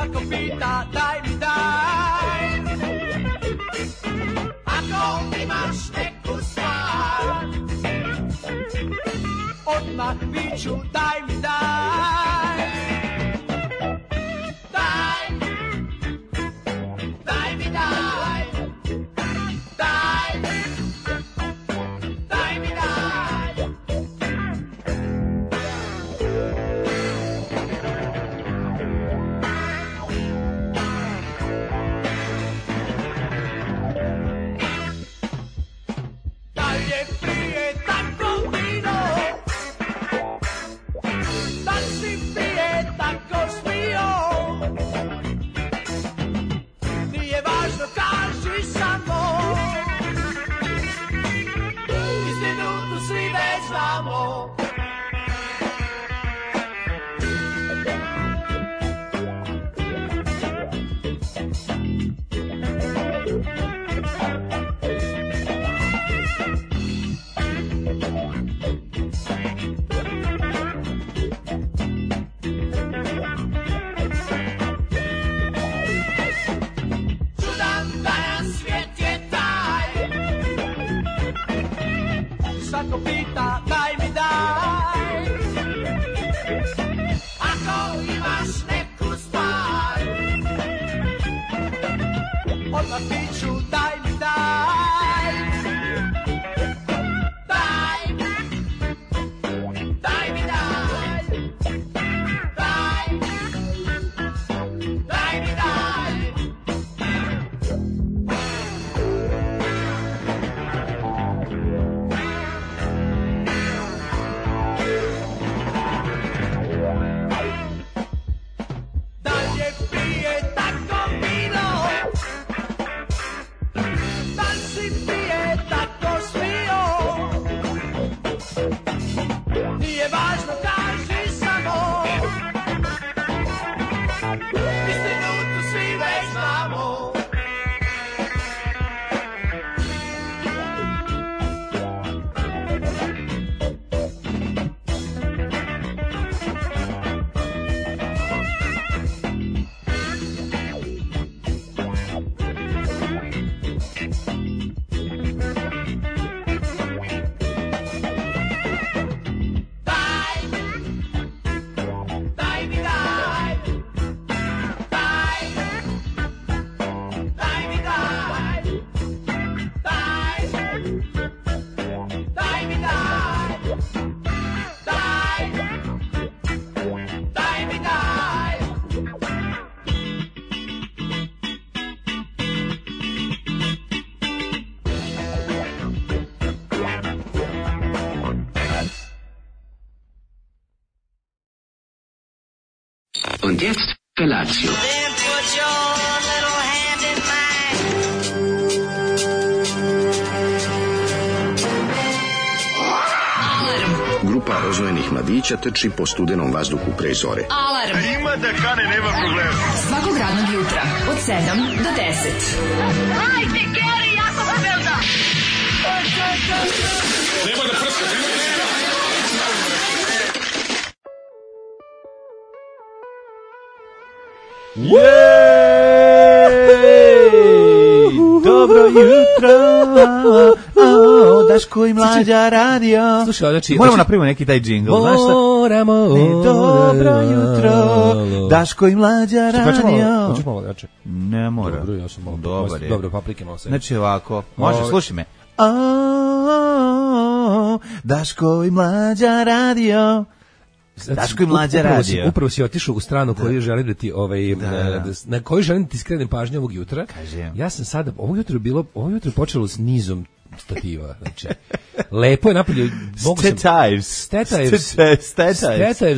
Svako pita daj mi daj. Ako imaš neku stvar, odmah viču daj mi daj. Daj, daj mi daj. Daj, daj mi daj. Da li je prije tako vino? Da li si prije tako smio? Nije važno, kaži samo. Istinu tu svi već znamo. Svako pita daj mi daj. Ako imaš neku stvar, odmah piću daj mi daj. Daj, daj mi daj. Daj, daj mi daj. Da li je prije tako vino? Da li si prije tako smio? Nije važno, kaži samo. Istinu tu svi već znamo. Daj, daj mi daj. Daj, daj mi daj. Daj, daj mi daj. Daj, daj mi daj. Und jetzt Felatio. Then put your little hand in mine. Grupa rozvojenih mladića trči po studenom vazduhu pre zore. Alarm. Ima da kane, nema problema. Svakog radnog jutra od 7 do 10. Hajde, Geri, jako se velda. Nema da prska, nema da prska. Dobro jutro, Daško i Mlađa radio. Slušaj, znači, moramo napraviti neki taj džingl, znaš šta? Moramo. Dobro jutro, Daško i Mlađa radio. Hoćeš malo jače? Ne mora. Dobro, ja sam malo. Dobar je. Dobro, paprike malo sve. Znači ovako, može, slušaj me. Daško i Mlađa radio. Daško i Mlađa radio. Upravo si otišao u stranu koju želim da ti na koju želim da ti skrenem pažnju ovog jutra. Kažem. Ja sam sada ovo jutro je počelo s nizom stativa, znači lepo je napolje. Statives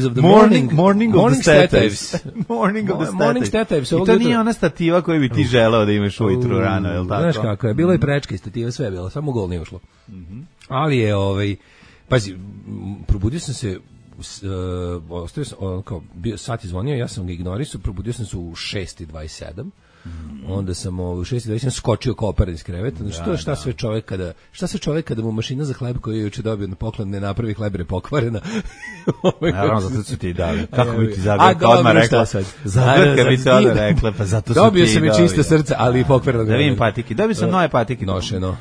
of the morning of the statives. Morning statives. I to nije ona stativa koju bi ti želeo da imaš ujutru rano, je li tako? Znaš kako je, bilo i prečke stativa, sve je bilo, samo gol nije ušlo. Ali je, pazi, probudio sam se, ostavio sam, kao, sat je zvonio, ja sam ga ignorisao, probudio sam se u 6:27. Onda sam u 6:20 skočio kao operen iz kreveta. Znači, šta sve čovjek kada mu mašina za hleb koju je juče dobio na poklon ne napravi hleb jer je pokvarena. Naravno, zato su ti dali. Kako bi ti Zagorka odmah rekla? Zagorka bi ti odmah rekla, pa zato su ti dobio sam i čista srca, ali i pokvareno. Da vidim patike. Dobio sam nove patike. Nošeno.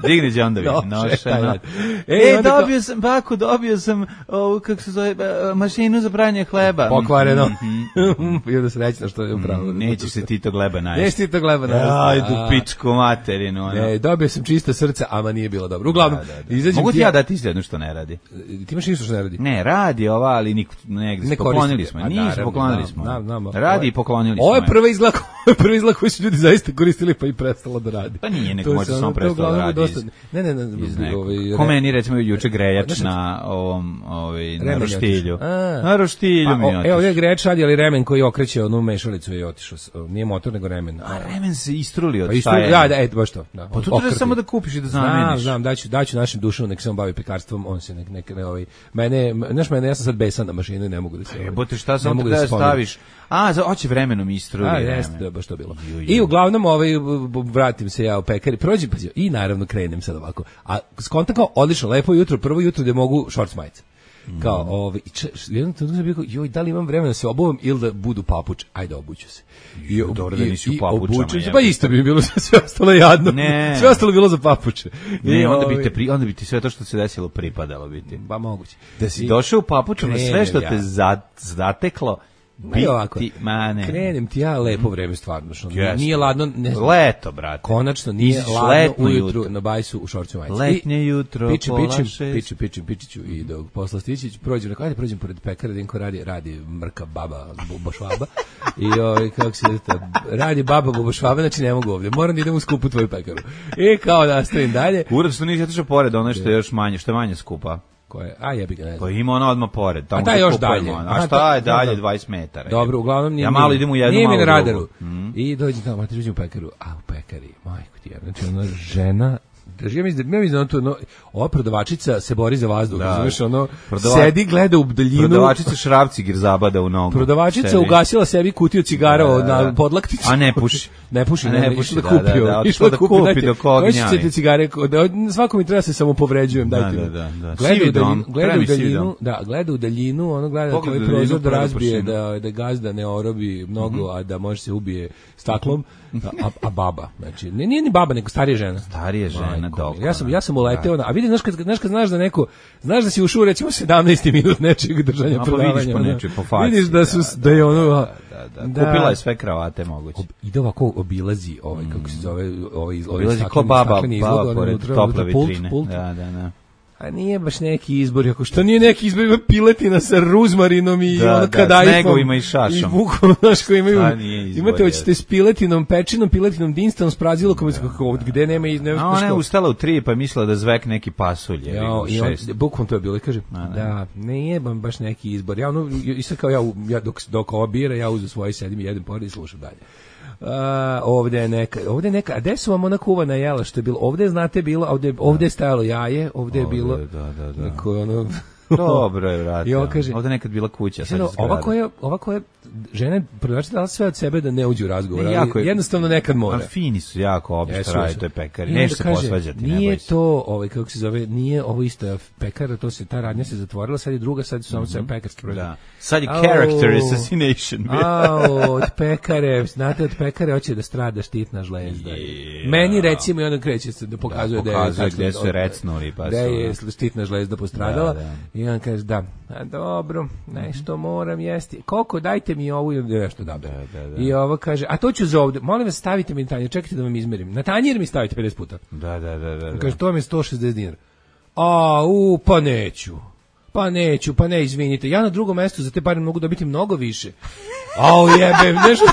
Digni Đondovi. Nošeno. Dobio sam ovu, kako se zove, mašinu za pranje hleba. Pokvareno. I onda srećno što je upravo. Nećeš se ti to gleba najesti. Nećeš ti to gleba najesti. Ajde, pičku materinu. Dobio sam čista srca, ama nije bilo dobro. Uglavnom, mogu ti ja dati jedno što ne radi? Ti imaš ništa što ne radi? Ne, radi ova, ali negdje poklonili smo. Nisu, poklonili smo. Radi i poklonili smo. Ovo je prvi izlak koji su ljudi zaista koristili pa i prestalo da radi. Pa nije, neko možda samo prestalo da radi. Ne. Ko meni, recimo, juče grejač na ovom, na roštilju. Na roštilju mi je otišao. Evo, ovdje grejač radi, ali remen koji okreće onu mešalicu je otišao. Nije motor, nego remen. A remen se istruli od šta je? Da, baš to. Pa to treba samo da kupiš i da zameniš. Znam, daću našem Dušanu, nek se on bavi pekarstvom, on se mene, ja sam sad besan na mašinu i ne mogu da se... Jebote, šta samo da staviš? Hoće vremenom istruli. Jeste, baš to bilo. I uglavnom, vratim se ja u pekari, prođem, i naravno krenem sad ovako. A skontam kao, odlično, lepo jutro, prvo jutro gde mogu šorc majice. Kao, jednom trenutku sam bio kao, joj, da li imam vremena da se obuvam ili da budu papuče? Ajde, obuću se. Dobro da nisi u papučama. Pa isto bi bilo sve ostalo jadno. Sve ostalo bilo za papuče. Ne, onda bi ti sve to što se desilo pripadalo biti. Pa moguće. Da si došao u papučama, sve što te zateklo, krenem ti ja lepo vreme stvarno. Nije ladno. Leto, brate. Konačno nije ladno ujutru na bajsu u šorcima majici. Letnje jutro, pola 6. Pičiću i dok posla stići, prođem pored pekara, Dinko radi mrka baba bubošvaba. I kako se radi baba bubošvaba, znači ne mogu ovdje. Moram da idem u skupu tvoju pekaru. I kao da nastavim dalje. Ured što nisi otišao pored, ono što je još manje, što je manje skupa. Jebi ga, ne znam. Pa ima ono odmah pored. A taj još dalje. A šta je dalje 20 metara? Dobro, uglavnom ja malo idem u jednu nije malu mi na radaru. I dođem tamo, dođem u pekaru. A u pekari, majko ti je. Znači ona žena, ja mislim da ova prodavačica se bori za vazduh, znaš, sedi, gleda u daljinu. Prodavačica šrafcigir zabada u nogu. Prodavačica ugasila sebi kutiju cigara na podlakticu. A ne puši. Išla da kupi dok ognjavi. Hoćete cigare, svako mi treba se samo povređujem, dajte mi. Gleda u daljinu, ono gleda tvoj prozor da razbije, da gazda ne orobi mnogo, a da može se ubije staklom. A baba, znači, nije ni baba, nego starija žena. Starija žena, dobro. Ja sam uleteo, a vidi, znaš kad znaš da neko, znaš da si ušao recimo 17. minut nečeg držanja predavanja. Vidiš da je ono... Kupila je sve kravate moguće. Ide ovako, obilazi, kako se zove, obilazi ko baba pored tople vitrine. Da. A nije baš neki izbor, ako što nije neki izbor, ima piletina sa ruzmarinom i kadajfom. Da, snegovima i šašom. I bukom, znaš, koji imaju, imate, hoćete s piletinom, pečinom, piletinom, dinstom, s prazilokom, gde nema i... A ona je ustala u 3 pa je mislila da zvek neki pasulj. Bukom to je bilo i kaže, da, nije baš neki izbor. Ja, isto kao ja, dok ova bira, ja uzem svoje, sedim i jedem pored i slušam dalje. Ovdje je neka, a gde su vam ona kuvana jela što je bilo, ovdje znate bilo, ovdje je stajalo jaje, ovdje je bilo neko ono... Dobro je, vrati. Ovdje nekad bila kuća. Ova koja žena prodavačica dala sve od sebe da ne uđe u razgovor, ali jednostavno nekad mora. A fini su jako obi što radi, to je pekari. Neće se posvađati. Nije to, kako se zove, nije ovo isto pekara, ta radnja se zatvorila, sad je druga, sad su samo sve pekarski proizvod. Sad je character assassination. Od pekare, znate, od pekare hoće da strada štitna žlezda. Meni recimo i onda kreće se da pokazuje gde su recnuli. Da je štitna žlezda postradala. I on kaže, dobro, nešto moram jesti. Koliko, dajte mi ovu ili nešto da. I ovo kaže, a to ću za ovdje, molim vas stavite mi na tanjir, čekajte da vam izmerim. Na tanjir mi stavite 50 puta. Da. Kaže, to vam je 160 dinara. Pa neću, izvinite. Ja na drugom mjestu za te pare mogu dobiti mnogo više. Jebe, nešto...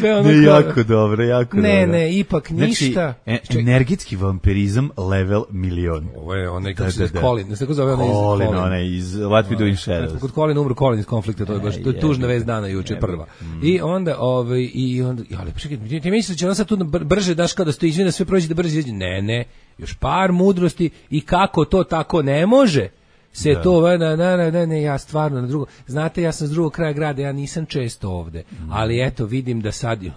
Sve ono jako dobro. Ne, ipak ništa. Znači, energetski vampirizam level 1.000.000. Ovo je onaj, kako se Colin, ne tako zove onaj iz What We Do in Shadows. Kod Colin umro Colin iz Konflikta, to je tužna vest dana juče prva. I onda, ali čekaj, ti misliš da će ona sad tu brže daš kao da se to izvine, sve prođe da brže izđe? Ne, još par mudrosti i kako to tako ne može. se to, ne, ja stvarno na drugo, znate, ja sam s drugog kraja grada, ja nisam često ovde, ali eto, vidim da sad, ja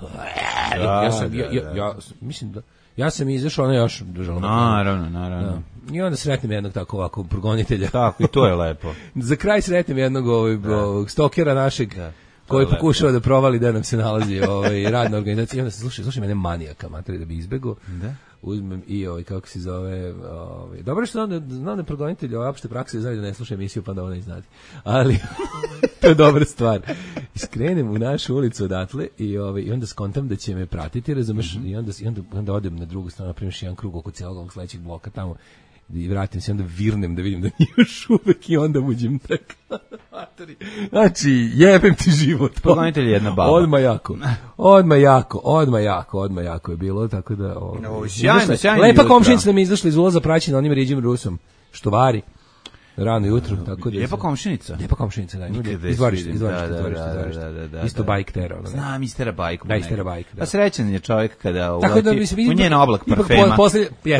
mislim da, ja sam izašao, ono još držalo. Naravno. I onda sretnem jednog tako ovako progonitelja. Tako, i to je lepo. Za kraj sretnem jednog ovog stokera našeg, koji pokušava da provali da nam se nalazi radna organizacija. I onda se slušaj mene manijaka, materi, da bi izbegao. Da. Uzmem i kako se zove, dobro što znam da progonitelj opšte prakse znaju da ne sluša emisiju, pa da ona iznati. Ali to je dobra stvar. Skrenem u našu ulicu odatle i onda skontam da će me pratiti, razumeš, i onda odem na drugu stranu, napravim jedan krug oko cijelog ovog sledećeg bloka tamo i vratim se, onda virnem da vidim da nije još uvek i onda uđem tako. Znači, jebem ti život. Progonitelj je jedna baba. Odmah jako je bilo, tako da... Sjajno. Lepa komšinica da mi izašla iz ulaza praćena onim Riđim Rusom, što vari. Rano jutro, tako da... Lijepa komšinica, da. Izvorište. Isto bajk tera. Znam, istera bajku. Da, istera bajk. Pa srećan je čovjek kada uleti u njen oblak parfema.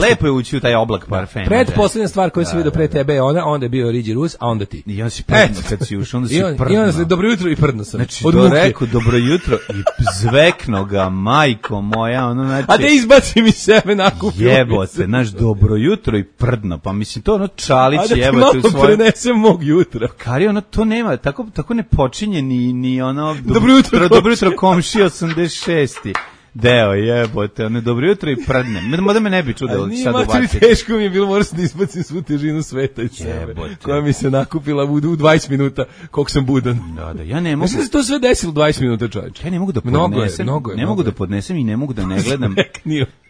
Lepo je ući u taj oblak parfema. Predposlednja stvar koju sam vidio pre tebe je ona, onda je bio Riđi Rus, a onda ti. I on si prdno kad si ušao, onda si prdno. I onda se dobro jutro i prdno sam. Znači, to rekao dobro jutro i zvekno ga, majko moja, ono znači... A da izbaci mi sebe nakupio. Jebote, naš dobro jutro i prdno, pa mislim to ono Čalić jebote u svoje... prenesem mog jutra. Kari, ono to nema, tako ne počinje ni ono... Dobro jutro komši 86. Deo, jebote, ono dobro jutro i prdnem. Da me ne bi čudilo da sad ubaciti. Nije teško mi je bilo, moram da izbacim svu težinu sveta iz sebe, koja mi se nakupila u 20 minuta, koliko sam budan. Da, ja ne mogu... Mislim da se to sve desilo 20 minuta, čovječe. Ja ne mogu da podnesem, ne mogu da podnesem i ne mogu da ne gledam...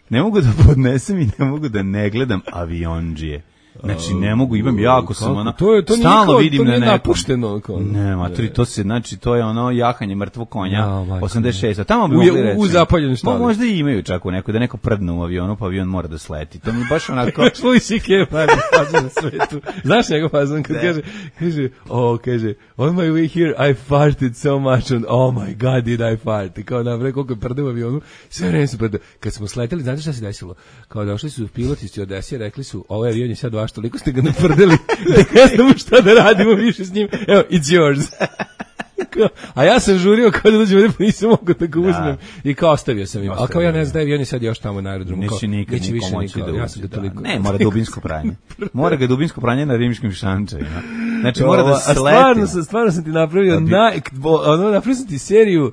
Ne mogu da podnesem i ne mogu da ne gledam aviondžije. Znači ne mogu, imam jako sam ono stalno vidim na napušteno ne, matri, to se znači to je ono jahanje mrtvog konja 86, a tamo bi mogli reći u zapaljenoj štali. Možda i imaju čak u neko da neko prdne u avionu, pa avion mora da sleti. To mi baš onako Louis C.K. fazon na svetu. Znaš njegov fazon kad kaže on my way here I farted so much and oh my god did I fart. I kao navrlo koliko prde u avionu, sve vreme se prde. Kad smo sleteli, znate šta se desilo? Kao došli su piloti iz Odese, rekli su ovaj avion je sad vaš, toliko ste ga natvrdili da ne znamo šta da radimo više s njim. Evo, it's yours. A ja sam žurio kao da dođe ovdje, pa nisam mogu da ga uzmem. I kao ostavio sam im. Ali kao ja ne znam, avion je sad još tamo na aerodromu. Neće nikad niko moći da uđe. Ne, mora dubinsko pranje. Mora ga dubinsko pranje na rimskim šančevima. Znači mora da se sleti. Stvarno sam ti napravio napravio sam ti seriju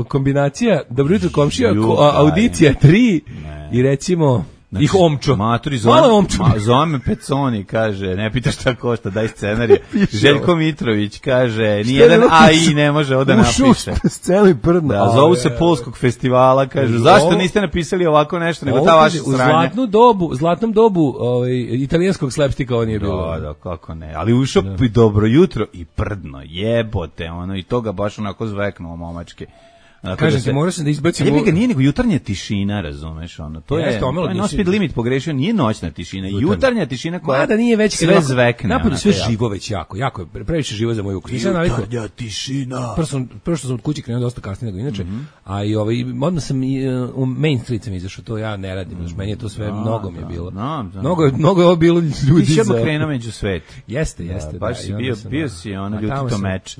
kombinacija Dobro jutro komšija, audicija 3 i recimo znači, ih omčo. Maturi zove Peconi, kaže, ne pitaš šta košta, daj scenarije. Željko Mitrović kaže, nijedan AI ne može ovdje napiše. Sceli prdno. Da, zovu se Polskog festivala, kažu, zašto niste napisali ovako nešto, nego ta vaša sranja. U zlatnom dobu italijanskog slapstika on je bilo. Da, kako ne, ali ušao i dobro jutro i prdno, jebote, ono, i toga baš onako zveknuo momačke. Kažem ti, moraš da izbacimo... Jebi ga, nije nego jutarnja tišina, razumeš, ono, to je no speed limit pogrešio, nije noćna tišina, jutarnja tišina koja da nije već sve zvekne. Napolju sve živo već jako je previše živo za moju ukus. Jutarnja tišina. Prvo što sam od kuće krenuo dosta kasnije nego inače, a i odmah sam u Main Street sam izašao, to ja ne radim, meni je to sve mnogo mi je bilo. Mnogo je ovo bilo ljudi za... Ti si krenuo među svet. Jeste. Baš si bio si ono ljutito meč.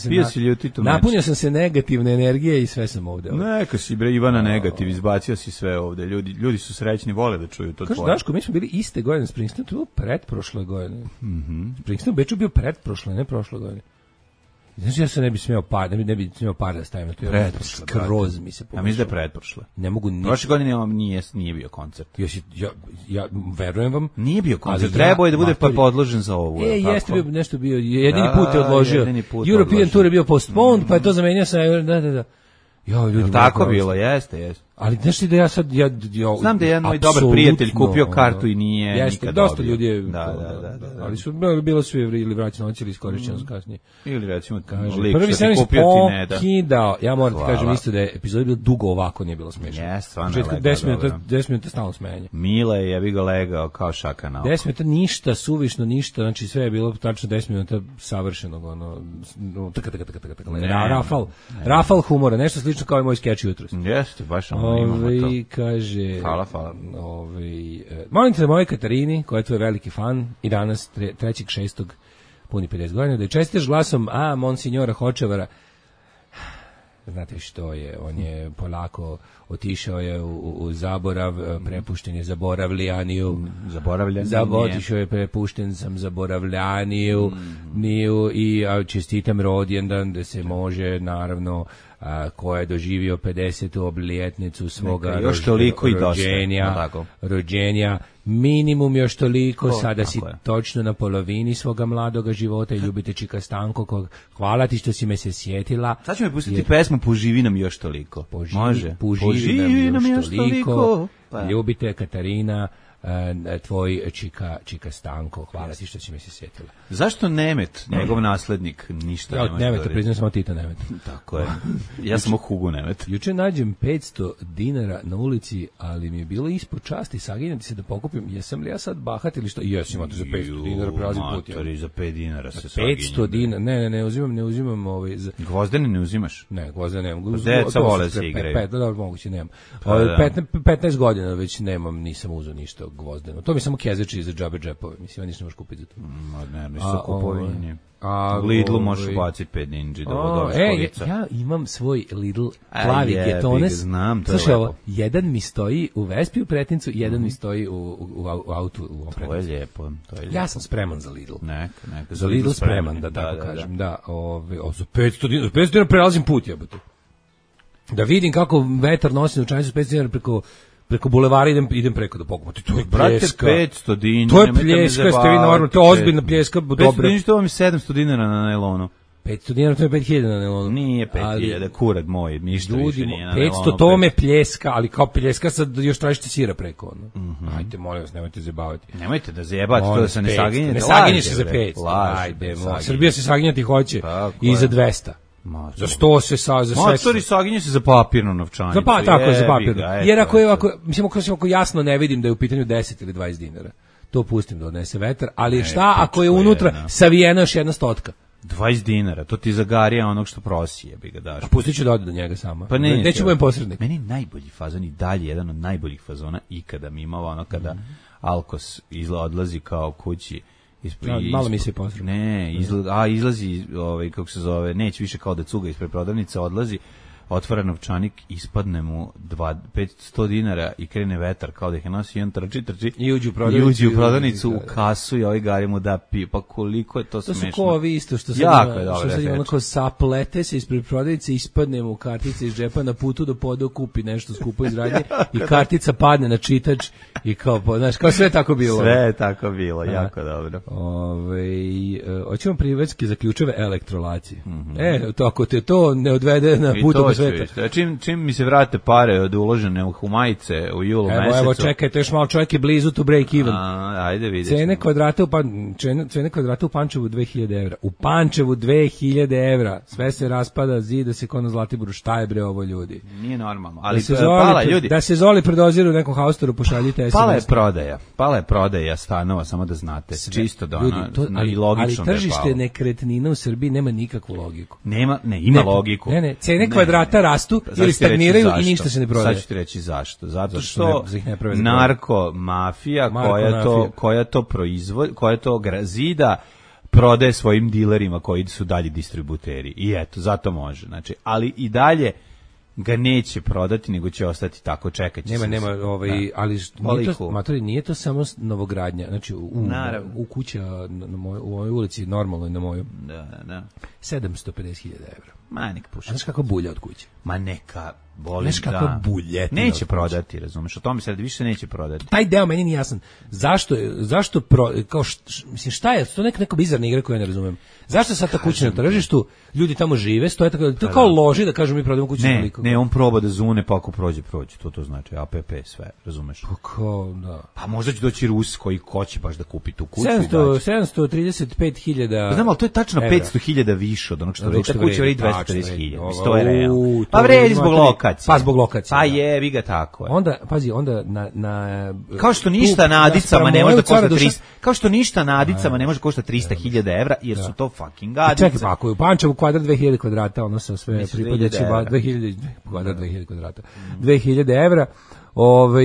Bio si ljutito meč. Napunio sam se negativne energije i sve sam ovde. Neka si bre Ivana negativ, izbacio si sve ovde. Ljudi su srećni, vole da čuju to tvoje. Kažu Daško, mi smo bili iste godine Springsteen, to je bilo pretprošle godine. Springsteen u Beču bio pretprošle, ne prošle godine. Znači ja se ne bi smeo par da stavim na to. Skroz mi se pomišljao. A mislim da je pretprošle. Ne mogu ni. Prošle godine nije bio koncert. Ja verujem vam. Nije bio koncert. Trebao je da bude podložen za ovo. Jeste bio nešto bio. Jedini put je odložio. European Tour je bio postponed, pa je to zamenio sa da. Jo, ljudi, tako bilo, jeste. Ali znaš ti da ja sad znam da je jedan moj dobar prijatelj kupio kartu i nije jeste, nikad dosta dobio. Ljudi je da. Ali su bilo su ili vraćeno ili iskorišćeno kasnije. Ili recimo prvi servis pokidao. Ja moram ti kažem isto da je epizoda bila dugo ovako, nije bilo smešno. Jeste, stvarno. 10 minuta stalno smejanje. Mile je bi ga legao kao šaka na oko. 10 minuta ništa, suvišno ništa, znači sve je bilo tačno 10 minuta savršenog, ono, Rafal humora, nešto slično kao i moj skeč jutros. Jeste, baš imamo to. Kaže, hvala. Molim te da moje Katarini, koja je tvoj veliki fan, i danas 3.6. puni 50 godina, da je čestitaš glasom Monsignora Hočevara. Znate što je, on je polako otišao je u zaborav, prepušten je zaboravljaniju. Otišao je, prepušten sam zaboravljaniju, i čestitam rođendan da se može, naravno, koja je doživio 50. obljetnicu svoga rođenja, minimum još toliko, sada si točno na polovini svoga mladoga života i ljubite Čika Stanko, hvala ti što si me se sjetila. Sad ću mi pustiti pesmu Poživi nam još toliko. Može. Poživi nam još toliko. Ljubite Katarina, tvoj Čika Stanko, hvala ti što si me se sjetila. Zašto Nemet, njegov naslednik, ništa nema? Nemeta, priznam samo Tita Nemet. Tako je. Ja sam Hugo Nemet. Juče nađem 500 dinara na ulici, ali mi je bilo ispod časti saginjati se da pokupim. Jesam li ja sad bahat ili što? Jesam, imate za 500 dinara prelazim put. Matori, za 5 dinara se saginjam. 500 dinara, ne uzimam Gvozdene ne uzimaš? Ne, gvozdene nemam. Deca vole se igraju. Dobro, moguće nemam. 15 godina već nemam, nisam uzeo ništa gvozdeno. To mi samo kezeči za džabe džepove. Mislim, ja ništa možeš kupiti za to. Ne, nisu kupovini. U Lidlu možeš baciti 5 ninđi. Ja imam svoj Lidl plavi getones. Znam, slušaj, ovo, jedan mi stoji u Vespi u Pretincu, jedan mi stoji u autu. To je lijepo. Ja sam spreman za Lidl. Neka. Za Lidl spreman, da tako kažem. Da, za 500 dinara prelazim put, jebote. Da vidim kako vetar nosi novčanicu s 500 dinara preko bulevara idem preko da pokupam. To je pljeska. 500 dinara. To je pljeska, ste vi normalno, to je ozbiljna pljeska. 500 dinara, to vam je 700 dinara na nailonu. 500 dinara, to je 5000 na nailonu. Nije 5000, kurad moj, ništa više nije na nailonu. 500, to me pljeska, ali kao pljeska sad još tražite sira preko. Ajde, molim vas, nemojte zajebavati. Nemojte da zajebavate, to da se ne saginjete. Ne saginješ se za 500. Ajde, Srbija se saginjati hoće i za 200. Za 100 se za sve. Matori saginje se za papirnu novčanicu. Tako je, za papirnu. Jer ako jasno ne vidim da je u pitanju 10 ili 20 dinara, to pustim da odnese vetar, ali šta ako je unutra savijena još jedna stotka? 20 dinara, to ti zagarija onog što prosi, jebi ga daš. A pustit ću da ode do njega sama. Pa neću budem posrednik. Meni najbolji fazon i dalje, jedan od najboljih fazona ikada mi imao ono kada Alkos odlazi kao kući. Malo mi se posredno. Ne, izlazi, kako se zove, neće više kao da cuga ispred prodavnice, odlazi, otvara novčanik, ispadne mu 500 dinara i krene vetar kao da ih je nosi i on trči i uđu u prodavnicu u kasu i ovaj gari mu da pije. Pa koliko je to smešno. To su ko ovi isto što sad ima onako saplete se ispred prodavnice, ispadne mu kartica iz džepa na putu do poda kupi nešto skupo iz radnje i kartica padne na čitač i kao, znaš, kao sve tako bilo. Sve je tako bilo, jako dobro. Hoćemo privatski za ključeve elektrolacije. To ako te to ne odvede na put do sveta. Čim mi se vrate pare od uložene u majice u julu mesecu. Evo, čekajte, još malo, čovjek je blizu to break even. Ajde, vidjet. Cene kvadrata u Pančevu 2000 evra. U Pančevu 2000 evra. Sve se raspada, zida se kod na Zlatiboru. Šta je bre ovo, ljudi? Nije normalno. Ali pala, ljudi. Da se Zoli predoziru u nekom haustoru, pošaljite SMS. Pala je prodaja stanova, samo da znate. Čisto da ono, i logično da je palo. Ali tržište nekretnina u Srbiji nema nikakvu logiku. Ima logiku. Cene kvadrata rastu ili stagniraju i ništa se ne prodaje. Sad ću ti reći zašto. Zato što narko mafija koja to proizvodi, koja to zida, prodaje svojim dilerima koji su dalji distributeri. I eto, zato može. Znači, ali i dalje ga neće prodati, nego će ostati tako, čekat će se. Ali nije to samo novogradnja, znači u kuća u ovoj ulici, normalno na moju. Da. 750.000 evra. Ma nek puši. Znaš kako bulja od kuće? Ma neka, znaš kako buljetina. Neće prodati, razumeš, o tome se radi, više neće prodati. Taj deo meni nije jasan. Zašto kao mislim, šta je, to neka bizarna igra koju ja ne razumem. Zašto sad ta kuća na tržištu, ljudi tamo žive, stoje tako, to kao loži da kažu mi prodajemo kuću na toliko. Ne, on proba da zune, pa ako prođe, to znači APP sve, razumeš? Kako, da. Pa možda će doći Rus koji hoće baš da kupi tu kuću. 735.000. Znam, ali to je tačno 500.000 više od onog što vredi. Ta kuća vredi 250.000. To je realno. Pa vredi zbog lokacije. Pa zbog lokacije. Pa jebi ga tako. Onda, pazi, onda na kao što ništa na Adicama ne može da košta 300. Kao što ništa na Adicama ne može koštati 300.000 evra, jer su to fucking Adice. Čekaj, pa ako je u Pančevu kvadrat 2000 kvadrata, ono sa sve pripadajućim 2000 kvadrat 2000 kvadrata. 2000 evra.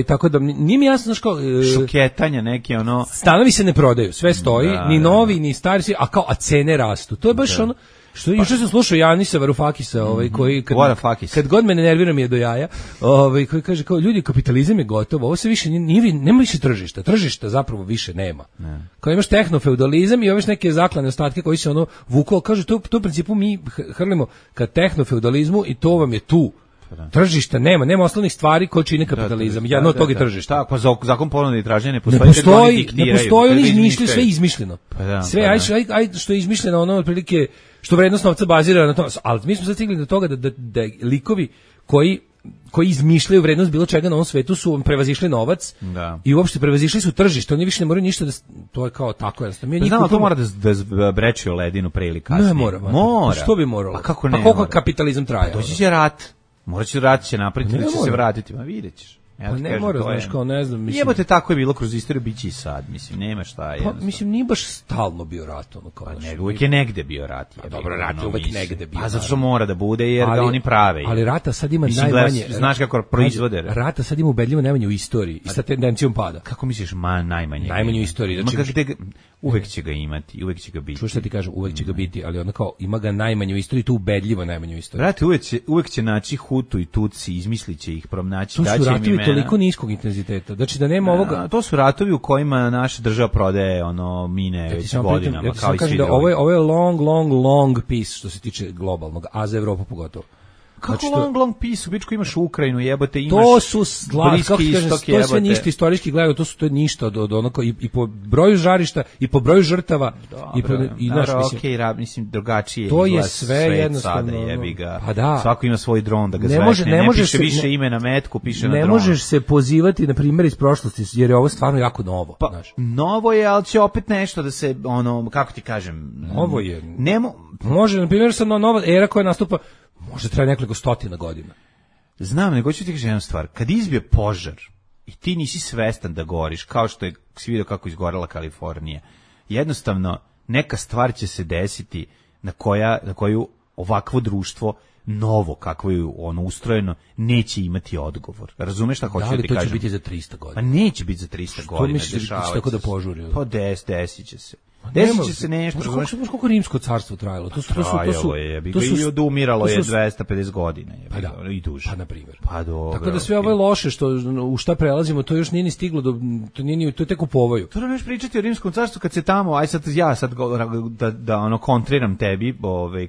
Tako da nije mi jasno što šoketanja neke ono stanovi se ne prodaju, sve stoji, ni novi ni stari, a cene rastu. To je baš ono što juče sam slušao Janisa Varufakisa, koji kad god me nervira mi je do jaja, koji kaže kao ljudi, kapitalizam je gotovo, ovo se više nema više tržišta zapravo više nema. Kao imaš tehnofeudalizam i ove neke zaklane ostatke koji se ono vuku, kaže to u principu mi hrlimo ka tehnofeudalizmu i to vam je tu. Tržišta nema osnovnih stvari koje čine kapitalizam. Jedno od toga je tržište. Pa zakon ponude i traženja ne postoji. Ne postoji, oni izmišljaju sve izmišljeno. Sve aj što je izmišljeno, ono otprilike što vrednost novca bazira na to. Ali mi smo sad stigli do toga da likovi koji izmišljaju vrednost bilo čega na ovom svetu su prevazišli novac i uopšte prevazišli su tržište. Oni više ne moraju ništa to je kao tako jednostavno. Znamo, to mora da breči o ledinu pre ili kasnije. Ne mora. Što bi moralo? Pa kako ne? Pa koliko kapitalizam traje? Doći će rat. Morat će rat će napraviti, da će se vratiti, ma vidjet ćeš. Pa ne mora, znaš, kao ne znam, mislim. Jebote, tako je bilo kroz istoriju, biće i sad, mislim, nema šta je. Pa, mislim, nije baš stalno bio rat, ono kao. Pa uvijek je negde bio rat. Pa dobro, rat je uvijek negde bio. Pa zato što mora da bude, jer ga oni prave. Ali rata sad ima najmanje. Znaš kako proizvode? Rata sad ima ubedljivo najmanje u istoriji i sa tendencijom pada. Kako misliš, najmanje? Najmanje u istoriji. Znači, uvek će ga imati, uvek će ga biti. Čuš šta ti kažem, uvek će ga biti, ali onda kao ima ga najmanje u istoriji, tu ubedljivo najmanje u istoriji. Brate, uvek će naći Hutu i Tutsi, izmisliće ih, pronaći, daće im imena. To su ratovi toliko niskog intenziteta. Znači da nema ovoga. To su ratovi u kojima naša država prodaje mine već godinama, kao i svi drugi. Ovo je long peace što se tiče globalnog, a za Evropu pogotovo. Kako znači, long peace, u bičku imaš Ukrajinu, jebote, imaš to su Bliski istok, to je sve ništa istorijski gledano, to je ništa od onako i po broju žarišta i po broju žrtava. Dobro, i naš mislim drugačije. To je sve jednostavno. Jebi ga. Pa da. Svako ima svoj dron da ga zvekne, ne piše više ime na metku, piše na dronu. Ne možeš se pozivati na primjer iz prošlosti, jer je ovo stvarno jako novo. Pa, novo je, ali će opet nešto da se, kako ti kažem, novo je. Može, na primjer, sad nova era koja nastupa, možda traje nekoliko stotina godina. Znam, nego ću ti kažem jednu stvar. Kad izbije požar i ti nisi svestan da goriš, kao što je si vidio kako izgorela Kalifornija, jednostavno neka stvar će se desiti na koju ovakvo društvo novo, kakvo je ustrojeno, neće imati odgovor. Razumeš šta hoću da ti kažem? Da li to će biti za 300 godina? Pa neće biti za 300 godina. Što misliš da tako da požuri? Pa desit će se. Desit će se nešto. Koliko rimsko carstvo trajalo? Trajalo je, i odumiralo je 250 godina. Pa da, i duže. Pa na primjer. Pa dobro. Tako da sve ovo je loše, u šta prelazimo, to još nije ni stiglo, to je tek u povoju. To nemaš pričati o rimskom carstvu kad se tamo, aj sad ja da kontriram tebi,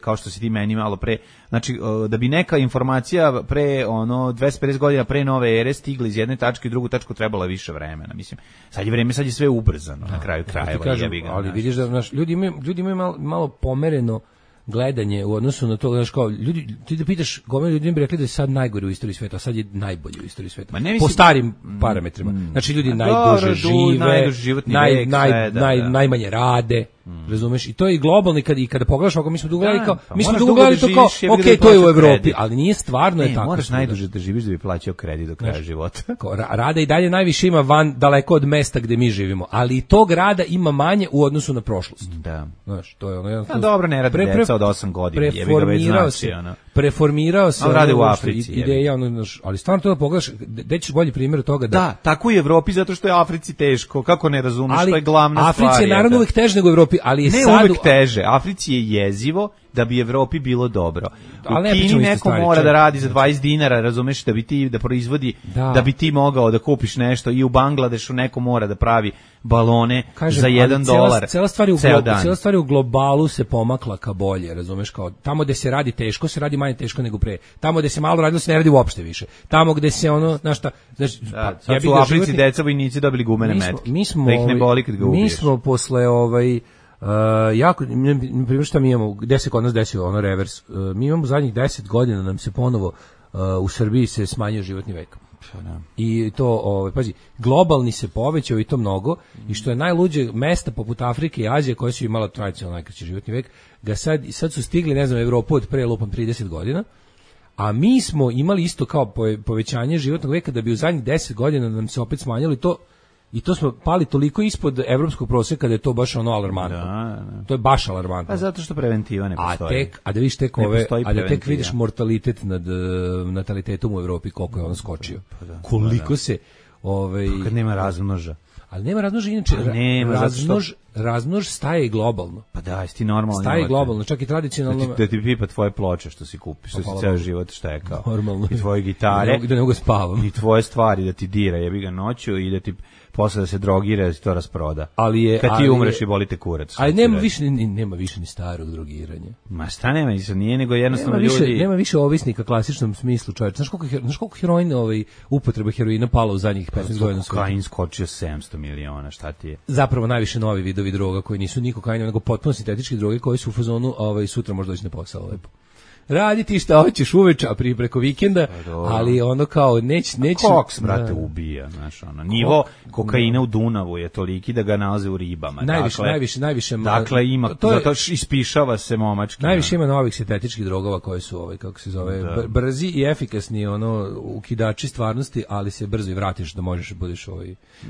kao što si ti meni malo pre, znači da bi neka informacija pre 250 godina pre nove ere stigla iz jedne tačke u drugu tačku trebalo više vremena. Mislim, sad je sve ubrzano na kraju krajeva. Ali vidiš da ljudi imaju malo pomereno gledanje u odnosu na to, znaš, kao ljudi, ti da pitaš, gomilu ljudi bi rekli da je sad najgori u istoriji sveta, a sad je najbolji u istoriji sveta. Po starim parametrima. Znači ljudi najduže žive, najmanje rade, razumeš? I to je i globalni, kada pogledaš, ako mi smo dugo gledali to kao, okej, to je u Evropi, ali nije stvarno je tako. Moraš najduže da živiš da bi plaćao kredit do kraja života. Rada i dalje najviše ima daleko od mesta gde mi živimo, ali i tog rada ima manje u odnosu na prošlost. Da. Znaš, to je ono. Dobro, ne radi deca od 8 godina, jebi ga već znači. Preformirao se. Radi u Africi. Ideja, ali stvarno to da pogledaš, gde ćeš bolji primjer toga da... Da, tako i u Evropi, zato što je Africi teško. Kako ne razumeš, to je glavna stvar. Africi je naravno uvek teže nego u Evropi, ali je sad... Ne uvek teže, Africi je jezivo da bi Evropi bilo dobro. U Kini neko mora da radi za 20 dinara, razumeš, da proizvodi, da bi ti mogao da kupiš nešto, i u Bangladešu neko mora da pravi balone za $1 cela stvar u globalu se pomakla ka bolje, razumeš, kao tamo gde se radi teško, se radi manje teško nego pre. Tamo gde se malo radilo se ne radi uopšte više. Tamo gde se znaš šta, sad su u Africi deca vojnici dobili gumene metke. Da ih ne boli kad ga ubiješ. Mi smo posle jako, na primjer šta mi imamo, gde se kod nas desio revers, mi imamo zadnjih 10 godina nam se ponovo u Srbiji se smanjio životni vek. I to, pazi, globalni se povećao i to mnogo, i što je najluđe, mesta poput Afrike i Azije koje su imala tradicionalno najkraći životni vek, sad su stigli, ne znam, Evropu od pre lupom 30 godina, A mi smo imali isto kao povećanje životnog veka da bi u zadnjih 10 godina nam se opet smanjilo i to smo pali toliko ispod evropskog proseka da je to baš ono alarmantno. Da. To je baš alarmantno. Pa zato što preventiva ne postoji. A da vidiš tek vidiš mortalitet nad natalitetom u Evropi koliko je on skočio. Koliko se kad nema razmnoža. Ali nema razmnoža inače. Razmnož staje i globalno. Pa da, jesi ti normalno. Staje globalno, čak i tradicionalno. Da ti pipa tvoje ploče što si kupiš, što si ceo život štekao. Normalno. I tvoje gitare. Da ne mogu spavam. I tvoje stvari da ti dira, jebi ga noću i da ti posle da se drogira, da se to rasproda. Kad ti umreš i boli te kurac. Ali nema više ni starog drogiranja. Ma šta nema, nije nego jednostavno ljudi. Nema više ovisnika u klasičnom smislu, čoveče. Znaš koliko heroina, upotreba heroina pala u zadnjih 15 godina? Kokain skočio 700 miliona, šta ti je? Zapravo najviše novi vidovi droga koji nisu ni kokain, nego potpuno sintetičke droge koje su u fazonu sutra možda doći na posao lepo. Radi ti šta hoćeš uveče, a preko vikenda, ali ono kao neće... Koks, brate, ubija, znaš, ono. Nivo kokaina u Dunavu je toliki da ga nalaze u ribama. Najviše. Dakle, ima, zato ispišava se momački. Najviše ima novih sintetičkih drogova koji su, kako se zove, brzi i efikasni, ukidači stvarnosti, ali se brzo i vratiš da možeš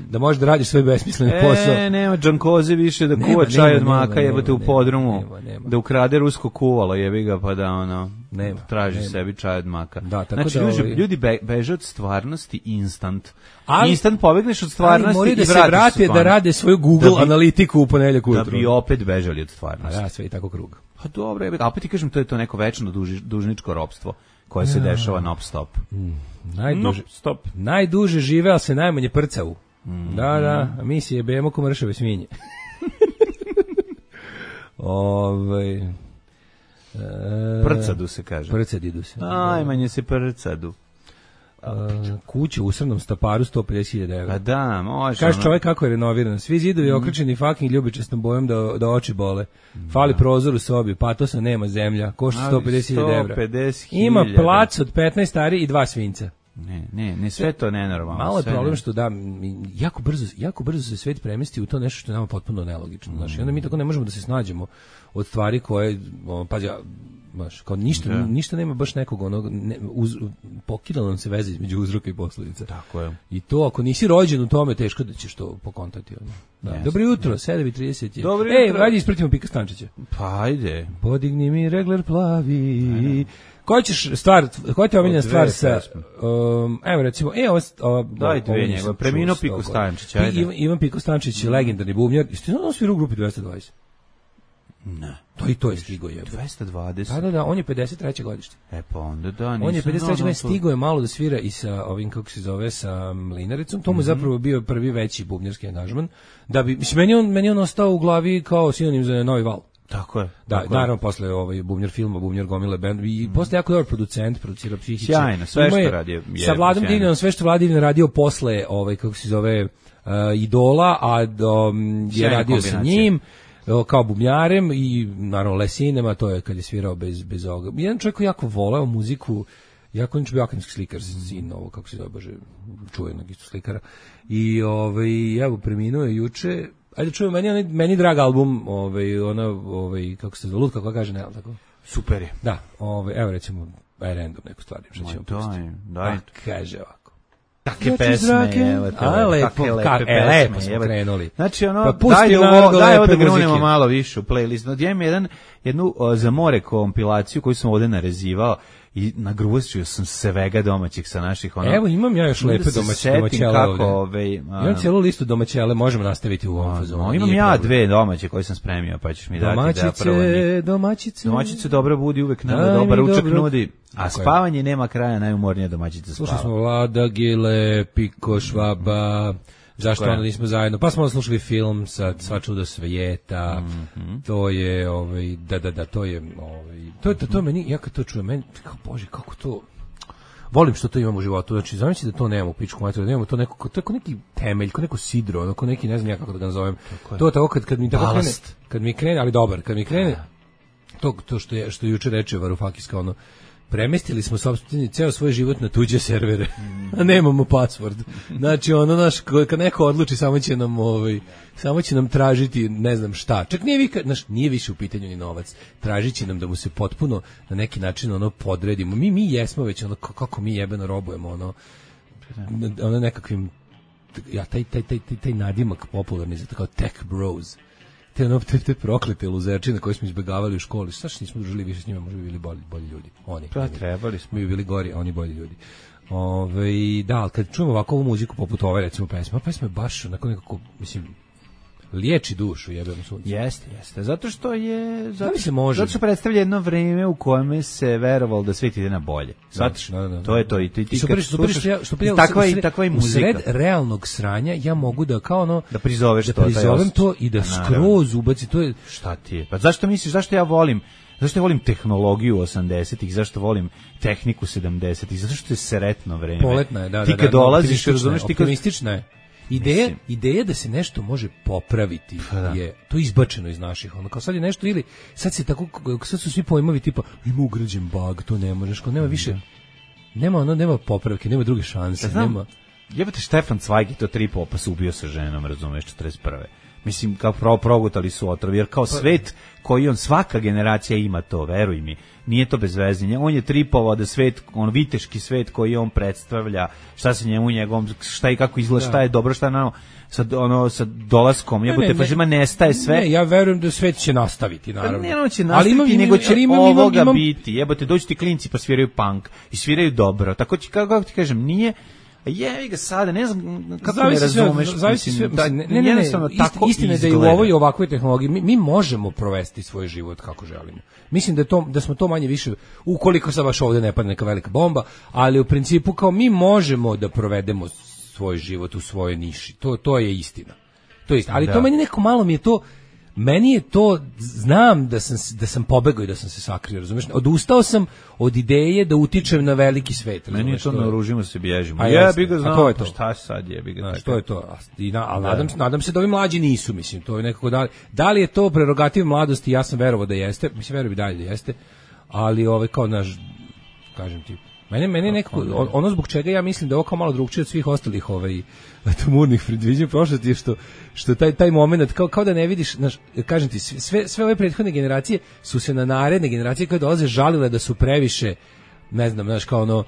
da možeš da radiš svoj besmisleni posao. Nema Džankoze više da kuva čaj od maka, jebate u podrumu, da ukrade rusko kuvalo, jebi ga, pa da traži sebi čaj od maka. Da, tako znači, ljudi beže od stvarnosti instant. Instant pobegneš od stvarnosti i vratiš se. Da se vrate da rade svoju Google analitiku u ponedeljak ujutru. Da bi opet bežali od stvarnosti. Da, sve i tako krug. Pa dobro, a opet ti kažem, to je to neko večno dužničko ropstvo koje se dešava non-stop. Najduže žive, ali se najmanje prcavu. Da, a mi si jebemo ko mršave svinje. Prcadu se kaže. Prcadidu se. Najmanje se prcadu. Kuća u usrnom Staparu 150.000 evra. Pa da, može. Kaže čovjek kako je renoviran. Svi zidovi okrečeni fucking ljubičastom bojom da oči bole. Fali prozor u sobi, patosa nema zemlja. Košta 150.000 evra. Ima plac od 15 ari i 2 svinca. Ne, sve to nenormalno. Malo je problem što jako brzo se svet premesti u to nešto što je nama potpuno nelogično. Znači, onda mi tako ne možemo da se snađemo od stvari koje, kao ništa nema baš nekog pokidala nam se veza između uzroka i posledica. Tako je. I to ako nisi rođen u tome, teško da ćeš to pokontati. Dobro jutro, 7:30. Dobro jutro. Ajde ispratimo Pika Stančića. Pa ajde. Podigni mi regler plavi. Koja ti je omiljena stvar sa... evo recimo, dajte vi njega, preminuo Piko Stančić, ajde. Ivan Piko Stančić, legendarni bubnjar. Jeste ono svirao u grupi 220? Ne. To je stigo je. 220? Da, on je 53. godište. Pa onda da, nisam... On je 53. godište, stigo je malo da svira i sa ovim, kako se zove, sa Mlinaricom. To mu je zapravo bio prvi veći bubnjarski angažman. Da bi, meni on ostao u glavi kao sinonim za Novi val. Tako je. Da, naravno posle bubnjar filma, bubnjar gomile band i posle jako dobar producent, producira Psihiće. Sjajno, sve što radi. Sa Vladom Divljanom, sve što Vlada Divljan radio posle, kako se zove, Idola, a je radio sa njim kao bubnjarem i naravno Lesinema, to je kad je svirao bez ovoga. Jedan čovjek koji jako voleo muziku, jako on je bio akademski slikar, sin ovo, kako se zove, bože, čuvenog isto slikara. I evo, preminuo je juče. Ajde čujem, meni drag album, kako se zove, Lutka koja kaže, ne, tako? Super je. Da, evo recimo, random neku stvar, što ćemo pustiti. Daj. Kaže ovako. Takve pesme, evo te. Lepo smo krenuli. Znači, daj ovo da grunemo malo više u playlist. Ja imam jednu za more kompilaciju koju sam ovde narezivao i nagrusio sam svega domaćih sa naših Evo imam ja još lepe domaćele ovde. Imam cijelu listu domaćele, možemo nastaviti u ovom fazonu. Imam ja 2 domaće koje sam spremio, pa ćeš mi dati da prvo njih. Domaćice dobro budi, uvek nama dobar ručak nudi, a spavanje nema kraja, najumornija domaćica spava. Slušali smo Vlada Gile, Piko Švaba, zašto onda nismo zajedno, pa smo slušali film sa Sva čuda svijeta, to je, to je, to meni, ja kad to čujem, meni, bože, kako to, volim što to imam u životu, znači, zamisli da to nemamo u pičku materiju, da nemamo to neko, to je kao neki temelj, kao neko sidro, kao neki, ne znam ja kako da ga nazovem, to je tako kad mi tako krene, ali dobar, kad mi krene, to što je juče reče Varoufakis, kao ono, premestili smo ceo svoj život na tuđe servere, a nemamo password. Znači, ono, naš, kad neko odluči, samo će nam tražiti, ne znam šta. Čak nije više u pitanju ni novac. Tražit će nam da mu se potpuno na neki način ono podredimo. Mi jesmo već ono, kako mi jebeno robujemo, ono nekakvim, taj nadimak popularni, zato kao tech bros. Te proklete luzerčine koje smo izbegavali u školi, šta što nismo družili više s njima, možda bi bili bolji ljudi. Oni. Pa trebali smo. Mi bi bili gori, a oni bolji ljudi. Da, ali kad čujemo ovako ovu muziku poput ove, recimo pesma je baš onako nekako, mislim, liječi dušu, jebem sunce. Jeste. Zato što je... Zato što predstavlja jedno vreme u kojem se verovalo da svijet ide na bolje. Da. To je to. I ti takva i muzika. U sred realnog sranja ja mogu da kao ono... Da prizoveš to. Da prizovem to i da skroz ubaci. To je... Šta ti je? Pa zašto misliš, zašto ja volim tehnologiju 80-ih, zašto volim tehniku 70-ih, zato što je sretno vreme. Poletna je, da. Ti kad dolaziš, razumeš, optimistična je. Ideja da se nešto može popraviti je to izbačeno iz naših, ono kao sad je nešto ili sad su svi pojmovi tipa ima ugrađen bug, to ne možeš, kao nema više, nema popravke, nema druge šanse, nema. Jebate, Štefan Cvajg je to 3 popa se ubio sa ženom, razumeš, 41. Mislim, kao progutali su otrov, jer kao svet koji on, svaka generacija ima to, veruj mi, nije to bez vezinja. On je tripovao da svet, viteški svet koji on predstavlja, šta se njemu, njegovom, šta i kako izgleda, šta je dobro, šta je sa dolaskom, jebote, fašizma nestaje sve. Ne, ja verujem da svet će nastaviti, naravno. Pa ne, će nastaviti, nego će ovoga biti. Jebote, dođu ti klinci pa sviraju punk i sviraju dobro. Tako će, kako ti kažem, nije... Jevi ga sada, ne znam kako ne razumeš. Istina je da i u ovoj ovakvoj tehnologiji mi možemo provesti svoj život kako želimo. Mislim da smo to manje više, ukoliko sad baš ovdje ne padne neka velika bomba, ali u principu kao mi možemo da provedemo svoj život u svojoj niši. To je istina. To je istina. Ali to meni je to, znam da sam pobegao i da sam se sakrio, razumiješ? Odustao sam od ideje da utičem na veliki svet. Meni je to naoružimo se bježimo. Jebi ga, znam, to je to. Šta sad jebi ga? Što je to? Ali nadam se da ovi mlađi nisu, mislim, to je nekako da li je to prerogativ mladosti, ja sam verovao da jeste, mislim, verujem i dalje da jeste, ali kao naš, kažem ti, mene nekako, ono zbog čega ja mislim da je ovo kao malo drugčije od svih ostalih tumurnih predviđanja prošlosti je što taj moment, kao da ne vidiš, kažem ti, sve ove prethodne generacije su se na naredne generacije koje dolaze žalile da su previše, ne znam, kao ono,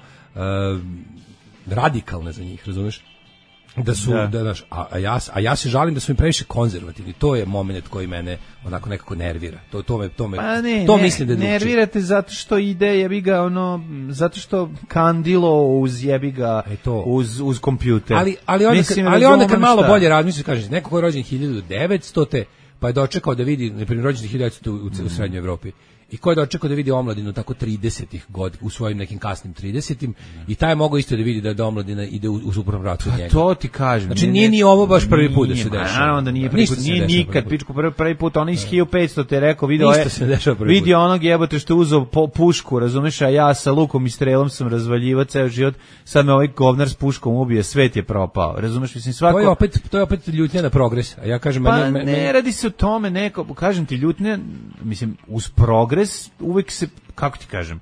radikalne za njih, razumeš? Da su, a ja se žalim da su mi previše konzervativni. To je moment koji mene onako nekako nervira. To mislim da je nervirate zato što ide jebiga zato što kandilo uz jebiga uz kompjuter. Ali onda kad malo bolje razmisliš, kažeš, neko ko je rođen 1900 pa je dočekao da vidi, na primjer, rođen 1900 u Srednjoj Evropi. I ko je dočekao da vidi omladinu tako 30-ih godina, u svojim nekim kasnim 30-im, i taj je mogao isto da vidi da omladina ide u suprotnom pravcu od njega. To ti kažem. Znači nije ni ovo baš prvi put da se dešava. Naravno da nije prvi put, nije nikad, pičku prvi put, on iz 1500 te rekao, vidio onog jebote što je uzeo pušku, razumeš, a ja sa lukom i strelom sam razvaljivao ceo život, sad me ovaj govnar s puškom ubije, svet je propao, razumeš, mislim svako... To je opet ljutnja na progres, a ja kažem... Pa ne radi se o tome, kažem ti, ljutnja, mislim, uz progres uvek se, kako ti kažem,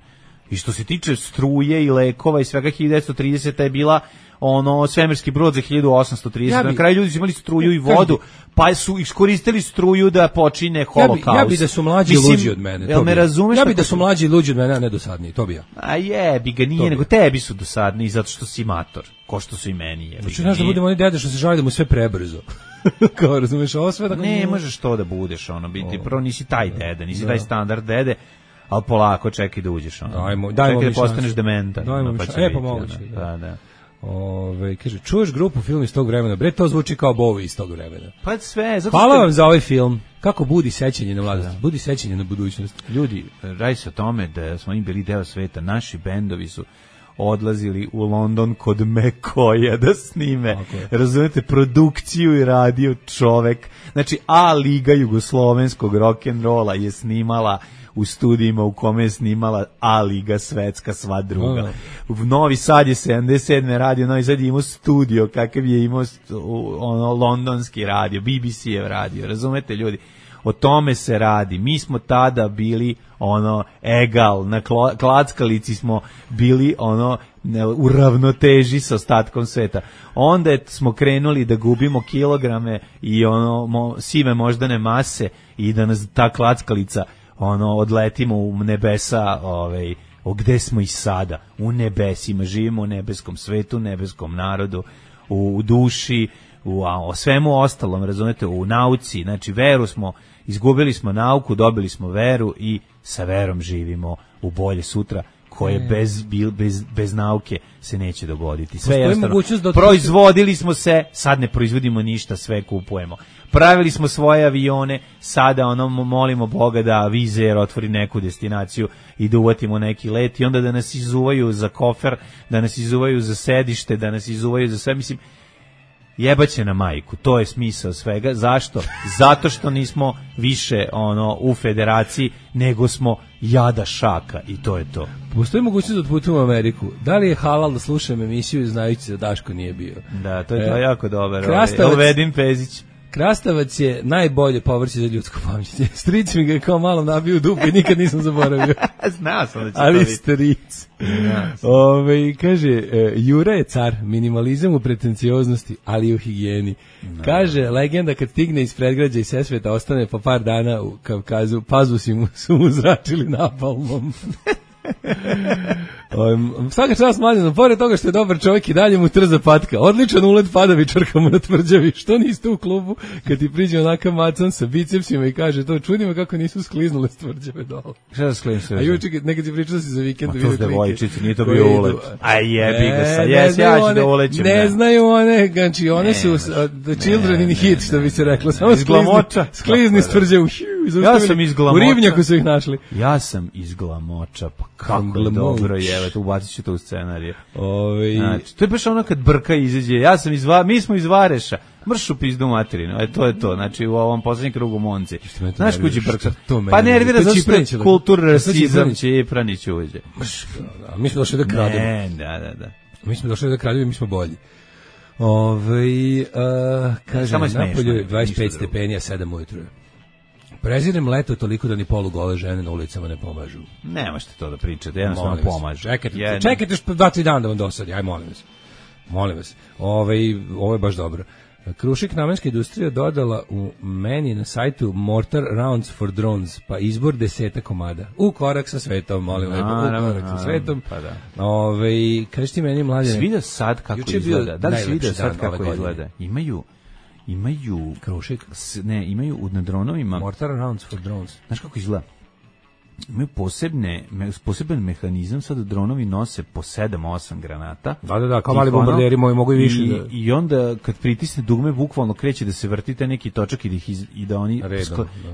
i što se tiče struje i lekova i svega, 1930 je bila svemirski brod za 1830. Na kraju ljudi su imali struju i vodu, pa su iskoristili struju da počine holokaust. Ja bi da su mlađi luđi od mene. Jel me razumeš? Ja bi da su mlađi luđi od mene, a ne dosadniji, to bi ja. A jebi ga, nije, nego tebi su dosadniji zato što si mator, ko što su i meni. Znaš da budemo oni dede što se žali da mu sve prebrzo. Kao, razumeš, ovo sve tako... Ne, možeš to da budeš, biti, prvo nisi taj dede, nisi taj standard dede, ali polako čekaj da uđeš, čekaj da postaneš dementan. Pa moguće. Da. Kaže, čuješ grupu film iz tog vremena, bre, to zvuči kao Bowie iz tog vremena. Pa sve, hvala vam za ovaj film. Kako budi sećanje na mladost, budi sećanje na budućnost. Ljudi, radi se o tome da smo im bili deo sveta, naši bendovi su odlazili u London kod McCoya da snime, razumete, produkciju i radio čovek. Znači, A liga jugoslovenskog rock'n'rolla je snimala u studijima u kome je snimala A liga svetska sva druga. U Novi Sad je 77. radio, Novi Sad je imao studio kakav je imao londonski radio, BBC-ev radio, razumete ljudi? O tome se radi. Mi smo tada bili ono egal, na klackalici smo bili ono u ravnoteži sa ostatkom sveta. Onda smo krenuli da gubimo kilograme i ono sive moždane mase i da nas ta klackalica ono odletimo u nebesa, gde smo i sada, u nebesima, živimo u nebeskom svetu, nebeskom narodu, u duši, o svemu ostalom, razumete, u nauci, znači veru smo, izgubili smo nauku, dobili smo veru i sa verom živimo u bolje sutra, koje bez nauke se neće dogoditi. Sve jednostavno, proizvodili smo se, sad ne proizvodimo ništa, sve kupujemo. Pravili smo svoje avione, sada molimo Boga da Wizz Air otvori neku destinaciju i da uvatimo neki let i onda da nas izuvaju za kofer, da nas izuvaju za sedište, da nas izuvaju za sve, mislim, jebaće na majku, to je smisao svega. Zašto? Zato što nismo više u federaciji, nego smo jada šaka i to je to. Postoji mogućnost da otputujemo u Ameriku. Da li je halal da slušam emisiju znajući da Daško nije bio? Da, to je jako dobro. Vedim Pezić. Krastavac je najbolje povrće za ljudsko pamćenje. Stric mi ga je kao malo nabio u dupe i nikad nisam zaboravio. Znao sam da će ali stric. Kaže, Jura je car, minimalizam u pretencioznosti, ali i u higijeni. Kaže, legenda kad stigne iz predgrađa i Sesveta ostane po par dana u Kavkazu, pazusi su mu zračili napalmom. Svaka čast Mlađanu, pored toga što je dobar čovjek i dalje mu trza patka. Odličan ulet padavičarka mu na tvrđavi. Što niste u klubu kad ti priđe onakav macan sa bicepsima i kaže to, čudi me kako nisu skliznule s tvrđave dole. Šta da skliznu? A juče nekad ti pričao si za vikend. Ma to s devojčice, nije to bio ulet. A jebi ga sa, ja ću da ulećem. Ne znaju one, znači one su the children in hit, što bi se reklo. Samo sklizni s tvrđave. Ja sam iz Glamoča. U Rivnjaku su ih našli. Ja sam iz Glamoča, pa kako je dobro je, tu ubacit ću to u scenariju. Znači, to je baš ono kad brka izađe, mi smo iz Vareša, mršu pizdu materinu, to je to, znači u ovom poslednjem krugu Monci. Znaš kući brka? Pa nervira, zato što je kulturasizam Čepranić uđe. Mi smo došli da krademo. Da. Mi smo došli da krademo i mi smo bolji. Kaže, napolju je 25 stepeni, a 7 ujutru. Prezirem leto toliko da ni polugole žene na ulicama ne pomažu. Ne možete to da pričate, jednostavno pomažu. Čekajte još 2-3 dana da vam dosadi, aj molim vas. Ovo je baš dobro. Krušik namenska industrija dodala u meni na sajtu Mortar Rounds for Drones, pa izbor 10 komada. U korak sa svetom, molim lepo, u korak sa svetom. Pa da. Kažeš ti meni, Mlađane? Si vidio sad kako izgleda? Da li si vidio sad kako izgleda? Imaju Krušik? Ne, imaju na dronovima. Mortar Rounds for Drones. Znaš kako izgleda? Imaju poseban mehanizam, sad dronovi nose po 7-8 granata. Da, kao mali bombarderi mogu i više. I onda kad pritisne dugme, bukvalno kreće da se vrti taj neki točak i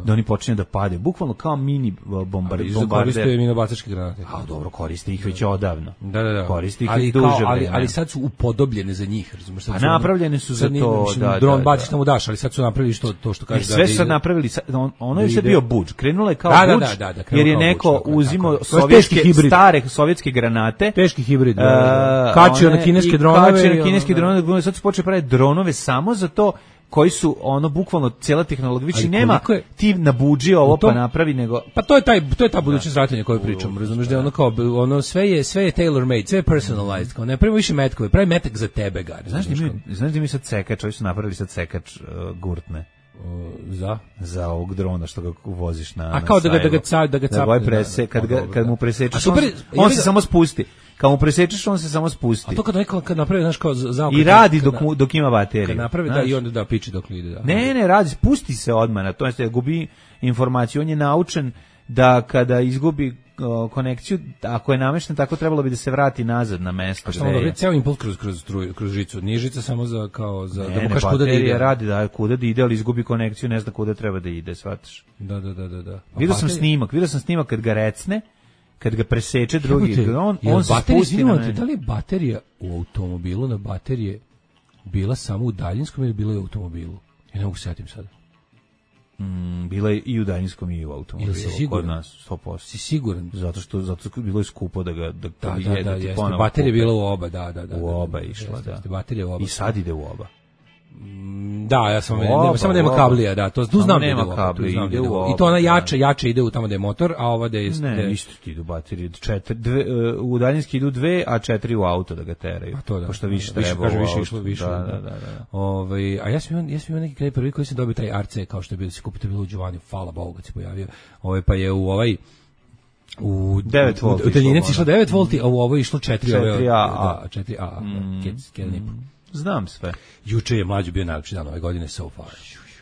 da oni počinju da pade. Bukvalno kao mini bombarder. Koriste minobacačke granate. A dobro, koriste ih već odavno. Da. Koriste ih duže vreme. Ali sad su upodobljene za njih, razumiješ? A napravljene su za to, da. Dron baciš tamo daš, ali sad su napravili to što kaže. Sve su napravili, ono je sve bio budž. Krenulo je kao budž, jer je neko uzimao stare sovjetske granate, teški hibrid, kačio na kineske dronove, sad su počeli praviti dronove samo za to, koji su bukvalno cijela tehnologija, više nema ti na budži ovo pa napravi, nego pa to je ta budućnost ratanja koju pričamo, razumeš, da je kao sve je tailor made, sve je personalized, kao ne pravi više metkove, pravi metak za tebe, ga. Znaš da mi sad sekač, oni su napravili sad sekač gurtne. Za ovog drona što ga voziš na kao da ga capne, kad mu presečeš on se samo spusti. Kad mu presečeš on se samo spusti. A to kad napravi, znaš, kao zaokret. I radi dok ima bateriju. Kad napravi, da, i onda piči dok ide. Da. Ne, radi, spusti se odmah na to, znači gubi informaciju. On je naučen da kada izgubi konekciju, ako je namešten, tako trebalo bi da se vrati nazad na mesto. Što onda ceo impuls kroz žicu, nije žica samo da mu kaš kuda da ide. Radi da kuda da ide, ali izgubi konekciju, ne zna kuda treba da ide, shvataš? Da. Vidio sam snimak kad ga recne, kad ga preseče drugi dron, on se spusti na mene. Da li je baterija u automobilu na baterije bila samo u daljinskom ili bila je u automobilu? Ja ne mogu setim sada. Bila je i u daljinskom i u automobilu. Kod nas, 100%. Si siguran? Zato što bilo je skupo da jeste. Baterija je bila u oba, da. U oba išla, da. Baterija u oba. I sad ide u oba. Da, ja sam samo nema kablija, da, to tu znam nema da kabli, ide u i to ona jače ide u tamo da je motor, a ova da je ne, isto ti idu baterije, u daljinski idu 2, a 4 u auto da ga teraju. To da. Pošto više treba. Više. Da. A ja sam imao neki kraj prvi koji sam dobio taj RC kao što je bilo se kupiti bilo u Giovanni, hvala Bogu kad se pojavio. Pa je u u 9 volti. U daljinici išlo 9 volti, a u ovo je išlo 4A. 4A. Znam sve. Juče je mlađi bio najlepši dan ove godine so far.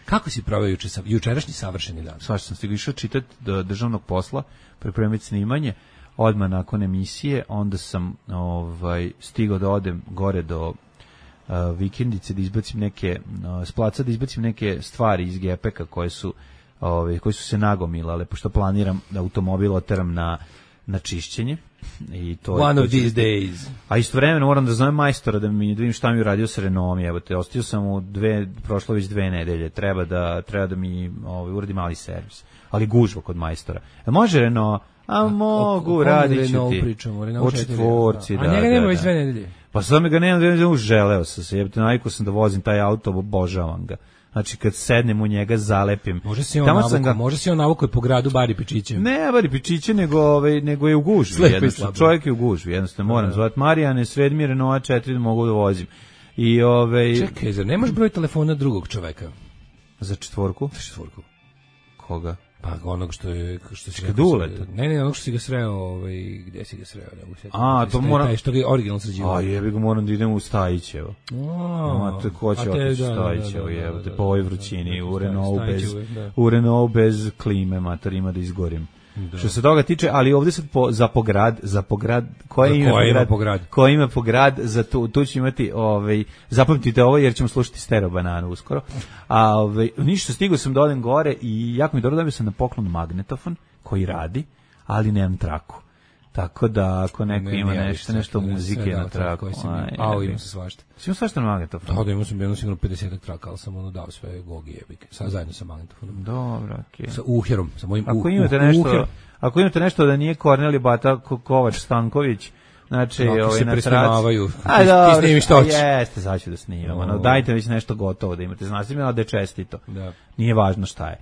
Kako si proveo jučerašnji savršeni dan? Svašta sam stigao išao čitati do državnog posla, pripremiti snimanje, odmah nakon emisije, onda sam stigao da odem gore do vikendice, da izbacim neke, s placa da izbacim neke stvari iz gepeka koje su se nagomilale, pošto planiram da automobil oteram na čišćenje. I to One of these days. A istovremeno moram da zovem majstora da vidim šta mi uradio sa Renaultom. Evo te, ostio sam prošlo već 2 nedelje. Treba da mi uradi mali servis. Ali gužva kod majstora. Može Renault? Mogu, radit ću ti. O četvorci, da. A njega nema već 2 nedelje. Pa sad mi ga nemam 2 nedelje, želeo sam se. Jebate, navikao sam da vozim taj auto, obožavam ga. Znači kad sednem u njega zalepim. Može se on navukao po gradu Bari Pičiće. Ne Bari Pičiće, nego je u gužvi. Jednostavno, čovjek je u gužvi. Jednostavno moram zvati Marijane, sredi mi Renault 4 da mogu da vozim. Čekaj, zar nemaš broj telefona drugog čoveka? Za četvorku? Za četvorku. Koga? Pa onog što si ga Duleta. Ne, onog što si ga sreo, gdje si ga sreo? To moram. Taj što ga originalno sređivao. Jebi ga, moram da idem u Stajićevo. To ko će otići u Stajićevo, jebote, po ovoj vrućini, u Renault bez klime, mater, ima da izgorim. Da. Što se toga tiče, ali ovdje sad za pograd, koje ima pograd, za tu ću imati, zapamtite ovo jer ćemo slušati Stereo Bananu uskoro. Ništa, stigao sam da odem gore i jako mi dobro dobio sam na poklon magnetofon koji radi, ali nemam traku. Tako da ako neko ima nešto muzike na traku. Imam se svašta. Si imao svašta na magnetofonu? Da, imao sam jedno sigurno 50 traka, ali sam dao sve gogi jebike. Zajedno sa magnetofonom. Dobro, okej. Sa uherom, sa mojim Ako imate nešto da nije Korneli Bata Kovač Stanković, znači se presnimavaju. Ti snimi što hoćeš. Jeste, sad ću da snimam. Dajte već nešto gotovo da imate. Znači mi da je čestito. Nije važno šta je.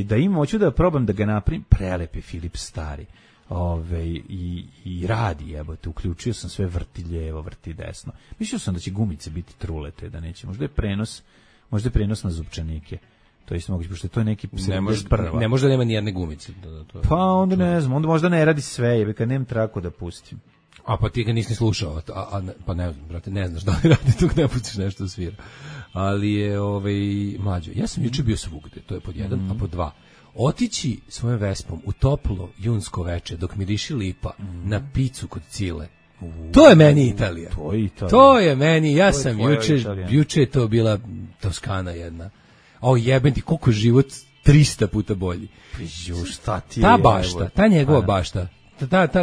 Da imam, hoću da probam da ga napravim, prelepi Philips stari. I radi, jebote, uključio sam sve, vrti lijevo, vrti desno. Mislio sam da će gumice biti trulete, da neće. Možda je prenos na zupčanike. To je isto moguće, pošto to je neki ne može da nema ni jedne gumice. Pa onda ne znam, onda možda ne radi sve, jebe, kad nemam traku da pustim. A pa ti ga nisi slušao, pa ne znam, brate, ne znaš da li radi tu, ne pustiš nešto svira. Ali je, mlađo, ja sam juče bio svugde, to je pod 1, a pod 2. Otići svojom Vespom u toplo junsko veče dok miriši lipa na picu kod Cile. To je meni Italija. To je meni, ja sam juče je to bila Toskana jedna. Jebem ti, koliko život 300 puta bolji. Šta ti je? Ta bašta, ta njegova bašta.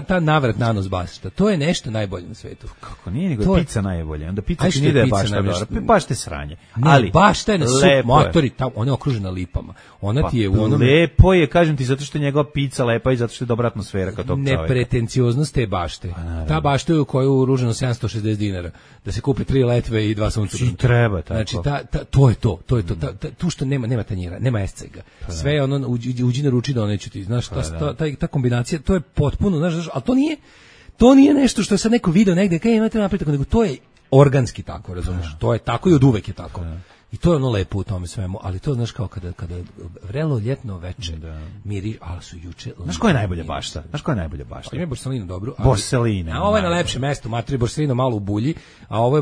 Ta navrat nanos bašta, to je nešto najbolje na svetu. Kako nije, nego je pizza najbolje. Onda pizza ti nije da je bašta dobra, baš te sranje. Ali bašta je na sup motori, ona je okružena lipama. Ona ti je u onome... Lepo je, kažem ti, zato što je njegova pizza lepa i zato što je dobra atmosfera kao tog čovjeka. Nepretencioznost te bašte. Ta bašta je u koju je uruženo 760 dinara. Da se kupi 3 letve i 2 suncobrana. Treba tako. Znači, to je to. Tu što nema tanjira, nema escega. Sve je ono, uđi na ruči da neću ti. Znaš, ta kombinacija, to je potpuno, znaš, ali to nije nešto što je sad neko video negde, kaj imate napraviti tako, nego to je organski tako, razumiješ? To je tako i od uvek je tako. I to je ono lepo u tome svemu, ali to znaš kao kada vrelo ljetno veče miri, ali su juče... Znaš koja je najbolja bašta? Ima Borsalino dobro. Borsalino. A ovo je na lepše mesto, matri Borsalino malo u bulji, a ovo je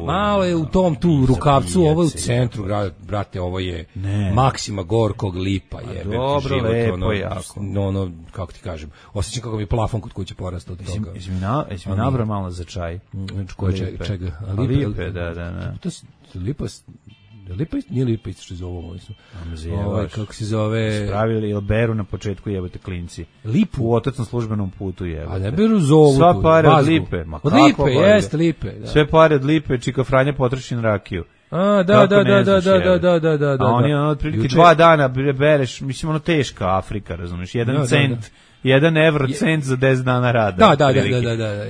malo je u tom tu rukavcu, ovo je u centru, brate, ovo je Maksima Gorkog lipa, jebe. Dobro, lepo, jako. Ono, kako ti kažem, osjećam kako mi plafon kod kuće porastao od toga. Jesi mi nabrao malo za čaj? Čega? Lipe, da. Lipa nije lipa isto što zove ovo. Kako se zove... Spravili ili beru na početku jebate klinci. Lipu? U otocnom službenom putu jebate. A ne beru zovu. Sva pare od lipe. Od lipe, jeste lipe. Sve pare od lipe, čika Franja potroši na rakiju. Da. A oni otprilike 2 dana bereš, mislim ono teška Afrika, razumiješ, 1 cent 1 eurocent za 10 dana rada. Da.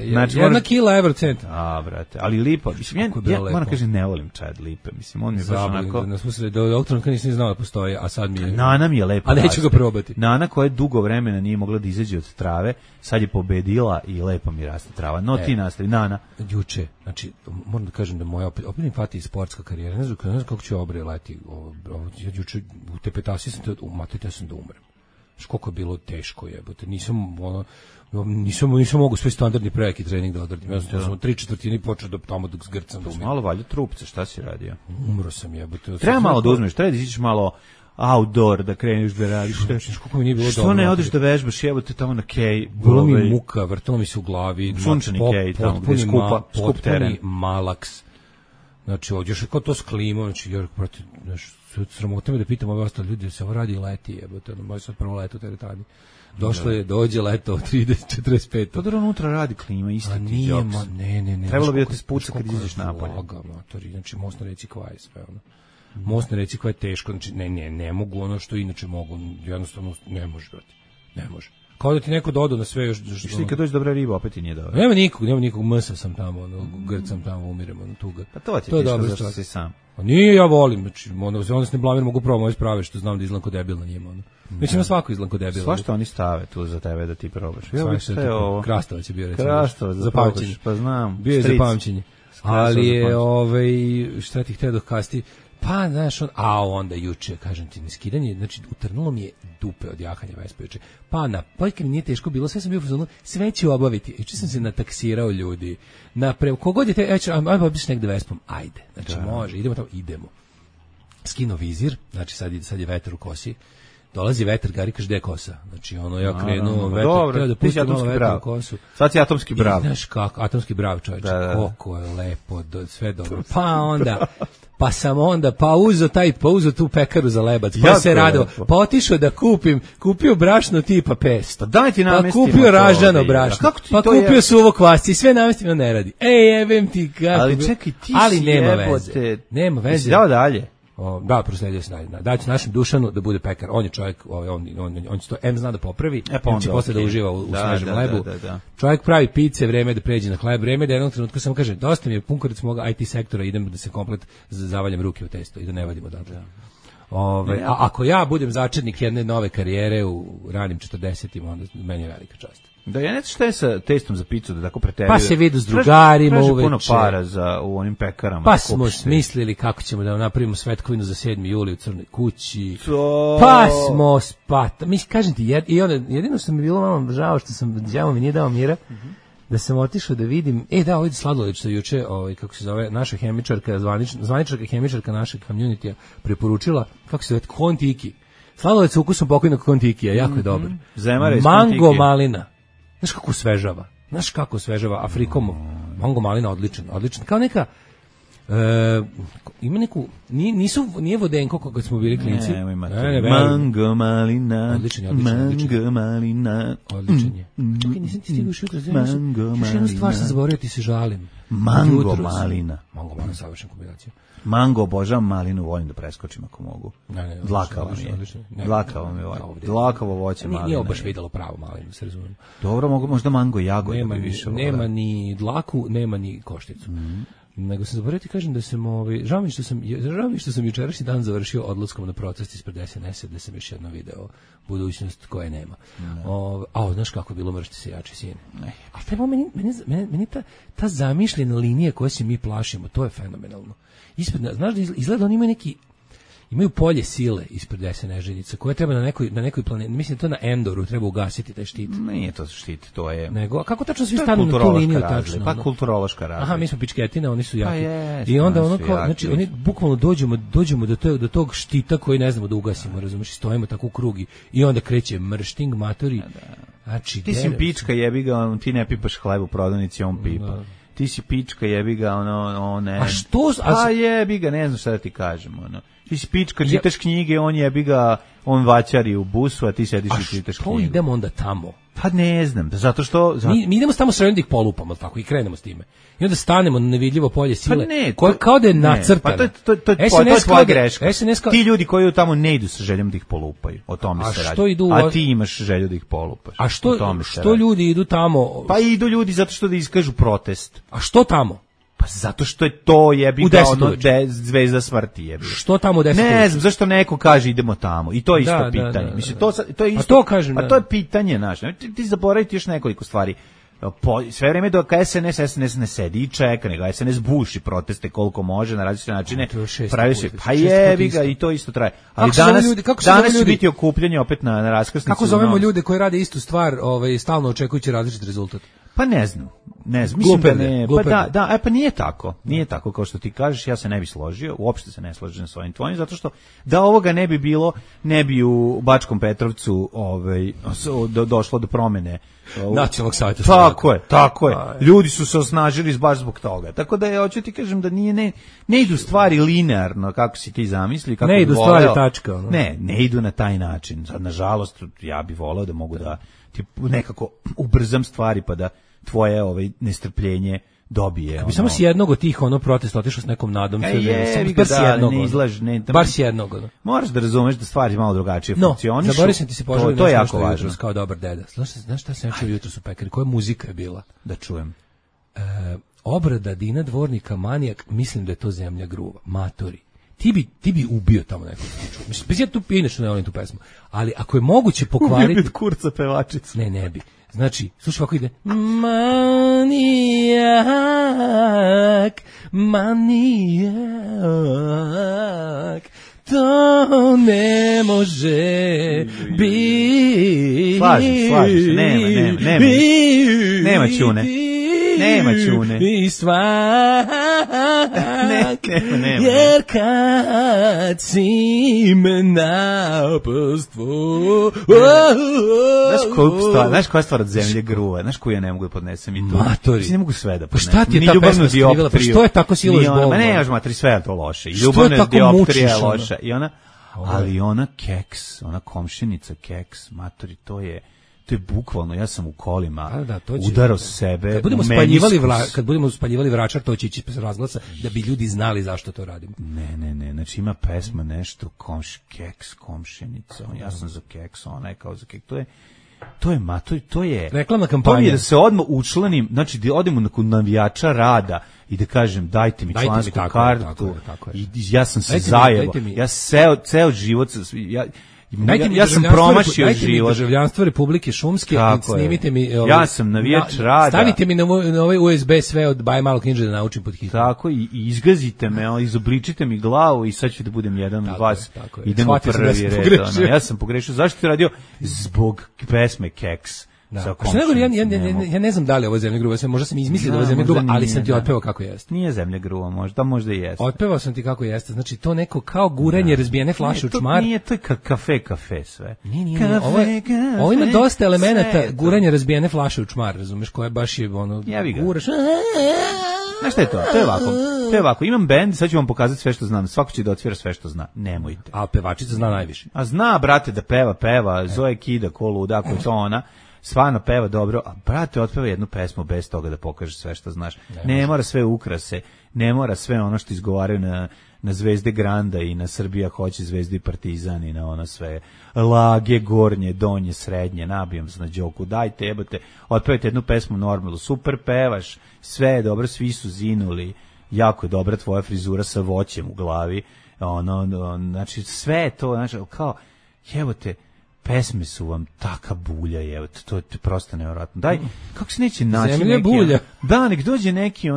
Znači, 1 kila eurocent. Brate, ali lipa. Mislim, ja moram kažem, ne volim čaj od lipe. Mislim, on mi je baš onako... Do oktobra nisam znao da postoji, a sad mi je... Nana mi je lepo. A neću ga probati. Nana koja je dugo vremena nije mogla da izađe od trave, sad je pobedila i lepo mi raste trava. No ti nastavi, Nana. Juče, znači, moram da kažem da moja opet mi fati sportska karijera. Ne znam kako ću obre leti. Juče u tepetasi sam da umrem. Koliko je bilo teško jebote. Nisam mogu sve standardni preki trening da odradim. Ja sam 3/4 počeo da tamo dok zgrcam da umrem. Malo valja trupce, šta si radio? Umro sam jebote. Treba malo da uzmeš, treba da izađeš malo outdoor da kreneš da radiš. Kako mi nije bilo što ne odeš da vežbaš jebote tamo na kej? Bilo mi muka, vrtalo mi se u glavi. Sunčani kej tamo gde skup teren. Malaks. Znači, još kao to s klimom, znači, jer, sramota me da pitam ove ostale ljudi, da se ovo radi leti, jebote, moj sad prvo leto u teretani. Dođe leto 30-45. Pa dobro, unutra radi klima, isti ti Jobs. Ne. Trebalo bi da te spuca kad izađeš napolje. Znači, most na reci Kvaj, sve ono. Most na reci Kvaj je teško, znači, ne mogu ono što inače mogu, jednostavno ne može, brati, ne može. Kao da ti neko doda na sve još... Što kad dođe dobra riba, opet ti nije dobro. Nema nikog, mrsa sam tamo, grcam tamo, umirem, tuga. Pa to ti je teško zašto si sam. A nije, ja volim, znači, onda se ne blamiram, mogu pravo moje sprave, što znam da izgledam ko debil na njima, Mislim na svako izgledam ko debil. Svašta oni stave tu za tebe da ti probaš. Sve ovo. Krastavac je bio, recimo. Krastavac, za pamćenje. Pa znam. Bio je za pamćenje. Ali je, šta ti htio dokasti? Pa, znaš, onda juče, kažem ti, skidanje, znači, utrnulo mi je dupe od jahanja Vespa juče. Kad mi nije teško bilo, sve sam bio u fazonu, sve ću obaviti. Juče sam se nataksirao ljudi. Kogod je ajmo obiš negde Vespom, ajde. Znači, može, idemo tamo, idemo. Skino vizir, znači, sad je vetar u kosi. Dolazi vetar, Gari kaže, gde je kosa? Znači, ja krenu, vetar, treba da pustim malo vetar u kosu. Sad si atomski brav. Znaš kako, atomski brav, čovječe, koliko je lepo, sve dobro. Pa sam onda uzeo tu pekaru za lebac, pa se radio, pa otišao da kupio brašno tipa 500. Daj ti namestimo. Pa kupio ražano brašno, pa kupio suvo kvasce i sve namestimo ne radi. Jebem ti kako. Ali čekaj, ti si jebote. Nema veze. Dao dalje. Da, prosledio se dalje. Daću našem Dušanu da bude pekar. On je čovjek, on će to zna da popravi, on će posle da uživa u svežem hlebu. Čovjek pravi pice, vreme da pređe na hleb, vreme da jednog trenutka samo kaže, dosta mi je pun kurac moga IT sektora, idem da se komplet zavaljam ruke u testo i da ne vadim odatle. A ako ja budem začetnik jedne nove karijere u ranim 40-ima, onda meni je velika čast. Da, ja ne znam šta je sa testom za picu da tako preteruje. Pa se vidu s drugarima uveče. Traži puno para u onim pekarama. Pa smo smislili kako ćemo da napravimo svetkovinu za 7. juli u Crnoj kući. Pa smo mislim, kažem ti, jedino što mi je bilo malo žao što sam đavo mi nije dao mira, da sam otišao da vidim, ovdje Sladoled što juče, kako se zove, naša hemičarka, zvaničarka hemičarka našeg community-a preporučila, kako se zove, Kontiki. Sladoled sa ukusom pokojnog Kontikija, jako je dobar. Mango malina. Znaš kako svežava Afrikomu. Mango malina odličan. Kao neka ima neku nije vodenko kako smo bili klinci. Mango malina. Odličan je. Mango malina. Odličan je. Čekaj, nisam ti stigao šutra. Još jednu stvar sam zaboravio, ti se žalim. Mango malina. Mango malina, savršena kombinacija. Mango, obožavam malinu, volim da preskočim ako mogu. Dlakavo mi je. Dlakavo mi je. Dlakavo voće maline. Nije baš videlo pravo malinu, se razumijem. Dobro, možda mango jagode bi više. Nema ni dlaku, nema ni košticu. Nego sam zaboravio ti kažem da sam žao mi što sam jučerašnji dan završio odlaskom na protest ispred SNS-a, da sam još jedno video budućnost koje nema. Znaš kako je bilo mršti se jači sine. A treba meni ta zamišljena linija koje se mi plašimo, to je fenomenalno. Znaš da izgleda oni imaju polje sile ispred desene željice koje treba na nekoj planeti, mislim to na Endoru treba ugasiti taj štit. Nije to štit, to je. Nego kako tačno svi stanu na tu liniju tačno? Pa kulturološka razlika. Aha, mi smo pičketine, oni su jaki. I onda znači oni bukvalno dođemo do tog štita koji ne znamo da ugasimo, razumiješ, stojimo tako u krug i onda kreće mršting matori. Znači ti si pička, jebi ga, ti ne pipaš hleb u prodavnici, on pipa. Ti si pička, jebi ga, ne. A što? Pa jebi ga, ne znam šta da ti kažem, Ti si pička, čitaš knjige, on jebi ga, on vaćari u busu, a ti sediš i čitaš knjigu. A što idemo onda tamo? Pa ne znam, zato što... Mi idemo tamo sredno da ih polupamo, tako, i krenemo s time. I onda stanemo na nevidljivo polje sile, pa ne, kao da je nacrtano. Pa to je tvoja greška. Ti ljudi koji tamo ne idu sa željom da ih polupaju, o tome se radi. A ti imaš želju da ih polupaš. A što ljudi idu tamo? Pa idu ljudi zato što da iskažu protest. A što tamo? Pa zato što je to jebi ga ono zvezda smrti jebi. Što tamo u 10? Ne znam, zašto neko kaže idemo tamo. I to je isto pitanje. Mislim, to je isto. A to kažem, to je pitanje, znaš. Ti zaboraviti još nekoliko stvari. Sve vreme dok SNS ne sedi i čeka, nego SNS buši proteste koliko može na različite načine. Pravi se, pa jebi ga, i to isto traje. Ali danas će biti okupljanje opet na raskrsnici. Kako zovemo ljude koji rade istu stvar, stalno očekujući različit rezultat? Pa ne znam, mislim da ne, pa nije tako kao što ti kažeš, ja se ne bi složio, uopšte se ne slažem sa ovim tvojim, zato što da ovoga ne bi bilo, ne bi u Bačkom Petrovcu došlo do promene Nacionalnog savjeta. Tako je. Ljudi su se osnažili baš zbog toga. Tako da hoću ti kažem da ne idu stvari linearno kako si ti zamisli, kako ne idu stvari tačka. Ne idu na taj način. Sad nažalost ja bih voleo da mogu da ti nekako ubrzam stvari pa da tvoje nestrpljenje dobije. Kako bi samo s jednog od tih protesta otišao s nekom nadom, bar s jednog. Moraš da razumeš da stvari malo drugačije funkcionišu. Zaboravio sam ti se poželiti, to je jako važno. Kao dobar deda. Znaš šta sam čuo jutros u pekari? Koja muzika je bila? Da čujem. Obrada Dina Dvornika Manijak, mislim da je to Zemlja gruva. Matori. Ti bi ubio tamo nekog slučaju. Mislim, bez ja tu inače ne volim tu pesmu. Ali ako je moguće pokvariti... Ubio bi kurca pevačicu. Ne bi. Znači, slušaj ovako ide. Manijak, to ne može biti. Slažeš, nema čune. Nema čune. I svak, jer kad si me napostvo. Znaš koja stvar od Zemlje gruva? Znaš koju ja ne mogu da podnesem i to? Matori. Ne mogu sve da podnesem. Pa šta ti je ta pesma skrivala? Pa što je tako siloš bolno? Ma ne, matri, sve je to loše. I ljubavna dioptrija je loša. Ali ona keks, ona komšinica keks, matori, to je bukvalno, ja sam u kolima udarao sebe. Kad budemo spaljivali Vračar, to će ići bez razglasa, da bi ljudi znali zašto to radimo. Ne, znači ima pesma nešto, keks, komšinica, ja sam za keks, ona je kao za keks, to je reklamna kampanja. To je da se odmah učlanim, znači da odemo kod navijača rada i da kažem dajte mi člansku kartu. I ja sam se zajebao. Ja ceo život ja sam promašio život. Dajte mi državljanstvo Republike Šumske i snimite mi... Ja sam navijač rada. Stavite mi na ovaj USB sve od Baje Malo Knjiže da naučim pod hitnom. Tako, i izgazite me, izobličite mi glavu i sad ću da budem jedan od vas. Idemo prvi red. Ja sam pogrešio. Zašto ti radio? Zbog pesme Keks. Ja ne znam da li je ovo Zemlja gruva, možda sam izmislio da je ovo Zemlja gruva, ali sam ti otpevao kako jeste. Nije Zemlja gruva, možda i jeste. Otpevao sam ti kako jeste, znači to neko kao guranje razbijene flaše u čmar. Nije to kafe sve. Nije. Ovo ima dosta elemenata guranje razbijene flaše u čmar, razumeš, koja baš je guraš. Znaš šta je to? To je ovako. Imam bend, sad ću vam pokazati sve što znam. Svako će da otvira sve što zna. Nemojte. A pevačica zna najviše. A zna, brate, da peva. Zoe Kida, ko luda, ako je to ona. Stvarno peva dobro, a brate, otpeva jednu pesmu bez toga da pokaže sve što znaš. Ne mora sve ukrase, ne mora sve ono što izgovaraju na Zvezde Granda i na Srbija hoće Zvezdu i Partizan i na ono sve lage, gornje, donje, srednje, nabijam se na đoku, dajte, jebate, otpevajte jednu pesmu normalno, super pevaš, sve je dobro, svi su zinuli, jako je dobra tvoja frizura sa voćem u glavi, znači sve je to, znači, kao, jebote, pesme su vam taka bulja, evo, to je prosto nevjerojatno. Daj, kako se neće naći Zemlja neki... bulja. Da, nek dođe neki,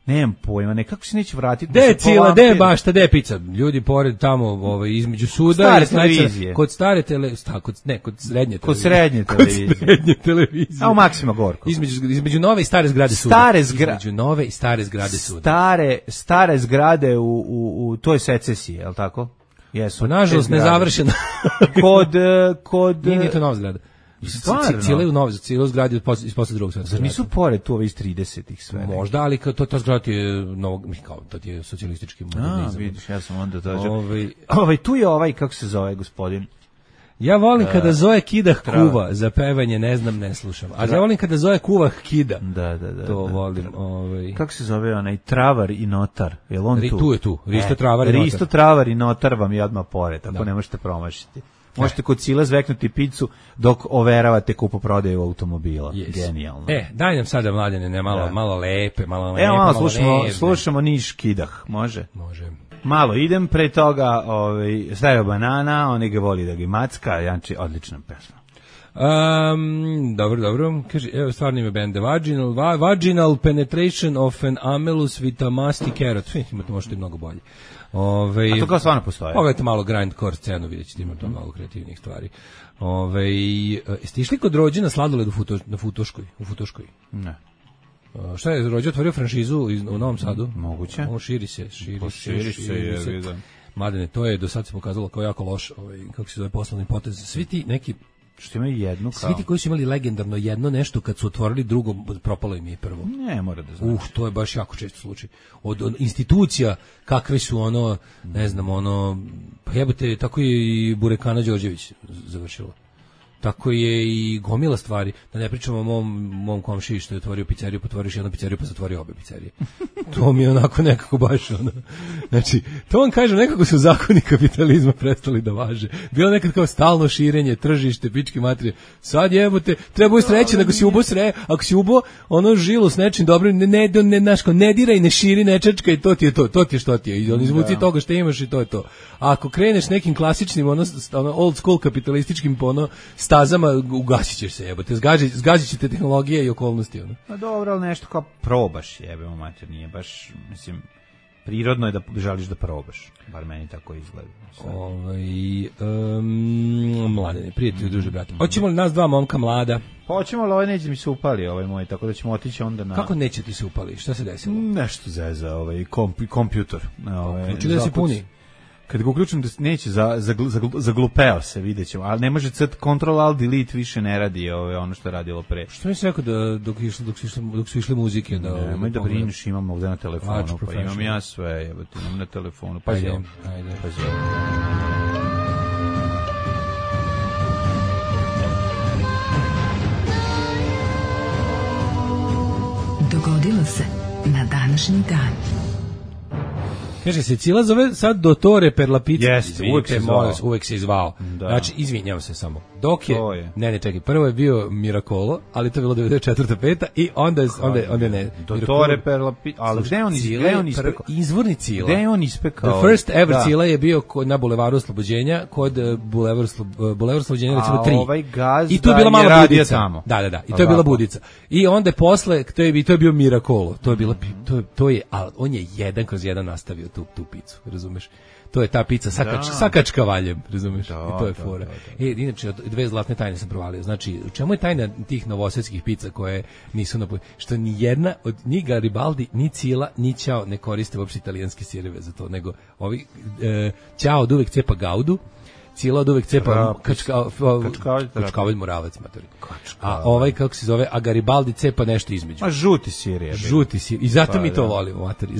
nemam pojma, kako se neće vratiti... De cila, de bašta, de pica. Ljudi pored tamo, između suda... Kod stare televizije. Kod srednje televizije. Kod srednje televizije. A u Maksima Gorkog. Između nove i stare zgrade suda. Između nove i stare zgrade suda. Stare zgrade u toj secesiji, je li tako? Pa nažalost nezavršena. Kod nije to nova zgrada. Cijelu zgradu iz posle drugog svjetskog rata. Zar nisu pored tu ove iz 30-ih sve? Možda, ali ta zgrada je to je socijalistički modernizam. Vidiš, ja sam onda dođeo. Tu je kako se zove gospodin? Ja volim kada Zoe kidah kuva, za pevanje ne znam, ne slušam. A ja volim kada Zoe kuva kida. Da. To volim. Kako se zove onaj Travar i Notar? Jel on tu? Tu je tu. Risto Travar i Notar. Risto Travar i Notar vam je odmah pored, tako ne možete promašiti. Možete kod Sila zveknuti picu dok overavate kupoprodaju automobila. Genijalno. Daj nam sada, Mladene, malo lepe, slušamo Niš Kidah, može? Može. Malo idem, pre toga stavio banana, on ga voli da ga macka, Janči, odlična pesma. Dobro. Kaže, evo stvarno ime bende Vaginal penetration of an amelus with a musty carrot. Imate možete mnogo bolje. A to kao stvarno postoje? Pogledajte malo grindcore scenu, vidjet ćete, ima to mnogo kreativnih stvari. Jeste išli kod Rođe sladoled u Futoškoj? Ne. Šta je, Rođe otvorio franšizu u Novom Sadu? Moguće. On širi se. Mladene, to je do sad se pokazalo kao jako loš, kako se zove, poslovni potez. Svi ti neki što imaju jednu kao. Svi ti koji su imali legendarno jedno nešto, kad su otvorili drugo, propalo im je prvo. Ne, mora da znači. To je baš jako često slučaj. Od institucija, kakve su ne znam, pa jebote, tako je i Burekana Đorđević završilo. Tako je i gomila stvari. Da ne pričamo o mom komšiji što je otvorio pizzeriju, potvoriš jednu pizzeriju pa zatvorio obe pizzerije. To mi je onako nekako baš Znači, to vam kažem, nekako su zakoni kapitalizma prestali da važe. Bilo nekad kao stalno širenje, tržište, pički materije. Sad jebote, treba sreće, ako si ubo ako si ubo žilu s nečim dobrim, ne diraj, ne širi, ne čečka i to ti je što ti je. I on izvuci toga što imaš i to je to. A ako kreneš nekim klasičnim, old school kapitalističkim stazama, ugasit ćeš se, jebote, zgazit će te tehnologije i okolnosti. Pa dobro, ali nešto kao probaš, jebemo mater, nije baš, mislim, prirodno je da želiš da probaš, bar meni tako izgleda. Mladene, prijatelji, druže, brate. Hoćemo li nas dva momka mlada? Hoćemo, ali neće mi se upali moj, tako da ćemo otići onda na... Kako neće ti se upali? Šta se desilo? Nešto zeza, kompjutor. Uključi da se puni. Kad ga uključim da neće, zaglupeo se, vidjet ćemo, ali ne može Ctrl Alt Delete više ne radi ono što je radilo pre. Što mi se rekao da dok su išle muzike? Nemoj da brineš, imam ovdje na telefonu, pa imam ja sve, imam na telefonu, pa ajde. Dogodilo se na današnji dan. Kaže se, Cila zove sad Dottore per la pizza. Jeste, uvek se zvao. Da. Znači, izvinjam se samo. Dok je. Ne, čekaj, prvo je bio Miracolo, ali to je bilo 94. 5. i onda ne. Dottore per la pizza. Ali gde on ispekao? Izvorni Cila. Gde on ispekao? The first ever Cila je bio na Bulevaru Oslobođenja, kod Bulevaru Oslobođenja recimo 3. I to je bila mala budica. Da. I to je bila budica. I onda posle, to je bio Miracolo. Ali on je 1/1 nastavio tu picu, razumeš? To je ta pizza sa kačkavaljem, razumeš? I to je fora. Inače, dve zlatne tajne sam provalio. Znači, u čemu je tajna tih novosadskih pizza koje nisu što ni jedna od ni Garibaldi, ni Cila, ni Ćao ne koriste uopšte italijanske sireve za to, nego ovi Ćao od uvek cepa Gaudu, Cila od uvek cepa kačkavalj Moravac, matori. A kako se zove, a Garibaldi cepa nešto između. A žuti sir je. I zato mi to volimo, matori.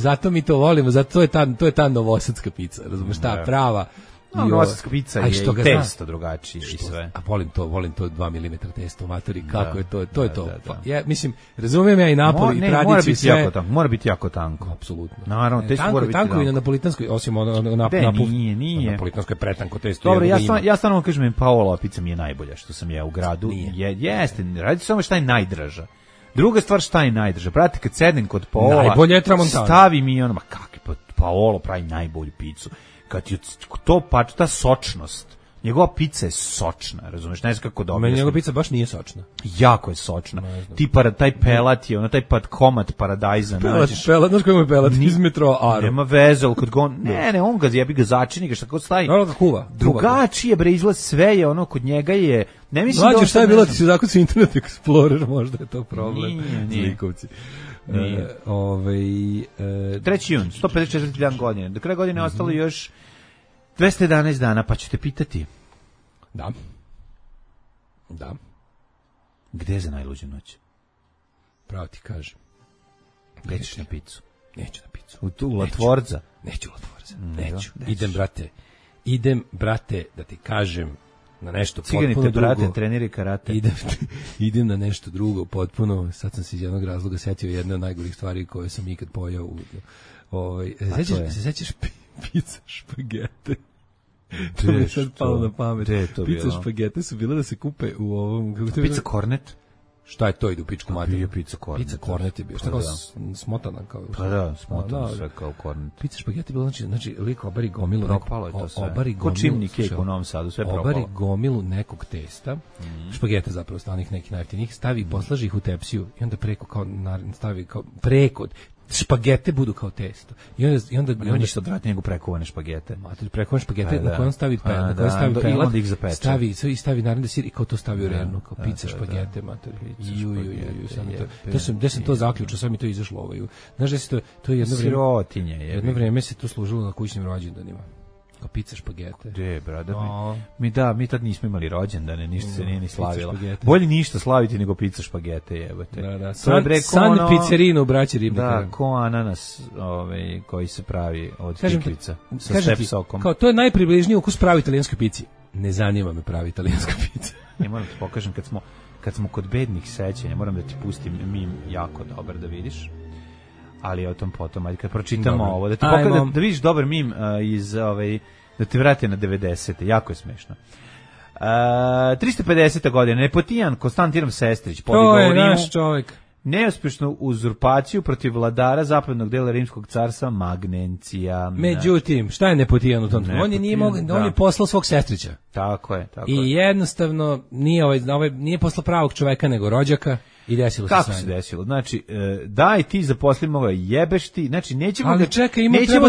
Zato je ta novosadska pizza, razumeš, ta prava. Novosadska pizza je i testo drugačije i sve. A volim to 2 mm testo, matori, kako je to je to. Ja mislim, razumijem ja i Napoli i tradiciju sve. Mora biti jako tanko. Apsolutno. Naravno, testo mora biti tanko i na napolitanskoj, osim nije. Napolitansko je pretanko testo. Dobro, ja stvarno kažem, Paolova pizza mi je najbolja što sam ja u gradu. Jeste, radi samo šta je najdraža. Druga stvar, šta je najdraža. Brate, kad sednem kod Paola, stavi mi ono, kakvi Paolo pravi najbolju picu. Kad je to ta sočnost, njegova pizza je sočna, razumeš, ne znam kako dobro. Meni njegova pizza baš nije sočna. Jako je sočna. Taj pelat je, taj komad paradajza. Pelat, znaš kako je pelat? Iz metro Aro. Nema veze, ali kad ga on ga jebi ga začini, šta god stavi. Drugačije, bre, izgleda sve je kod njega je, ne mislim da... Mlađe, šta je bilo, ti si zakon sa Internet Explorer, možda je to problem. Nije. Zlikovci. 3. jun, 154. dan godine. Do kraja godine ostalo još 211 dana, pa ćete pitati. Da. Gde je za najluđu noć? Pravo ti kažem. Nećeš na picu? Neću na picu. U Latvorza? Neću u Latvorza. Neću. Idem, brate, da ti kažem, na nešto Cigani potpuno te prate, drugo. treneri karate. Idem na nešto drugo potpuno. Sad sam se iz jednog razloga setio jedne od najgorih stvari koje sam ikad pojao. Se sećaš pizza špagete? To mi je sad palo na pamet. Pizza špagete su bile da se kupe u ovom... Pizza kornet? Šta je to, ide u pičku materiju? Pizza kornet. Pizza kornet je bio. Šta kao smotana? Pa da, smotana sve kao kornet. Pizza špagete je bilo, znači lik obari gomilu. Propalo je to sve. Ko čimni kejk u Novom Sadu, sve propalo. Obari gomilu nekog testa, špagete zapravo stanih nekih najjeftinijih, stavi i poslaži ih u tepsiju i onda preko kao stavi kao preko špagete budu kao testo. I onda ništa odvratnije nego prekovane špagete. Mater, prekovane špagete na koje on stavi pelat, stavi naravno sir i kao to stavi u rernu, kao pizza špagete, mater. Gde sam to zaključio, sad mi to izašlo Znaš da se to je jedno vreme se to služilo na kućnim rođendanima. Kao pizza špagete. De, brada, mi tad nismo imali rođendane, ništa se nije ni slavilo. Bolje ništa slaviti nego pizza špagete, jebote. Da. San pizzerino u braći Ribnika. Da, ko ananas koji se pravi od tikvica sa step sokom. Kao, to je najpribližniji ukus pravi italijanskoj pici. Ne zanima me pravi italijanska pizza. Ja moram ti pokažem, kad smo kod bednih sećanja, moram da ti pustim mim jako dobar da vidiš. Ali o tom potom, ajde kad pročitamo ovo, da ti pokažem, da vidiš dobar mim iz da te vrate na 90. Jako je smešno. 350. godina, Nepotijan Konstantinov Sestrić podigao u Rimu. To je naš čovjek. Neuspješnu uzurpaciju protiv vladara zapadnog dela Rimskog carstva Magnencija. Međutim, šta je Nepotijan u tom trenutku? On je poslao svog sestrića. Tako je. I jednostavno nije poslao pravog čoveka nego rođaka. I desilo se kako se desilo? Znači, daj ti zaposli moga jebeš ti, znači nećemo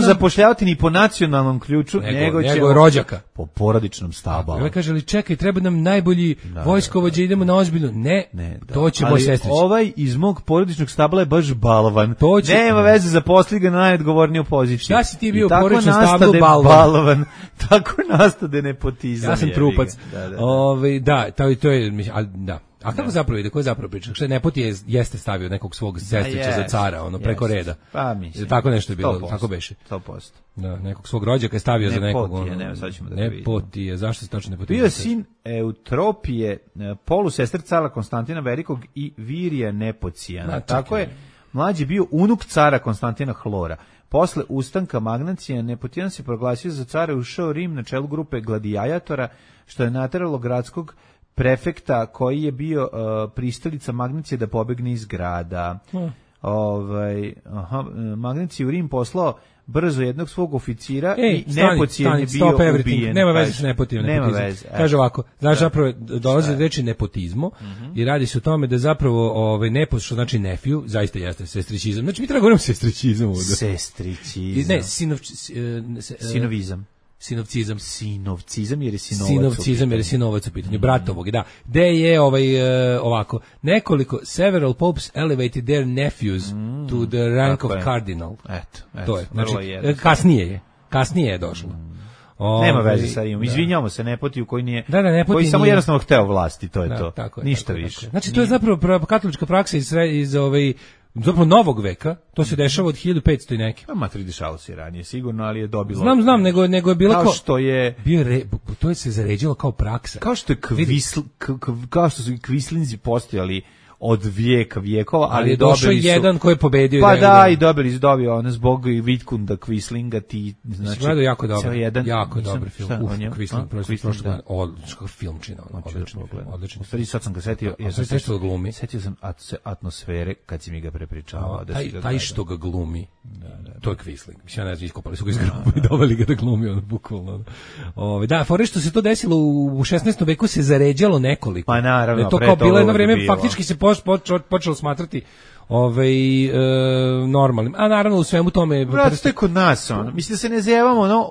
zapošljavati ni po nacionalnom ključu, nego ćemo rođaka. Po porodičnom stabalu. Ovaj kaže, ali čekaj, treba nam najbolji vojskovođa, idemo na ozbiljno. Ne, to će moj sestrić. Ovaj iz mog porodičnog stabala je baš balvan. Nema veze, zaposli ga na najodgovorniju poziciju. Šta si ti bio u porodičnom stablu balvan? Tako nastade nepotizam. Ja sam trupac. Da, to je, da. A kako zapravo ide, ko je zapravo priča? Što je Nepoti jeste stavio nekog svog sestrića za cara, preko reda. Pa mislim. Tako nešto je bilo, tako beše. 100%. Da, nekog svog rođaka je stavio za nekog. Sad ćemo da Nepoti, zašto se tačno Nepoti? Bio je sin Eutropije, polusestr cara Konstantina Velikog i Virija Nepocijana. Tako je, mlađi bio unuk cara Konstantina Hlora. Posle ustanka Magnacija, Nepotijan se proglasio za cara i ušao Rim na čelu grupe gladijatora, što je nateralo gradskog prefekta koji je bio pristalica Magnacije da pobegne iz grada. Magnacije u Rim poslao brzo jednog svog oficira i Nepocijan je bio ubijen. Nema veze s Nepotijem. Kaže ovako, znaš, zapravo dolazi od reči nepotizmo i radi se o tome da zapravo nepot, što znači nephew, zaista jeste sestrićizam. Znači mi treba govorimo sestrićizam ovdje. Sestrićizam. Ne, sinovizam. Sinovcizam jer je sinovac u pitanju, bratovog, da. Gde je ovako, several popes elevated their nephews to the rank of cardinal. Eto, to je, znači, kasnije je došlo. Nema veze sa Rimom, izvinjavamo se Nepotiju koji nije, koji samo jednostavno hteo vlasti, to je to, ništa više. Znači to je zapravo katolička praksa iz zapravo novog veka, to se dešava od 1500 i neki. Matri dešavalo se ranije, sigurno, ali je dobilo... Znam, nego je bilo kao što je... To je se zaređilo kao praksa. Kao što su i kvislinzi postojali od vijekova, ali došao jedan koji je pobedio. Pa da, i dobio ono zbog Vitkunda Kvislinga, ti znači jako dobar film. Kvisling odličan filmčina, odličan. U stvari sad sam ga setio, setio sam atmosfere kad si mi ga prepričavao. Taj što ga glumi, to je Kvisling. Mislim, ja ne znam, iskopali su ga iz groba i doveli ga da glumi, ono, bukvalno. Da, fore što se to desilo u 16. veku se zaređalo nekoliko. Pa naravno, to kao bilo jedno vreme, faktički se počelo smatrati normalnim. A naravno u svemu tome... Brat, to je kod nas, ono. Mislim da se ne zjevamo,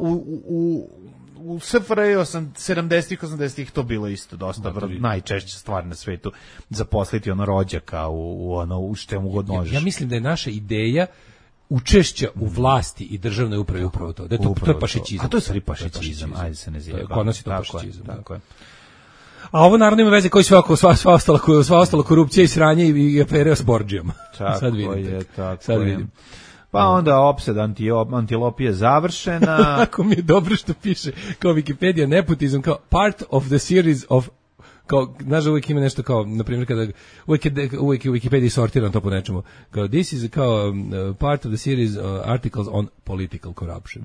u SFRJ 70-ih, 80-ih to bilo isto dosta, najčešća stvar na svetu, zaposliti rođaka u čemu god možeš. Ja mislim da je naša ideja učešća u vlasti i državnoj upravi upravo to. Da je to je pašićizam. A to je stvari pašićizam, ajde se ne zjeva. Kod nas je to pašićizam. Tako je. A ovo naravno ima veze koji sva ostala korupcija i sranje i afere s Borđijom. Sad vidite. Sad vidim. Pa onda opsad antilopije završena. Ako mi je dobro što piše, kao Wikipedia, nepotizam, kao part of the series of, kao, znaš da uvijek ima nešto kao, na primjer, kada uvijek u Wikipediji sortiram to po nečemu, kao this is kao part of the series articles on political corruption.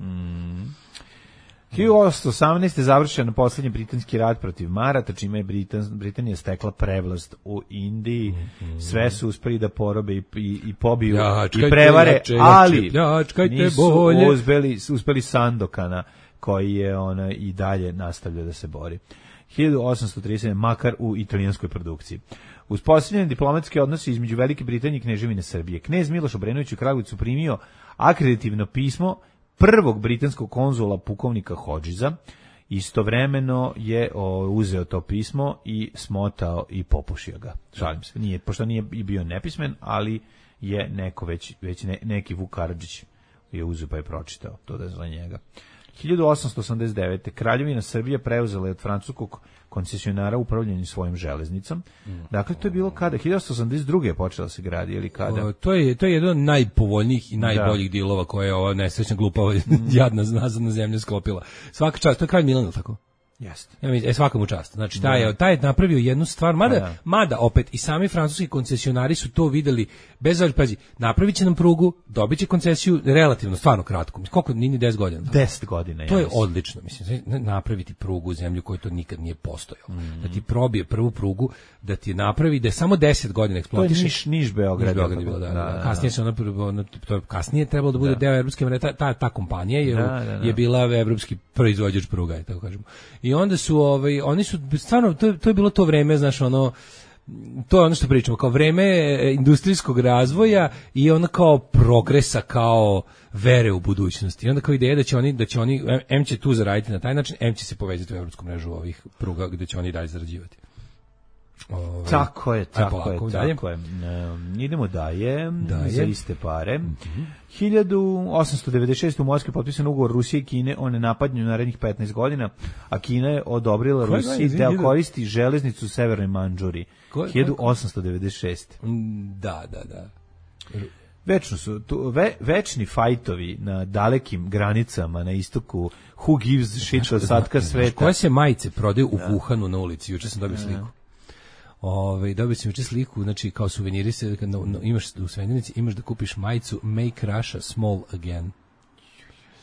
1818. je završen poslednji britanski rat protiv Marata, čime je Britanija stekla prevlast u Indiji. Sve su uspeli da porobe i pobiju i prevare, ali nisu uspeli Sandokana, koji je i dalje nastavlja da se bori. 1830. makar u italijanskoj produkciji. Uspostavljeni diplomatski odnosi između Velike Britanije i Kneževine Srbije. Knez Miloš Obrenović u Kragujevcu primio akreditivno pismo prvog britanskog konzula pukovnika Hodžiza. Istovremeno je uzeo to pismo i smotao i popušio ga. Šalim se, pošto nije bio nepismen, ali je neko već neki Vuk Karadžić je uzeo pa je pročitao to da je za njega. 1889. Kraljevina Srbije preuzela je od francuskog koncesionara upravljanje svojim železnicom. Dakle, to je bilo kada? 1882. je počela se gradi, ili kada? To je jedan od najpovoljnijih i najboljih dilova koje je ova nesrećna glupava jadna nazadna zemlja sklopila. Svaka čast, to je kralj Milan, tako? Jeste. Ja mislim, svaka mu čast. Znači, taj je napravio jednu stvar, mada opet i sami francuski koncesionari su to videli, bez obzira, pazi, napravit će nam prugu, dobit će koncesiju relativno, stvarno kratko. Koliko, ni 10 godina? 10 godina. To je odlično, mislim, napraviti prugu u zemlju koja to nikad nije postojao. Da ti probije prvu prugu, da ti napravi, da je samo 10 godina eksploatiše. To je Niš Beograd. Kasnije se kasnije trebalo da bude deo evropske mreže, ta kompanija je bila evropski proizvođač pruga, tako kažemo. I onda su oni su stvarno to je bilo to vreme, znaš, to je ono što pričamo, kao vreme industrijskog razvoja i ono kao progresa, kao vere u budućnosti. I onda kao ideja da će oni M će tu zaraditi na taj način, M će se povezati u evropsku mrežu ovih pruga gde će oni dalje zarađivati. Tako je. Idemo dalje za iste pare. 1896. u Moskvi potpisan ugovor Rusije i Kine o nenapadanju narednih 15 godina, a Kina je odobrila Rusiji da koristi železnicu u Severnoj Mandžuri. 1896. Da. Večno su večni fajtovi na dalekim granicama na istoku. Who gives shit od satka sveta? Koje se majice prodaju u Wuhanu na ulici? Juče sam dobio sliku. Dobio sam juče sliku, znači kao suveniri se, imaš u Svenjenici, imaš da kupiš majicu Make Russia Small Again.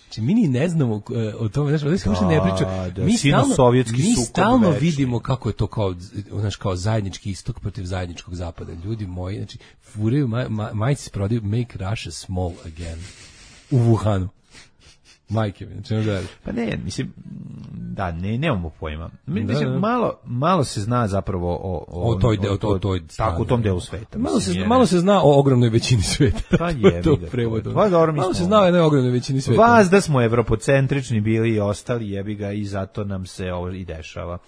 Znači, mi ni ne znamo o tome, znači, ovdje se uopšte ne priča. Mi stalno vidimo kako je to kao zajednički istok protiv zajedničkog zapada. Ljudi moji, znači, furaju majice se prodaju Make Russia Small Again u Wuhanu. Majke mi, znači da. Pa ne, mislim, nemamo pojma. Mislim, malo se zna zapravo o tako u tom delu sveta. Malo se zna o ogromnoj većini sveta. Pa je. Malo se zna o jednoj ogromnoj većini sveta. Vas da smo evropocentrični bili i ostali, jebi ga, i zato nam se ovo i dešava.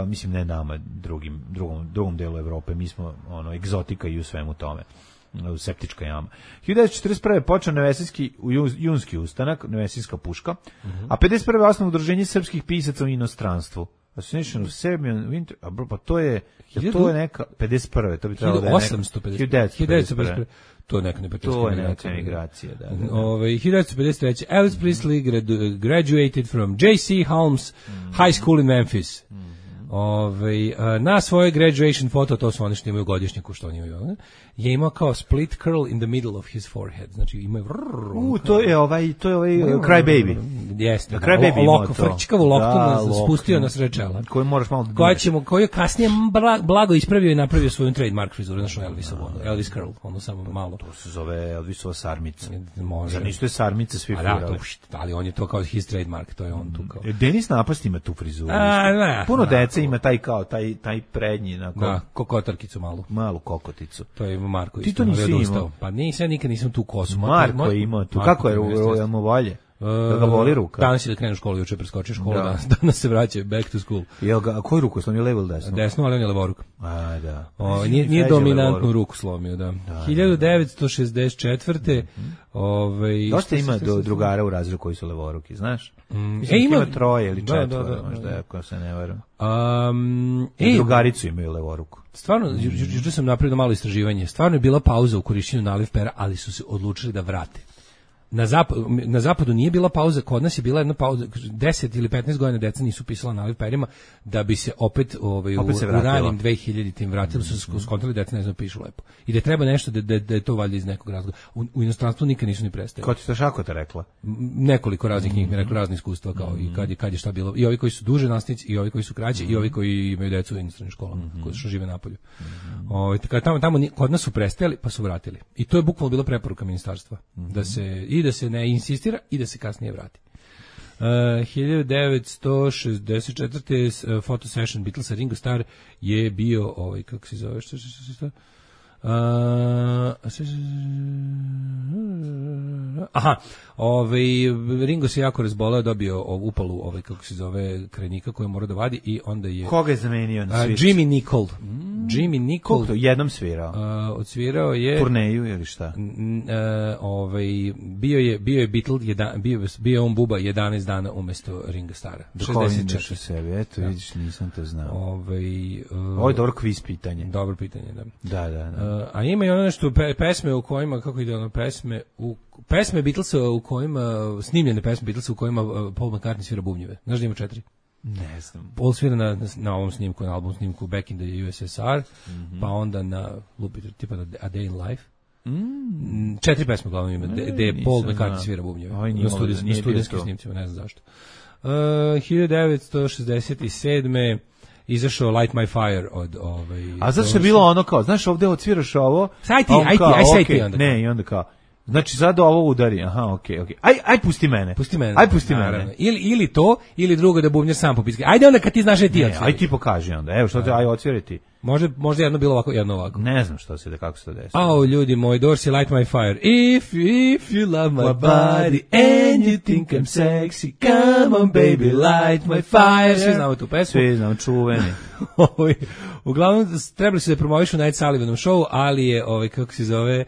Mislim, ne nama, drugom delu Evrope, mi smo egzotika i u svemu tome. Septička jama. 1941. počeo Nevesinski junski ustanak, Nevesinska puška, a 51. osnovno udruženje srpskih pisaca u inostranstvu. Association of Serbian Winter, pa to je neka 51. To bi trebalo da je 1951. To je neka emigracija, da. 1953. Elvis Presley graduated from J.C. Holmes High School in Memphis. Na svojoj graduation photo, to su oni što imaju godišnjaku, što oni imaju, je imao kao split curl in the middle of his forehead. Znači imaju to je ovaj Cry Baby. Jeste. Cry Baby ima to. Frčkavu loktu spustio na sred čela. Koju je kasnije blago ispravio i napravio svoju trademark frizuru, znači Elvis curl, ono samo malo. To se zove Elvisova sarmica. Zar nisu te sarmice svi furali? Ali on je to kao his trademark, to je on tu kao. Denis Napast ima tu frizuru. Puno dece ima taj prednji, kokotarkicu malu kokoticu. To je Marko isto. Ti to nisi imao? Pa nikad nisam tu kosu. Marko je imao tu. Kako je mu bolje? Da ga boli ruka. Danas je da krenu u školu, juče preskočio školu, danas se vraća back to school. Jel ga, a koju ruku slomio, levo ili desno? Desno, ali on je levoruk. A, da. Nije dominantnu ruku slomio, da. 1964. Dosta ima drugara u razredu koji su levoruki, znaš? Ima 3 ili 4, možda, ako se ne varam. Drugaricu imaju levoruku. Stvarno, juče sam napravio malo istraživanje. Stvarno je bila pauza u korišćenju naliv pera, ali su se odlučili da vrate. Na zapadu nije bila pauza, kod nas je bila jedna pauza, 10 ili 15 godina deca nisu pisala naliv perima, da bi se opet u ranim 2000-tim vratilo, su skontali deca ne znam pišu lepo. I da treba nešto da je to valjda iz nekog razloga. U inostranstvu nikad nisu ni prestali. Ko ti to Šakota rekla? Nekoliko raznih njih mi rekla, razne iskustva, kao i kad je šta bilo. I ovi koji su duže nastavnici, i ovi koji su kraći, i ovi koji imaju decu u inostranim školama, koji su žive napolju. Tamo kod nas su prestajali, pa su vratili. I to je bukvalno bila preporuka ministarstva. Da se ne insistira i da se kasnije vrati. 1964. Photo session Beatlesa, Ringo Starr je bio kako se zove, što Ringo se jako razboleo, dobio upalu kako se zove krajnika koju mora da vadi i onda je koga je zamenio na svirci? Jimmy Nicol. Jimmy Nicol jednom svirao. Odsvirao je turneju ili šta? Bio je Beatle, bio on buba 11 dana umesto Ringa Starra. 64 sebi, eto vidiš, nisam to znao. Ovo je dobro kviz pitanje. Dobro pitanje, da. Da. A ima i ono nešto pesme u kojima, kako ide ono, pesme Beatlesa u kojima, snimljene pesme Beatlesa u kojima Paul McCartney svira bubnjeve. Znaš da ima 4? Ne znam. Paul svira na ovom snimku, na album snimku Back in the USSR, pa onda na tipa A Day in Life. 4 pesme glavno ima, gde je Paul McCartney svira bubnjeve. Na studijskim snimcima, ne znam zašto. 1967. izašao Light My Fire od A zato što je bilo ono kao, znaš, ovde odsviraš ovo. Aj ti onda. Ne, i onda kao. Znači sad ovo udari. Aha, okej. Aj pusti mene. Aj pusti mene. Ili to, ili drugo da bubnjar sam popiska. Ajde onda kad ti znaš ti odsviri. Aj ti pokaži onda. Evo što te aj odsviri ti. Možda jedno bilo ovako, jedno ovako. Ne znam kako se to desilo. Oh, ljudi moji, Dorsey, Light My Fire. If you love my body and you think I'm sexy, come on baby, light my fire. Svi znamo tu pesmu. Svi znamo, čuveni. Uglavnom, trebali su da promovišu Night Sullivanom show, ali je, kako se zove,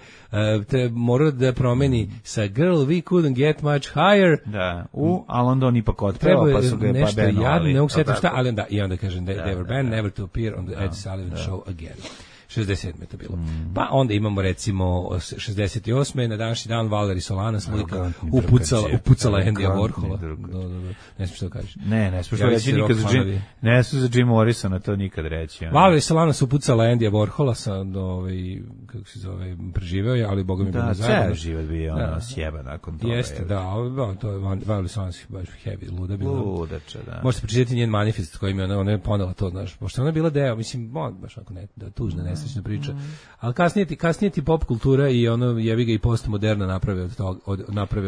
morao da promeni sa Girl, we couldn't get much higher. Da, ali onda on ipak otpeva, pa su ga nešto jadno, ne mogu sjetiti šta, ali onda, i onda kažem, they were banned, never to appear on the Ed Sullivan show again. 67. je to bilo. Pa onda imamo recimo 68. na današnji dan Valerie Solanas slika upucala Andyja Warhola. Ne smiješ što kažeš. Ne smiješ što reći nikad za Jim. Ne smiješ za Jim Morrisona to nikad reći. Valerie Solanas upucala Andyja Warhola sa kako se zove, preživeo je, ali Boga mi bilo zajedno. Da, život bio ono sjeba nakon toga. Jeste, da, to je Valerie Solanas baš heavy, luda bila. Ludača, da. Možete pročitati njen manifest kojim je ona je ponela to, znaš, pošto ona je bila deo, mislim, baš ako ne, da tužna nesrećna priča. Ali kasnije ti pop kultura i ono jebi ga i postmoderna naprave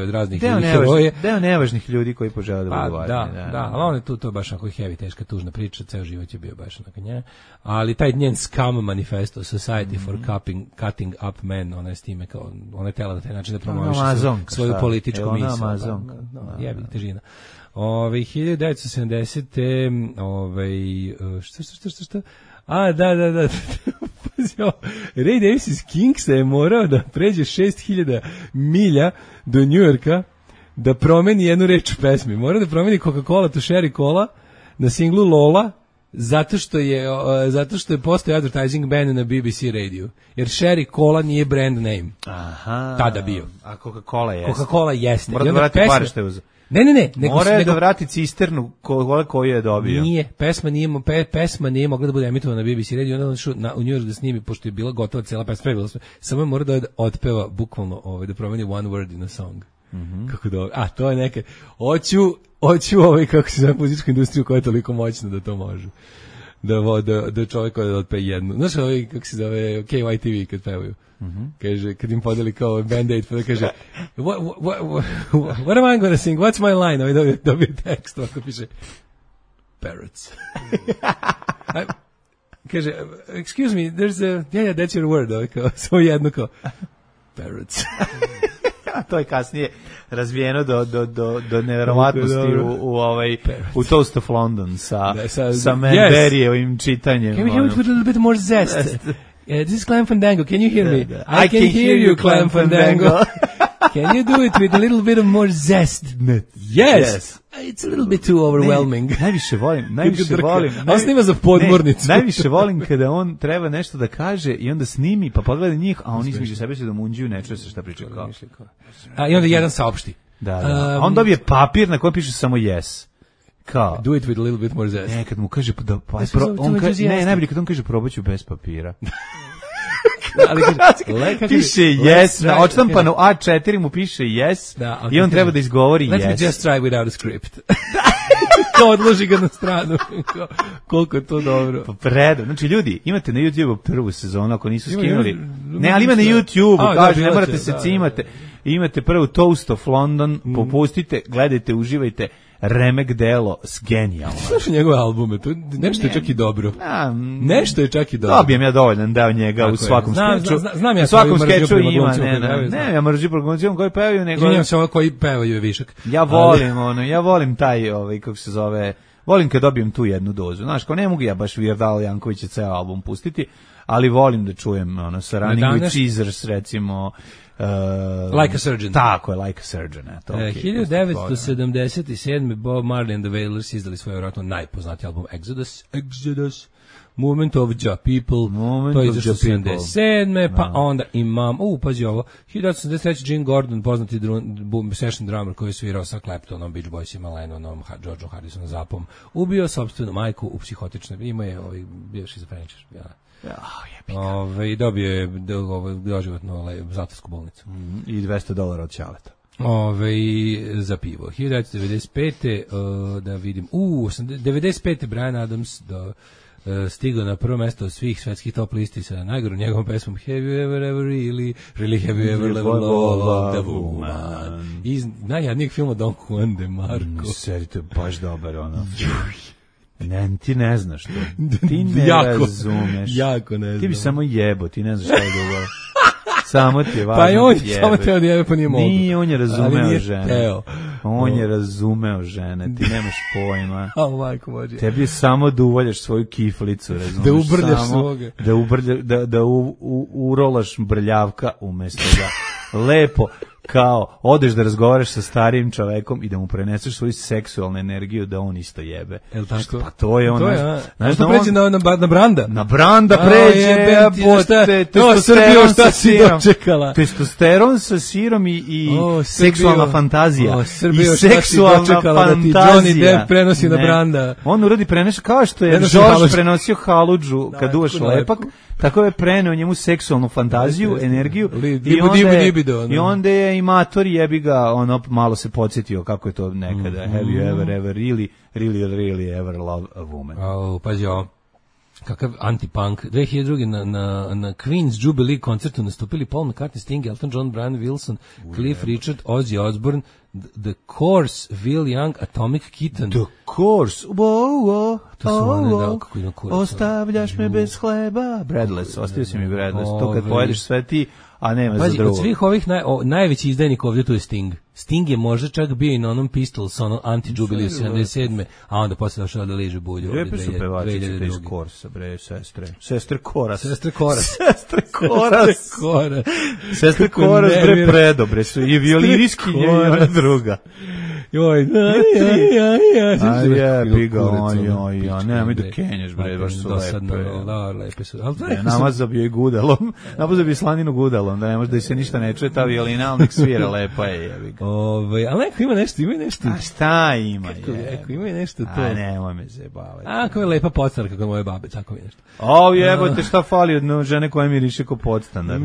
od raznih ljudi heroje. Deo nevažnih ljudi koji požele da budu važni. Da, ali on je tu, to je baš onako heavy, teška, tužna priča, ceo život je bio baš onako nje. Ali taj njen Scum manifesto, Society for Cutting Up Men, ona je s time kao, ona je tela na taj način da promoviše svoju političku misao. Jebi, težina. 1970. Šta? Da. Ray Davies iz Kingsa je morao da pređe 6000 milja do Njujorka da promeni jednu reč u pesmi. Morao da promeni Coca-Cola to Sherry Cola na singlu Lola zato što je postao advertising ban na BBC radiju. Jer Sherry Cola nije brand name. Aha. Tada bio. A Coca-Cola jeste. Mora da vrati pare što je uzeo. Ne. Mora da vrati cisternu koju je dobio. Nije, pesma nije mogla da bude emitovana na BBC radiju, onda on šao u New York da snimi, pošto je bila gotova cela pesma, samo je mora da otpeva bukvalno, da promeni one word in a song. Kako dobro. A, to je neke, hoću kako se zove muzičku industriju koja je toliko moćna da to može. Da čovjek da otpe jednu. Znaš kako se zove, KYTV kad pevaju. Kaže, kad im podeli kao Band-Aid, pa da kaže, what am I gonna sing? What's my line? Dobio tekst, ovako piše, parrots. Kaže, excuse me, there's a, yeah, that's your word, samo jedno kao, parrots. To je kasnije razvijeno do neverovatnosti u Toast of London sa Manberryevim čitanjem. Can we hear it with a little bit more zest? This is Clem Fandango. Can you hear me? I can hear you, Clem Fandango. Can you do it with a little bit of more zest? Yes. It's a little bit too overwhelming. Najviše volim. On snima za podmornicu. Najviše volim kada on treba nešto da kaže i onda snimi, pa pogleda njih, a oni između sebe se domunđuju, ne čuje se šta priča kao. I onda jedan saopšti. Da. A on dobije papir na kojem piše samo yes. Kao? Do it with a little bit more zest. Ne, kad mu kaže najbolje kad on kaže probaću bez papira. Ali piše yes, na odštampanu A4 mu piše yes i on treba da izgovori yes. Let me just try without a script. Kao odloži ga na stranu. Koliko je to dobro. Pa predo. Znači ljudi, imate na YouTube prvu sezonu ako nisu skinuli. Ne, ali ima na YouTube, kaže, ne morate se cimate. Imate prvu Toast of London, popustite, gledajte, uživajte. Remek delo s genijalno. Slušaj njegove albume, to nešto je čak i dobro. Nešto je čak i dobro. Dobijem ja dovoljan deo njega u svakom skeču. Znam ja u svakom skeču ima, ja mržim prognocijom koji pevaju, nego... Izvinjam se, ovo koji pevaju je višak. Ja volim taj, kako se zove, volim kad dobijem tu jednu dozu. Znaš, kao ne mogu ja baš Weird Al Jankovića ceo album pustiti, ali volim da čujem sa Running with Caesars, recimo... Like a Surgeon. Tako je, Like a Surgeon. 1977. Bob Marley and the Wailers izdali svoj vjerojatno najpoznatiji album Exodus. Movement of the People. To je izašlo 77. Pa onda imam, pazi ovo, 1983. Gene Gordon, poznati session drummer koji je svirao sa Claptonom, Beach Boysima, Lennonom, Georgeom Harrisonom, Zapom, ubio sopstvenu majku u psihotične, ima je bio šizofreničar, i dobio je doživotno zatvorsku bolnicu. I $200 od Ćaleta. Za pivo. 1995. Da vidim. 95. Bryan Adams stigao na prvo mesto svih svetskih top listi sa najgorom njegovom pesmom Have you ever really have you ever loved a woman? Iz najjadnijeg filma Don Juan de Marco. Seri, to je baš dobar ono. Ne, ti ne znaš to. Ti ne razumeš. Jako ne znam. Ti bi samo jebo, ti ne znaš šta je dobro. Samo ti je važno. Pa i on samo te odjebe, pa nije mogu. Nije, on je razumeo žene. On je razumeo žene, ti nemaš pojma. Majko Božje. Tebi je samo da uvoljaš svoju kiflicu, razumeš. Da ubrljaš svoga. Da urolaš brljavka umjesto da lepo kao odeš da razgovaraš sa starijim čovekom i da mu preneseš svoju seksualnu energiju da on isto jebe. Jel tako? Pa to je ono. Znaš da pređe na Branda? Na Branda pređe, Srbijo, šta si dočekala? Testosteron sa sirom i seksualna fantazija. Srbijo, šta si dočekala da ti Johnny Depp prenosi na Branda? On uradi preneš kao što je George prenosio haludžu kad duvaš lepak, tako je preneo njemu seksualnu fantaziju, energiju i onda je i mator jebi ga, ono malo se podsjetio kako je to nekada. Have you ever really ever loved a woman? Pazi ovo. Kakav anti-punk. 2002. na Queen's Jubilee koncertu nastupili Paul McCartney, Sting, Elton John, Brian Wilson, Cliff Richard, Ozzy Osbourne, The Course, Will Young, Atomic Kitten. The Course, wow, to su one, kako ima kurac. Ostavljaš me bez hleba. Breadless, ostavio si mi breadless. To kad pojedeš sve ti, a nema za drugo. Od svih ovih najveći izdajnik ovdje tu je Sting. Sting je možda čak bio i na onom Pistols, ono anti-jubiliju 77. A onda posle došao da liže bulju. Lijepe su pevačice iz Korsa, bre, sestre. Sestre Koras. Sestre Koras. Sestre Koras, bre, predobre su. I violiniskinje i ona druga. Joj, nemoj da kenješ, bre, baš su lepe su. Namazabio i gudalom, namazabio slaninu gudalom, da ne može da se ništa ne čuje, ta violina, ali nek svira, lepa je, jebi ga. Ali neko ima nešto. A šta ima, ima nešto to. A nemoj me zajebavati. Ako je lepa podstarka kod moje babe, tako mi nešto. Jebote, šta fali od žene koja miriše ko podstanar?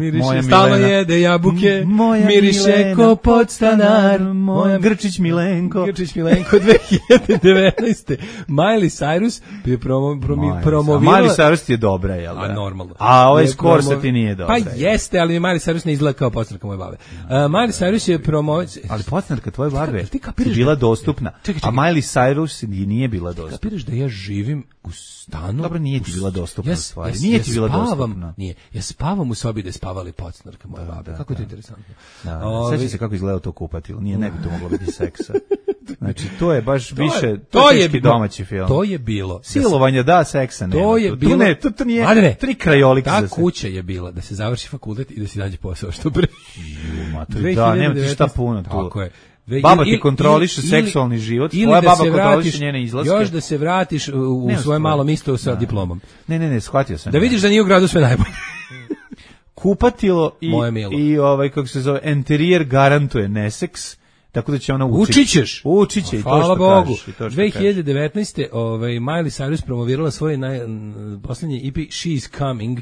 Stalno jede jabuke, miriše ko podstanar, moja Grčić Milena. Milenko. Grčić Milenko 2019. Miley Cyrus je promovirala... Miley Cyrus ti je dobra, jel da? A normalno. A ovaj Skorsa ti nije dobra. Pa jeste, ali Miley Cyrus ne izgleda kao podstanarka moje babe. Miley Cyrus je Ali podstanarka tvoje babe ti bila dostupna, a Miley Cyrus nije bila dostupna. Kapiraš da ja živim u stanu... Dobro, nije ti bila dostupna stvar. Nije ti bila dostupna. Nije. Ja spavam u sobi da je spavali podstanarke moje babe. Kako je to interesantno. Sjeća se kako izgleda to kupatilo. Ne bi to moglo biti seksa. Znači, to je baš više... To je domaći film. To je bilo. Silovanje, da, seksa nema. To je bilo... To nije... Tri krajolik. Ta kuća je bila da se završi fakultet i da se nađe posao što pre. Da, nema ti šta puno tu. Tako je. Baba ti kontroliše seksualni život, tvoja baba kontroliše njene izlaske. Još da se vratiš u svoje malo misto sa diplomom. Ne, shvatio sam. Da vidiš da nije u gradu sve najbolje. Kupatilo i kako se zove, enterijer garantuje neseks, tako da će ona Učićeš. Učiće i to hvala što Bogu. kažeš. 2019. Miley Cyrus promovirala svoj posljednji EP She's Coming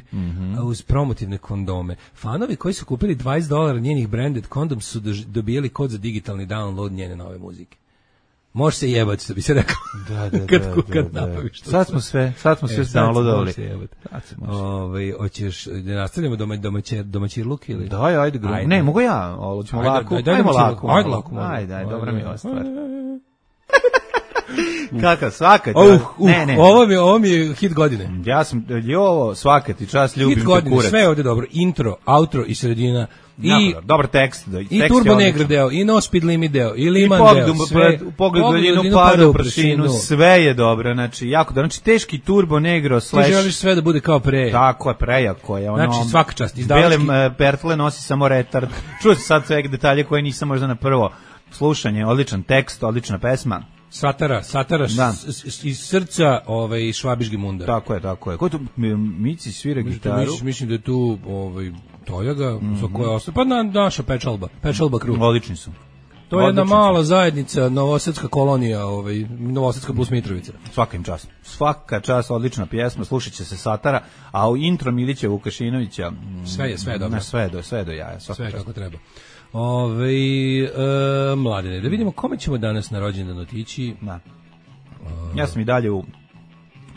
uz promotivne kondome. Fanovi koji su kupili $20 njenih branded kondom su dobijali kod za digitalni download njene nove muzike. Može se jebati, što bi se rekao. Kad napraviš to. Sad smo sve downloadovali. Hoćeš da nastavljamo domaćirluk ili? Daj, ajde. Ne, mogu ja, hoćemo lako. Ajmo lako. Ajde, dobra mi je ova stvar. Kakav, svaka ti. Ovo mi je hit godine. Ja sam, svaka ti čast, ljubim te kurac. Hit godine, sve je ovdje dobro. Intro, outro i sredina. Dobar tekst. I Turbo Negro deo, i No Speed Limit deo, i Liman deo. U pogled daljinu pada u prašinu, sve je dobro. Znači, jako dobro. Znači, teški Turbo Negro / Ti želiš sve da bude kao pre. Tako je, prejako je. Znači, svaka čast. Bele pertle nosi samo retard. Čuo sam sad sve detalje koje nisam možda na prvo slušanje. Odličan tekst, odlična pesma. Satara iz srca Švabiški mundar. Tako je. Ko tu Mici svira gitaru? Mislim da je tu Tojaga, za koje ostalo. Pa naša Pečalba Crew. Odlični su. To je jedna mala zajednica, novosadska kolonija, novosadska plus Mitrovica. Svaka im čast. Svaka čast, odlična pjesma, slušat će se Satara, a u intro Milića Vukašinovića... Sve je dobro. Sve je do jaja. Sve kako treba. Mladene, da vidimo kome ćemo danas na rođendan otići. Ja sam i dalje u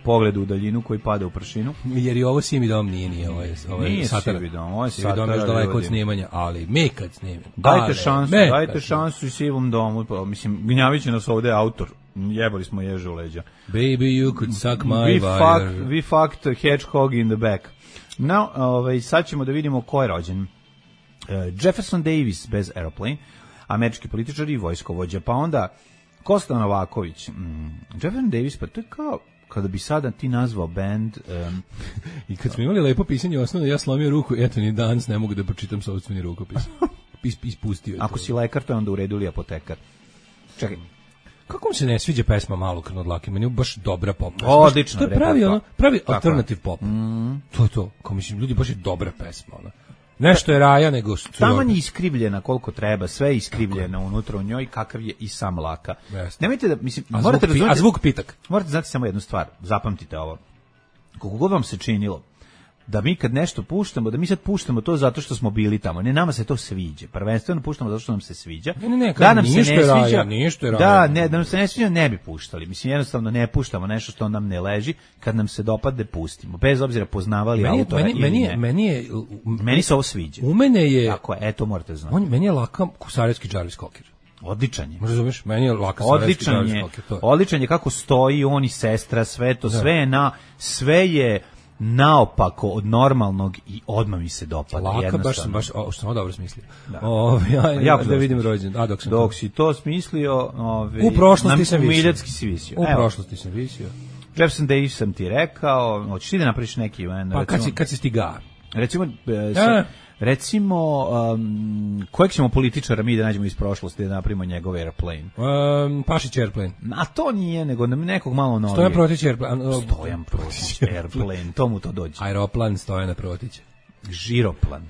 pogledu u daljinu koji pada u prašinu. Jer i ovo Sivi dom nije ovo je Satara. Ovo je Sivi dom još daleko od snimanja, ali mi kad snimamo. Dajte šansu i Sivom domu. Mislim, gnjavit će nas ovde autor. Jebali smo ježe u leđa. Baby, you could suck my wire. We fucked hedgehog in the back. Sad ćemo da vidimo ko je rođen. Jefferson Davis bez Airplane, američki političar i vojskovođa, pa onda Kosta Novaković. Jefferson Davis, pa to je kao kada bi sada ti nazvao band... I kad smo imali lepo pisanje osnovno, ja slomio ruku, eto ni danas ne mogu da pročitam sopstveni rukopis. Ispustio je. Ako si lekar, to je onda u redu ili apotekar. Čekaj. Kako mi se ne sviđa pesma Malo krvno dlake, meni je baš dobra pop. Odlično. To je pravi alternative pop. To je to. Kao mislim, ljudi, baš je dobra pesma, ona. Nešto je raja nego... Taman je iskrivljena koliko treba, sve je iskrivljeno unutra u njoj, kakav je i sam Laka. Nemojte da, mislim... A zvuk pitak. Morate znati samo jednu stvar, zapamtite ovo. Koliko god vam se činilo da mi kad nešto puštamo, da mi sad puštamo to zato što smo bili tamo. Ne, nama se to sviđa. Prvenstveno puštamo zato što nam se sviđa. Da nam se ne sviđa. Da nam se ne sviđa, ne bi puštali. Mislim, jednostavno ne puštamo nešto što nam ne leži. Kad nam se dopadne, pustimo. Bez obzira poznavali autora ili ne. Meni se ovo sviđa. U mene je... Tako je, eto morate znati. Meni je Laka Sarajevski Jarvis Cocker. Odličan je. Razumeš? Meni je Laka Sarajevski Jarvis Cocker. Odličan je kako stoji on i sestra, sve to, sve je naopako od normalnog i odmah mi se dopada. Laka, baš, što sam dobro smislio. Da vidim rođendan. Dok si to smislio, u prošlosti sam visio. Jefferson Davis sam ti rekao, hoćeš ti da napraviš neki event? Pa kad si stiga? Recimo, kojeg ćemo političara mi da nađemo iz prošlosti da napravimo njegov Airplane? Pašić Airplane. A to nije, nego nekog malo novije. Stojan Protić Airplane. Stojan Protić Airplane, tomu to dođe. Aeroplan Stojana Protića. Žiroplan.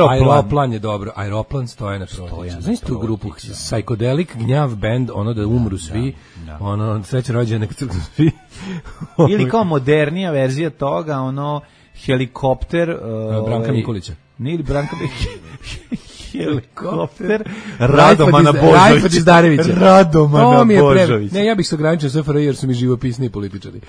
Aeroplan je dobro. Aeroplan Stojana Protića. Znaš tu grupu Psychedelic Gnjav Band, ono da umru svi, ono sreće rođene neka crknu svi. Ili kao modernija verzija toga, ono helikopter... Branka Mikulića. Nije li Branka Helikopter Radomana Božovića. Radomana Božovića. Ne, ja bih se ograničio SFRJ jer su mi živopisni političari.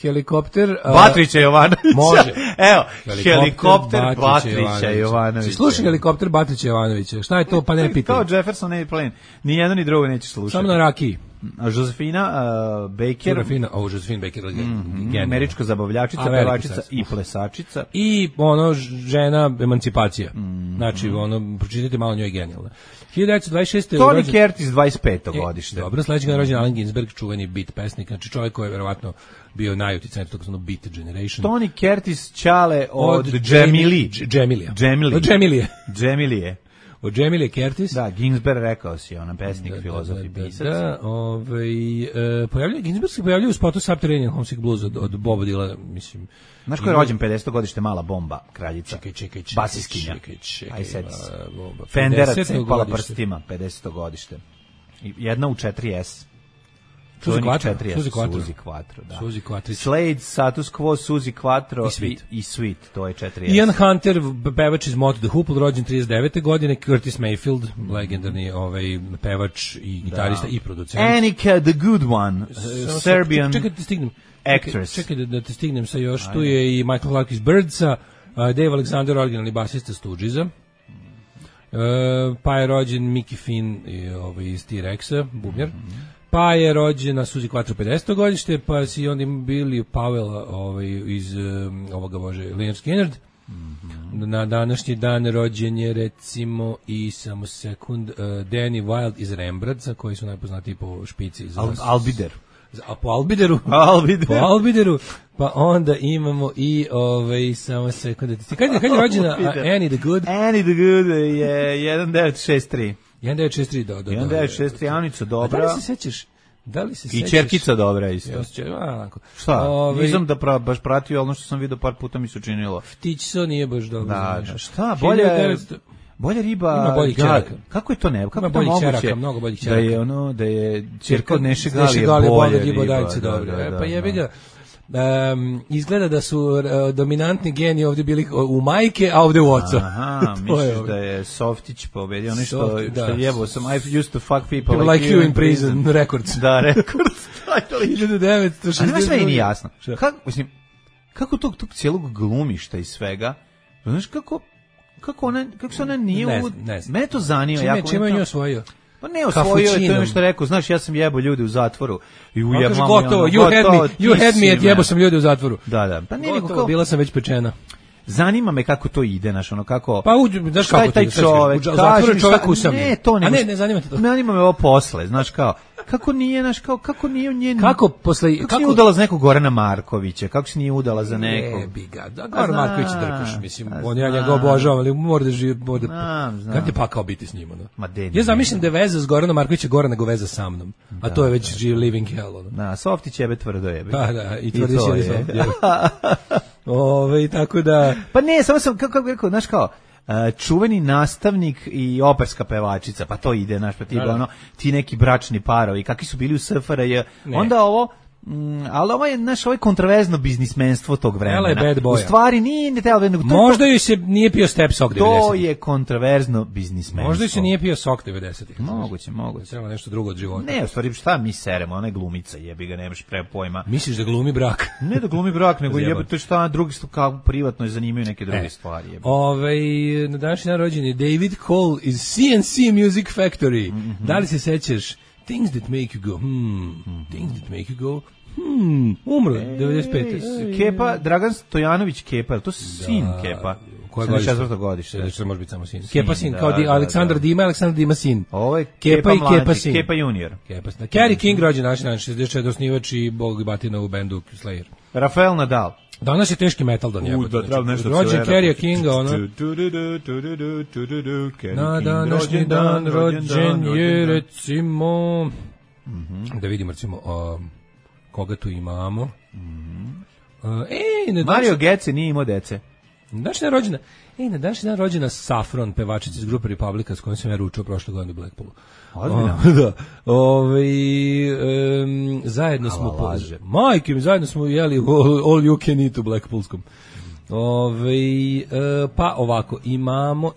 Helikopter Batrića Jovanovića. Može. Evo, helikopter Batrića Jovanovića. Slušaj helikopter Batrića Jovanovića. Šta je to, pa ne pitaj. Kao Jefferson Airplane. Ni jedno ni drugo nećeš slušati. Samo na rakiji. Josefina Baker, Josephine Baker, američka zabavljačica, pevačica i plesačica. I ono, žena emancipacija. Znači, ono, pročitajte malo, njoj je genijalna. 1926. Tony Curtis, 25. godište. Dobro, sledećeg je rođen Allen Ginsberg, čuveni beat pesnik, znači čovjek koji je verovatno bio najuticajniji tog zvano Beat Generation. Tony Curtis Čale od Džemilije. Od Džemilije Curtis. Da, Ginsberg rekao si, ona pesnik, filozof i pisac. Ginsberg se pojavljuje u spotu Subterranean Homesick Blues od Boba Dylana, mislim. Znaš ko je rođen 50. godište, Mala bomba, kraljica? Čekaj. Basiskinja. Aj sedi se. Fendera cepala prstima, 50. godište. Jedna u 4S. Suzi Quattro, da. Suzi Quattro. Slade, Status Quo, Suzi Quattro i Sweet, to je 4S. Ian Hunter, pevač iz Motley the Hoople, rođen 39. godine, Curtis Mayfield, legendarni pevač i gitarista i producent. Annika the Good One, Serbian actress. Čekaj da te stignem sa još, tu je i Michael Clark iz Birdsa, Dave Alexander, originalni basista Stooges'a, pa je rođen Mickey Finn iz T-Rexa, bubnjar. Pa je rođena Suzi Quattro 50. godište, pa si onda bili Powell iz ovoga bože Leonard Skinner. Na današnji dan rođen je recimo i samo sekund Danny Wilde iz Rembrandta, koji su najpoznatiji po špici iz Albider. Po Albideru. Pa onda imamo i samo sekund. Kad je rođena Annie the Good? Annie the Good je 1963. 1963, da. 1963, Anica dobra. Da li se sećaš? I Čerkica dobra isto. Šta? Nisam da baš pratio, ono što sam vidio par puta mi se učinilo. Ptićso nije baš dobro. Da, šta? Bolja riba. Ima boljih čeraka. Kako je to ne? Kako ima boljih čeraka, mnogo boljih čeraka. Da je čerka od Neše Galije bolja riba. Pa jebi ga. Izgleda da su dominantni geni ovdje bili u majke, a ovdje u oca. Aha, misliš da je Softić pobedio, ono što jebao sam, I used to fuck people like you in prison, Records. Da, Records. 1960. A nema sve i nije jasno. Kako tog cijelog glumišta i svega, znaš kako se ona nije... Ne znam. Mene to zanima. Čime je nju osvojio? Pa ne osvojio je, to je što rekao, znaš, ja sam jebao ljude u zatvoru. I gotovo, you had me, jebao sam ljude u zatvoru. Da. Pa ne, gotovo, bila sam već pečena. Zanima me kako to ide, znaš, ono kako... Pa znaš kako taj čovek, u zatvoru čovek usamljen. Ne, to ne. A ne zanima te to. Zanima me ovo posle, znaš kao... Kako nije, znaš, kako nije njen... Kako nije udala za nekog Gorana Markovića, kako se nije udala za nekog... Biga, da, Goran Marković drkaš, mislim, on ja njega obožavam, ali mora da živi, kad je pakao biti s njima, no? Ja zamišljam da je veza s Goranom Markovića gora nego veza sa mnom, a to je već living hell, ono. Da, Softić jebe tvrdo jebe. Da, i tvrdi se tako da... Pa ne, samo sam, kako bih rekao, znaš kao, čuveni nastavnik i operska pevačica, pa to ide, znaš, pa ti neki bračni parovi, kakvi su bili u SFRJ, onda ovo, ali ovo je, znaš, ovo je kontroverzno biznismenstvo tog vremena. U stvari nije... Možda ju se nije pio step sok 90. To je kontroverzno biznismenstvo. Možda ju se nije pio sok 90. Moguće. Treba nešto drugo od života. Ne, u stvari, šta mi seremo, ona je glumica, jebi ga, nemaš pre pojma. Misliš da glumi brak? Ne da glumi brak, nego jebate šta, drugi kao privatno je zanimaju neke druge stvari. Na današnji dan rođen je David Cole iz CNC Music Factory. Da li se sećaš Things That Make You Go, Things That Make You Go, umro, 95. Kepa, Dragan Stojanović Kepa, je to sin Kepa? Koje 74. godište? Što može biti samo sin. Kepa sin, kao Aleksandar Dima, Aleksandar Dima sin. Ovo je Kepa i Kepa sin. Kepa junior. Kerry King rođen naš 64. osnivač i bog batina u bendu Slayer. Rafael Nadal. Danas je teški metal da njegov. Rođen Kerry Kinga, ono. Na današnji dan rođen je, recimo, da vidimo, recimo, koga tu imamo. Mario Gece nije imao dece. Na današnji dan rođena Saffron, pevačica iz grupe Republika, s kojom sam ja ručao prošle godine u Blackpoolu. Da. Zajedno smo zajedno smo jeli all you can eat u Blackpoolskom. Pa ovako, imamo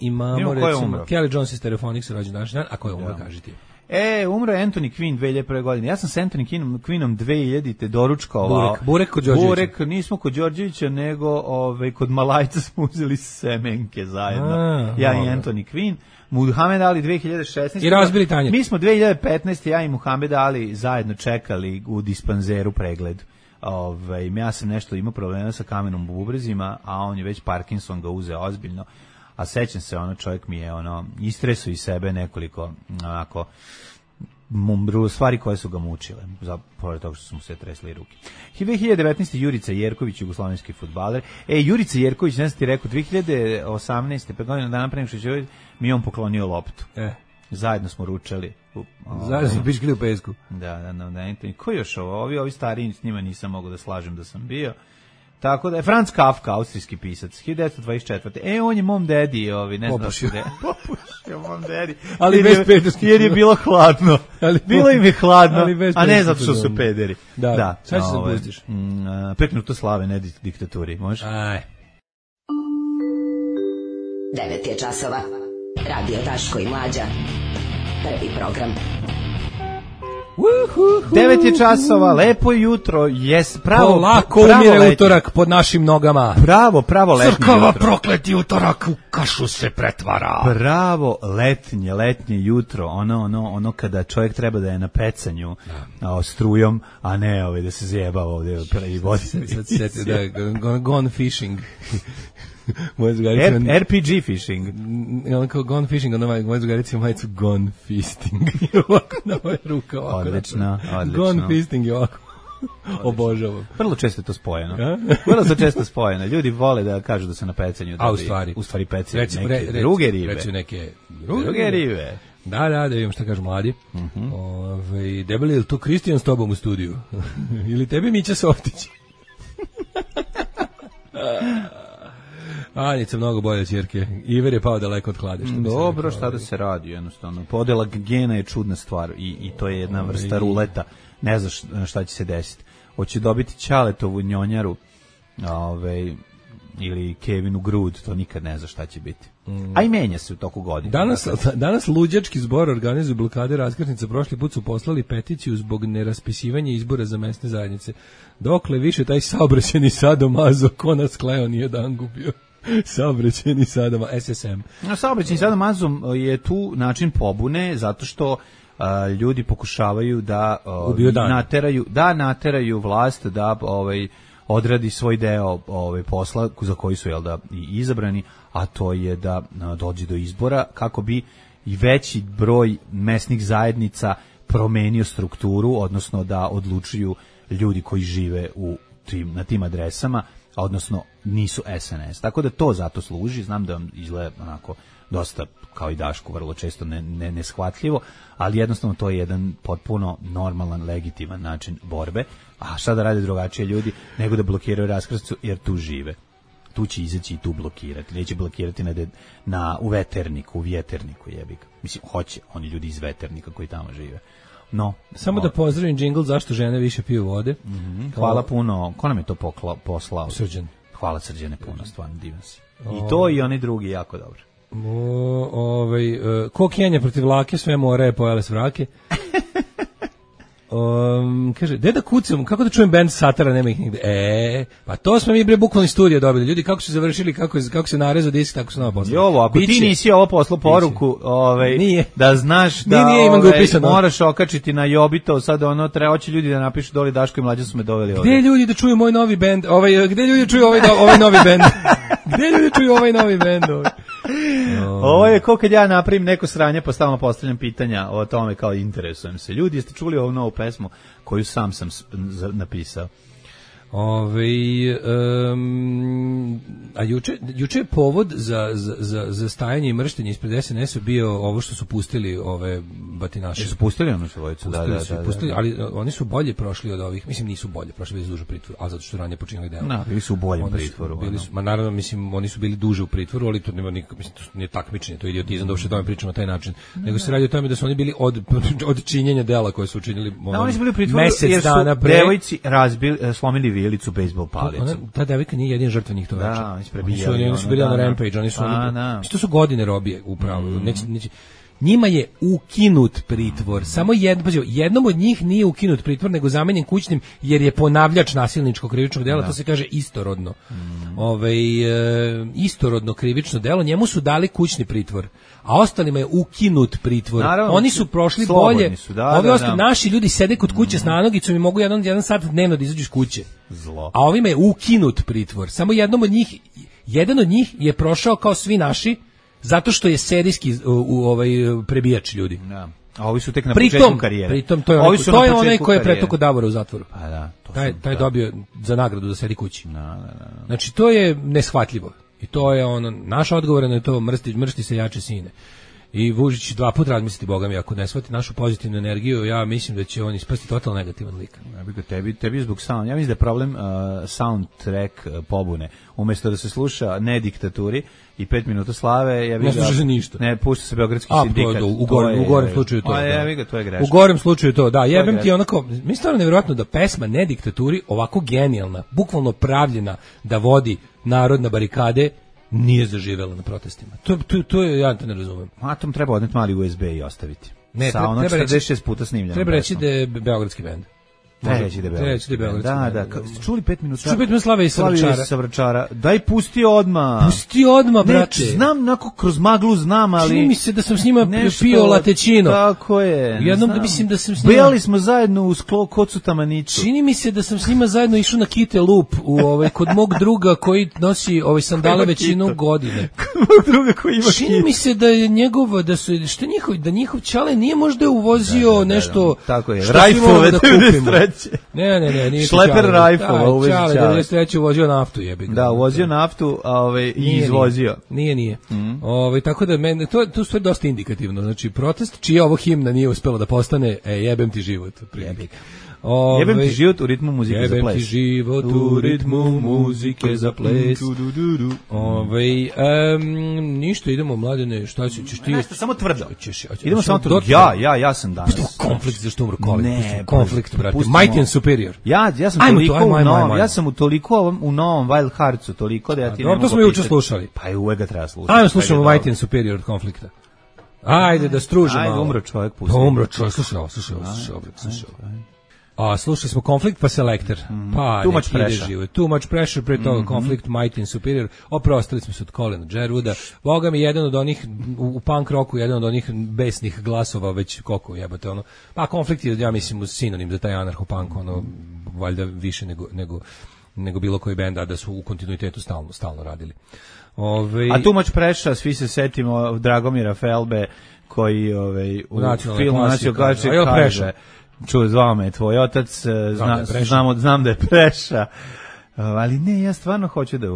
recimo Kelly Jones iz Telephonics rođen današnji dan, a ko je umro, kaži ti. Umro je Anthony Quinn 2001. godine. Ja sam s Anthony Quinnom 2000-te doručkovao. Burek kod Đorđevića. Burek, nismo kod Đorđevića, nego kod Malajca smo uzeli semenke zajedno. Ja i Anthony Quinn. Muhammed Ali 2016. I razbili tanjir. Mi smo 2015. ja i Muhammed Ali zajedno čekali u dispanzeru pregled. Ja sam nešto imao problema sa kamenom u bubrezima, a on je već Parkinson ga uzeo ozbiljno. A sećam se, čovjek mi je istresao iz sebe nekoliko stvari koje su ga mučile, pored toga što su mu se tresli ruke. 2019. Jurica Jerković, jugoslovenski fudbaler. Jurica Jerković, ne znam ti rekao, 2018. 5 godina dana pre nego što je mi on poklonio loptu. Zajedno smo ručali. Zajedno smo piškili u pesku. Da. Ko još ovo? Ovi stariji, s njima nisam mogao da slažem da sam bio. Tako da je Franz Kafka, austrijski pisac, 1924. On je mom dedi, ne znam. Popušio mom dedi. Ali bez pederskih. Jer je bilo hladno. Bilo im je hladno, a ne zato što su pederi. Da. Sad se zapustiš. Preknuto slave, ne diktaturi. Može? Aj. 9 je časova. Radio Daško i Mlađa. Prvi program. 9 je časova, lepo jutro, pravo lako umire utorak pod našim nogama. Pravo letnje Crkava jutro. prokleti utorak u kašu se pretvara. Pravo letnje jutro, ono kada čovjek treba da je na pecanju strujom, a ne da se zjeba ovdje i vodi. Sad gone fishing. RPG fishing. Kao gone fishing, moja zugarica ima majicu gone fisting. I ovako na moje ruka. Odlično. Gone fisting je ovako. Obožavam. Vrlo često je to spojeno. Vrlo se često spojeno. Ljudi vole da kažu da se na pecanju dobi. U stvari pecaju neke druge ribe. Recimo neke druge ribe. Da vidim šta kažu mladi. Debeli, je li to Kristijan s tobom u studiju? Ili tebi Mića Softić? Anjica mnogo bolje ćerke. Iver je pao daleko od klade. Dobro, šta da se radi jednostavno. Podela gena je čudna stvar i to je jedna vrsta ruleta. Ne znaš šta će se desiti. Hoće dobiti Ćaletovu njonjaru ili Kevinu grud, to nikad ne zna šta će biti. A i menja se u toku godine. Danas luđački zbor organizuje blokade raskrsnica. Prošli put su poslali peticiju zbog neraspisivanja izbora za mesne zajednice. Dokle više taj saobraćeni sadomazo ko nas kleo nije dan gubio. Saobraćeni sadomazo, SSM. Saobraćeni sadomazo je tu način pobune zato što ljudi pokušavaju da nateraju vlast da odradi svoj deo posla za koji su i izabrani, a to je da dođe do izbora kako bi i veći broj mesnih zajednica promenio strukturu, odnosno da odlučuju ljudi koji žive na tim adresama, odnosno nisu SNS. Tako da to zato služi. Znam da vam izgleda onako dosta, kao i Dašku, vrlo često neshvatljivo, ali jednostavno to je jedan potpuno normalan, legitiman način borbe. A šta da rade drugačije ljudi nego da blokiraju raskrsnicu, jer tu žive. Tu će izaći i tu blokirati. Neće blokirati u Veterniku, u Vjeterniku, jebika. Mislim, hoće oni ljudi iz Veternika koji tamo žive. Samo da pozdravim džingl zašto žene više piju vode. Hvala puno. Ko nam je to poslao? Srđan. Hvala Srđane puno, stvarno divan si. I to i oni drugi jako dobro. Ko Kenja protiv Lake, sve more je pojele s vrake. Kaže, da kucam, kako da čujem band Satara, nema ih nigde. Pa to smo mi bukvalno iz studija dobili. Ljudi, kako su završili, kako se narezao disk, tako su nama poslali. Jovo, ako ti nisi ovo poslao poruku, da znaš da moraš okačiti na Jobito, sad hoće ljudi da napišu doli Daško i Mlađa su me doveli ovdje. Gde ljudi da čuju moj novi band? Gde ljudi čuju ovaj novi band? Gde ljudi čuju ovaj novi band? Ovo je kao kad ja napravim neko sranje pa stalno postavljam pitanja o tome, kao interesujem se. Ljudi, jeste čuli ovu novu pesmu koju sam napisao? A juče je povod za stajanje i mrštenje ispred SNS-a bio ovo što su pustili ove batinaše. Su pustili ono svojicu, da. Ali oni su bolje prošli od ovih, mislim nisu bolje prošli, bili su duže u pritvoru, a zato što ranije počinjali delo. Bili su u boljem pritvoru. Naravno, mislim, oni su bili duže u pritvoru, ali to nema nikak, mislim, to nije takmičenje, to je idiotizam da uopšte o tome pričamo na taj način. Nego se radi o tome da su oni bili od činjenja dela koje su učinili oni su bili u pritvoru mesec jer su dana pre. Devojci slomili skrijelicu bejsbol palicom. Ta devojka nije jedina žrtva njih to veče. Da, oni su bili na Rampage, oni su to su godine robije upravo. Njima je ukinut pritvor. Samo jednom od njih nije ukinut pritvor, nego zamenjen kućnim, jer je ponavljač nasilničkog krivičnog dela, to se kaže istorodno. Istorodno krivično delo, njemu su dali kućni pritvor, a ostalima je ukinut pritvor. Naravno, oni su prošli bolje. Naši ljudi sede kod kuće s nanogicom i mogu jedan sat dnevno da izađu iz kuće. Zlo. A ovima je ukinut pritvor. Samo jedan od njih je prošao kao svi naši, zato što je serijski prebijač ljudi. Da. A ovi su tek na početku karijere. Pritom to je onaj koji je pretukao Davora u zatvoru. Pa da. Taj dobio za nagradu da sedi kući. Znači to je neshvatljivo. I to je naš odgovor na to, mrsti se jače sine. I Vučić 2 puta razmisliti, boga mi, ako ne shvati našu pozitivnu energiju, ja mislim da će on ispasti totalno negativan lik. Tebi zbog sound. Ja mislim da je problem soundtrack pobune. Umjesto da se sluša ne diktaturi i 5 minuta slave, ne sluša se ništa. Ne, pušta se Beogradski sindikat. U gorem slučaju to. To je grešno. U gorem slučaju to, da. Jebem ti onako, mi stvarno nevjerojatno da pesma ne diktaturi, ovako genijalna, bukvalno pravljena da vodi narod na barikade, nije zaživela na protestima. To je, ja to ne razumem. Atom treba odneti mali USB i ostaviti. Ne, sa ono 46 puta snimljeno. Treba reći da je beogradski bend. Treba reći da je beogradski bend. Da. Čuli 5 minuta. Čuli 5 minuta slave i Savrčara. Daj pusti odmah. Pusti odmah, brate. Znam, kroz maglu znam, ali... Čini mi se da sam s njima pio latečino. Tako je. Jednom da mislim da sam s njima... Bejali smo zajedno u kocu Tamanicu. Čini mi se da sam s njima zajedno išao na Kite Lup kod mog druga koji nosi sandale većinu godine. Kod mog druga koji ima Kite. Čini mi se da je njegov, da njihov čale nije možda uvozio nešto... Tako je, rajfove da kupimo. Ne, nije Šleper rajfova uvezi Čale. 93. uvozio naftu, jebik. Da, uvozio naftu, i izvozio. Nije. Tako da meni to sve dosta indikativno. Znači protest čija ovo himna nije uspela da postane jebem ti život. Jebik. Jebem ti život u ritmu muzike za ples. Jebem ti život u ritmu muzike za ples. Ništa, idemo, Mladene, šta ćeš ti? Nešto, samo tvrdo. Idemo samo tvrdo. Ja sam danas. Konflikt, zašto umro Colin? Ne, konflikt, brate. Mighty and Superior. Ja sam toliko u novom Wild Heartsu, toliko da ja ti ne mogu. To smo juče slušali. Pa i uvek ga treba slušati. Ajmo slušamo Mighty and Superior od konflikta. Ajde da stružimo. Ajde, umro čovjek, pusti. Umro čovjek, slušaj ovo. Slušali smo konflikt pa Selector. Pa Too Much Pressure. Too Much Pressure, pre toga konflikt Mighty and Superior. Oprostili smo se od Colina Jerwooda. Boga mi jedan od onih u punk rocku, jedan od onih besnih glasova, već koliko jebate ono. Pa konflikt je, ja mislim, sinonim za taj anarcho-punk, valjda više nego bilo koji bend, a da su u kontinuitetu stalno radili. A Too Much Pressure, svi se setimo Dragomira Felbe, koji u filmu Nacionalna klasika kaže: zvao me tvoj otac, znam da je Preša, ali ne, ja stvarno hoću da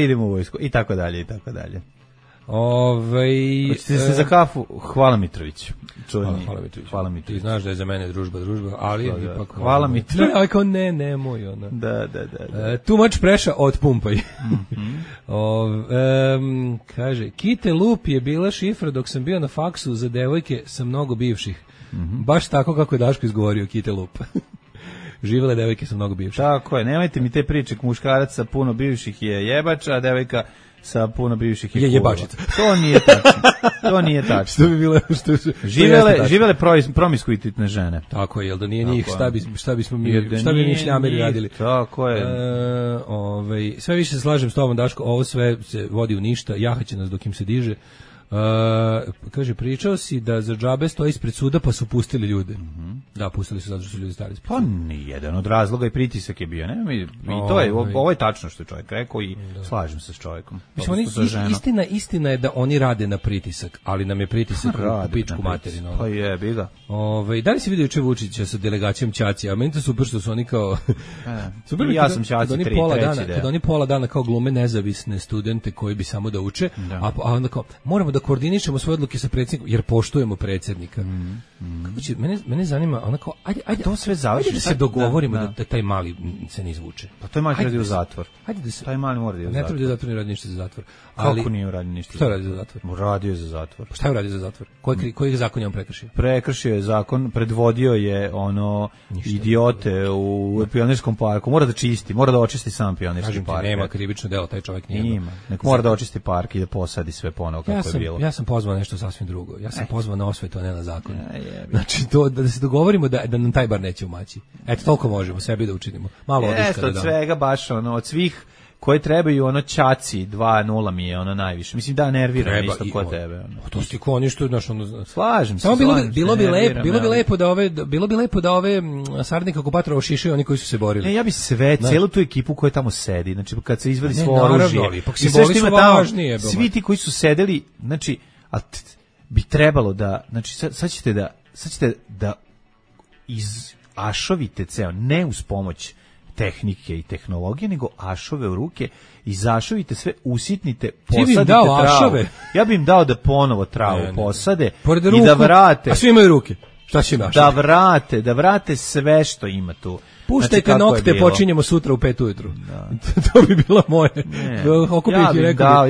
idemo u vojsku, i tako dalje. Hoćete se za kafu? Hvala Mitrović. Hvala Mitrović. Ti znaš da je za mene družba, ali ipak... Hvala Mitrović. Ali kao nemoj, ona. Da. Too Much Pressure, otpumpaj. Kaže, Kite Lup je bila šifra dok sam bio na faksu za devojke sa mnogo bivših. Baš tako kako je Daško izgovorio Kite Lup. Živele devojke sa mnogo bivših. Tako je, nemojte mi te priče, muškarac sa puno bivših je jebač, a devojka sa puno bivših je jebačica. To nije tačno. Što bi bilo živele promiskuitetne žene. Tako je, jel da nije njih, šta bi mi šljameri radili. Tako je. Sve više se slažem s tobom, Daško, ovo sve se vodi u ništa, jahaće nas dok im se diže. Kaže, pričao si da za džabe stoji ispred suda pa su pustili ljude. Da, pustili su zato što su ljudi stali. Pa nijedan od razloga i pritisak je bio. I to je, ovo je tačno što je čovjek rekao i slažem se s čovjekom. Istina je da oni rade na pritisak, ali nam je pritisak u pičku materinu. Pa je, bi ga. Da li si vidio juče Vučića sa delegacijom Ćacija? A meni to super što su oni kao... Ja sam Ćaci kad oni pola dana kao glume nezavisne studente koji bi samo da uče, a onda kao, moramo da koordinišemo svoje odluke sa predsjednikom jer poštujemo predsjednika. Kako će, mene zanima, onako, ajde to sve završi. Ajde da se dogovorimo da taj mali se ne izvuče. Pa taj mali treba da u zatvor. Ajde da se, taj mali mora da u zatvor. Ne treba da zatvor, ne radi ništa za zatvor. Ali, kako nije uradio ništa? Šta je uradio za zatvor? Uradio je za zatvor. Pa šta je uradio za zatvor? Koji zakon je on prekršio? Prekršio je zakon, predvodio je idiote u Pionirskom parku. Mora da čisti, mora da očisti sam Pionirski park. Nema krivično delo, taj čovjek nije. Ima. Nek mora da očisti park i da posadi sve ponovo kako je bilo. Ja sam pozvao nešto sasvim drugo. Ja sam pozvao na osvetu, a ne na zakon. Znači to da se dogovorimo da nam taj bar neće umaći. Eto, toliko možemo sebi da učinimo. Malo odiska da damo. Od svega baš od svih koje trebaju ćaci 2:0 mi je najviše. Mislim da nervira isto kod tebe. To sti ko ništa slažem se. Samo bilo bi lepo da ove saradnike okupatora ošišaju oni koji su se borili. Ne, ja bi celu tu ekipu koja tamo sedi, znači kad se izvadi svo oružje. I sve što ima tamo, svi ti koji su sedeli, znači bi trebalo da, znači sad ćete da ašovite ceo, ne uz pomoć tehnike i tehnologije, nego ašove u ruke i zašovite sve, usitnite, posadite travu. Ja bi im dao da ponovo travu posade i da vrate. A svi imaju ruke. Šta će naš? Da vrate sve što ima tu. Puštajte nokte, počinjemo sutra u 5 ujutru. To bi bilo moje.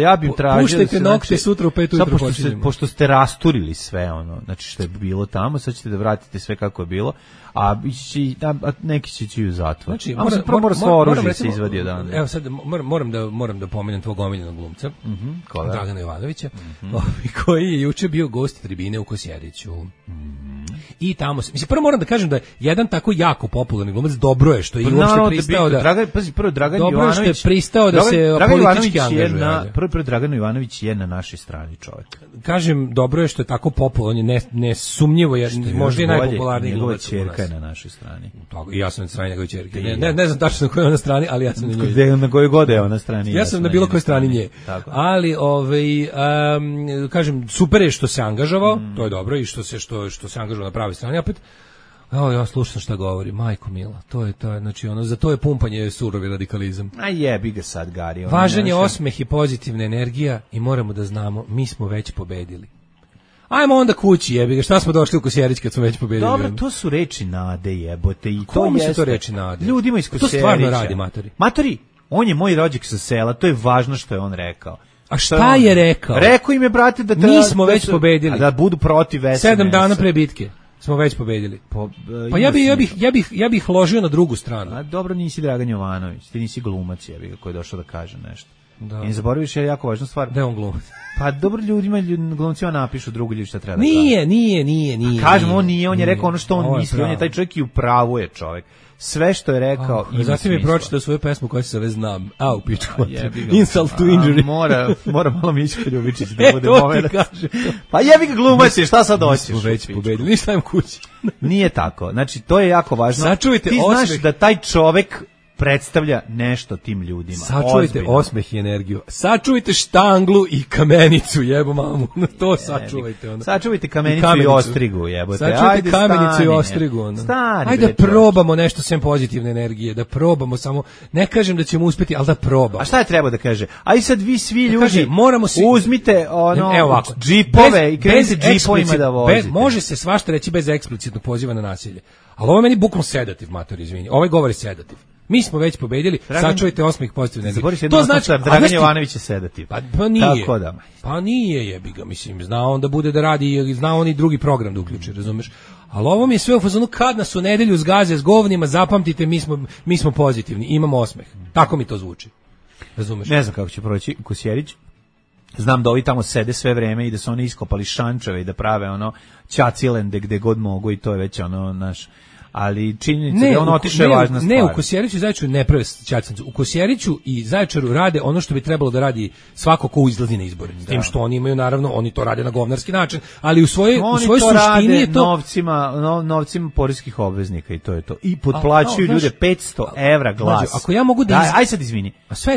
Ja bih tražio. Puštajte nokte, sutra u 5 ujutru počinjemo. Pošto ste rasturili sve znači što je bilo tamo, sad ćete da vratite sve kako je bilo, a neki će ići u zatvor. Znači, mora svo oružje se izvadi odavde. Evo sad moram da pomenem tvog omiljenog glumca, Dragana Jovanovića, koji je juče bio gost tribine u Kosjeriću. I tamo se, prvo moram da kažem da je jedan tako jako popularni glumac, dobro je što je uopšte pristao da Dragan Jovanović je pristao da se politički angažuje. Prvo Dragan Jovanović je na našoj strani čovjek. Kažem, dobro je što je tako popularan, nesumnjivo je, možda je najpopularniji glumac. Ćerka je na našoj strani. I ja sam na strani njegove ćerke. Ne znam tačno na kojoj je na strani, ali ja sam na njoj. Na kojoj god je ona strani. Ja sam na bilo kojoj strani nje. Ali kažem, super je što se angažovao, to je dobro, i što se angažovao na pravoj strani. Opet ja slušam šta govori, majko mila, to je znači za to je pumpanje surovi radikalizam. A jebi ga sad, Gari. Važan je osmeh i pozitivna energija i moramo da znamo, mi smo već pobedili. Ajmo onda kući, jebi ga, šta smo došli u Kosjerić kad smo već pobedili? Dobro, to su reči nade, jebote, i to jeste. Su to reči nade? Ljudima iz Kosjerića. To stvarno radi, matori. Matori, on je moj rođak sa sela, to je važno što je on rekao. A šta je rekao? Rekao im je, brate, da mi smo već pobedili. Da budu protiv SNS. 7 dana pre bitke smo već pobedili. Pa ja bih ložio na drugu stranu. A dobro, nisi Dragan Jovanović, ti nisi glumac, jebi ga, koji je došao da kaže nešto. I ne zaboraviš je jako važna stvar. Da je on glumac. Pa dobro, glumcima napišu drugi ljudi šta treba da kaže. Nije. Kažem, on je rekao ono što on misli, on je taj čovjek i u pravu je čovjek. Sve što je rekao ima smisla. Zatim je pročitao svoju pesmu koja se zove Znam. U pičku. Insult to injury. Mora malo Mićko Ljubičić da bude moment. Pa jebi ga, glumac je, šta sad hoćeš? Mi smo već pobedili, ništa im kući. Nije tako. Znači, to je jako važno. Sačuvajte ti znaš da taj čovek predstavlja nešto tim ljudima. Sačuvajte osmeh i energiju. Sačuvajte štanglu i kamenicu, jebo mamu. To sačuvajte onda. Sačuvajte kamenicu i ostrigu, jebote. Sačuvajte kamenicu i ostrigu onda. Ajde probamo nešto sem pozitivne energije, da probamo samo, ne kažem da ćemo uspjeti, ali da probamo. A šta je treba da kaže? Aj sad vi svi ljudi uzmite džipove i krenite džipovima da vozite. Može se svašta reći bez eksplicitnog poziva na nasilje. Ali ovo je meni bukvalno sedativ, mator, izvini. Ovaj govori sedativ. Mi smo već pobedili, sačuvajte osmeh pozitivne energije. To znači Dragan Jovanović je sedativ. Pa nije. Pa nije, jebi ga, mislim, zna on da bude da radi, zna on i drugi program da uključi, razumeš? Ali ovo mi je sve u fazonu, kad nas u nedelju zgaze s govnima, zapamtite, mi smo pozitivni, imamo osmeh. Tako mi to zvuči. Razumeš? Ne znam kako će proći Kosjerić. Znam da ovi tamo sede sve vreme i da su oni iskopali šančeve i da prave ćacilende gde god mogu i to je već naš. Ali činjenica da on otišao je važna stvar. Ne, u Kosjeriću i Zaječaru ne prave ćacancu. U Kosjeriću i Zaječaru rade ono što bi trebalo da radi svako ko izlazi na izbore. S tim što oni imaju, naravno, oni to rade na govnarski način, ali u svojoj suštini je to novcima poreskih obveznika i to je to. I potplaćuju ljude 500 evra glas. Ako ja mogu da aj sad izvini.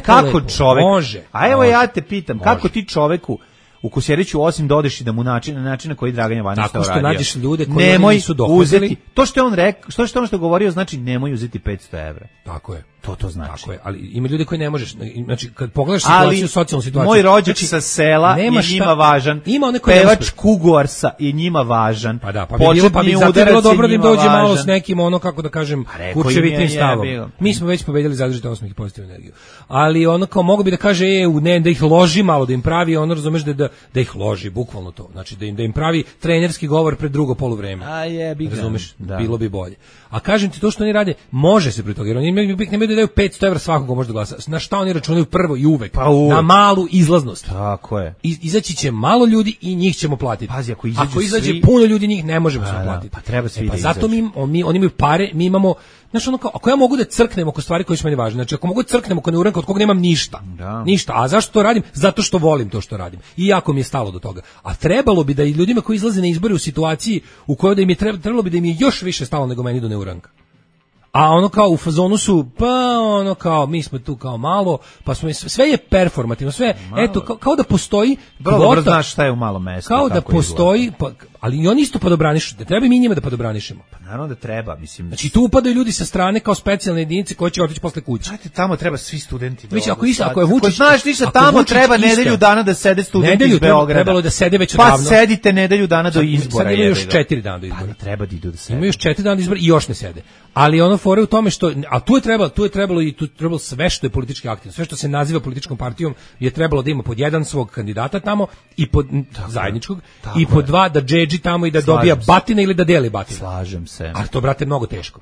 Kako čovek može? A evo ja te pitam, kako ti čoveku u Kosjeriću osim da odeš i da mu način na koji Dragan Jovanović to radio. Tako što nađeš ljude koji nisu dohodili. To što je on rekao, što je ono što govorio, znači nemoj uzeti 500 evra. Tako je. To znači. Tako je, ali ima ljudi koji ne možeš, znači kad pogledaš situaciju, socijalnu situaciju. Moj rođak sa sela je njima važan. Ima one koji pevač Kuguarsa je njima važan. Pa da, pa bi bilo dobro da im dođe malo s nekim ono, kako da kažem, kurčevitim stavom. Mi smo već pobedili zadržite osmeh i pozitivnu energiju. Ali ono kao mogu bi da kaže ne, da ih loži malo, da im pravi ono, razumeš, da ih loži, bukvalno to. Znači da im pravi trenerski govor pred drugo poluvreme. Razumeš, bilo bi bolje. A kažem ti, to što oni rade, može se pri toga, jer oni nemaju da daju 500 evra svakog ko može da glasa. Na šta oni računaju prvo i uvek? Na malu izlaznost. Tako je. Izaći će malo ljudi i njih ćemo platiti. Pazi, ako izađe svi... puno ljudi, njih ne možemo se platiti. Pa treba svi da zato oni imaju pare, mi imamo, znaš, ono kao, ako ja mogu da crknem oko stvari koje su meni važne, znači ako mogu da crknem oko neuranka od koga nemam ništa, ništa, a zašto to radim? Zato što volim to što radim i jako mi je stalo do toga. A trebalo bi da i ljudima koji izlaze na izbore u situaciji u kojoj da im je trebalo bi da im je još više stalo nego meni do neuranka. A ono kao u fazonu su, pa ono kao, mi smo tu kao malo, pa smo, sve je performativno, sve, malo. Eto, kao da postoji kvota. Dobro znaš šta je u malom mestu. Kao da postoji, ali i oni isto padobranišu, da treba mi njima da padobranišemo. Pa naravno da treba, mislim. Znači tu upadaju ljudi sa strane kao specijalne jedinice koji će otići posle kuće. Znači tamo treba svi studenti da. Mislim, ako je Vučić, znaš ništa, tamo treba nedelju dana da sede studenti iz Beograda. Trebalo da sede već odavno. Pa sedite nedelju dana do izbora. Sad imaju još 4 dana do izbora. Pa treba da idu da sede. Imaju još 4 dana do izbora i još ne sede. Ali ono fore u tome što, a tu je trebalo sve što je politički aktivno, sve što se naziva političkom partijom je trebalo da ima pod jedan svog kandidata tamo i pod zajedničkog i pod dva da džedži tamo i da dobija batine ili da deli batine. Slažem se. A to, brate, mnogo teško.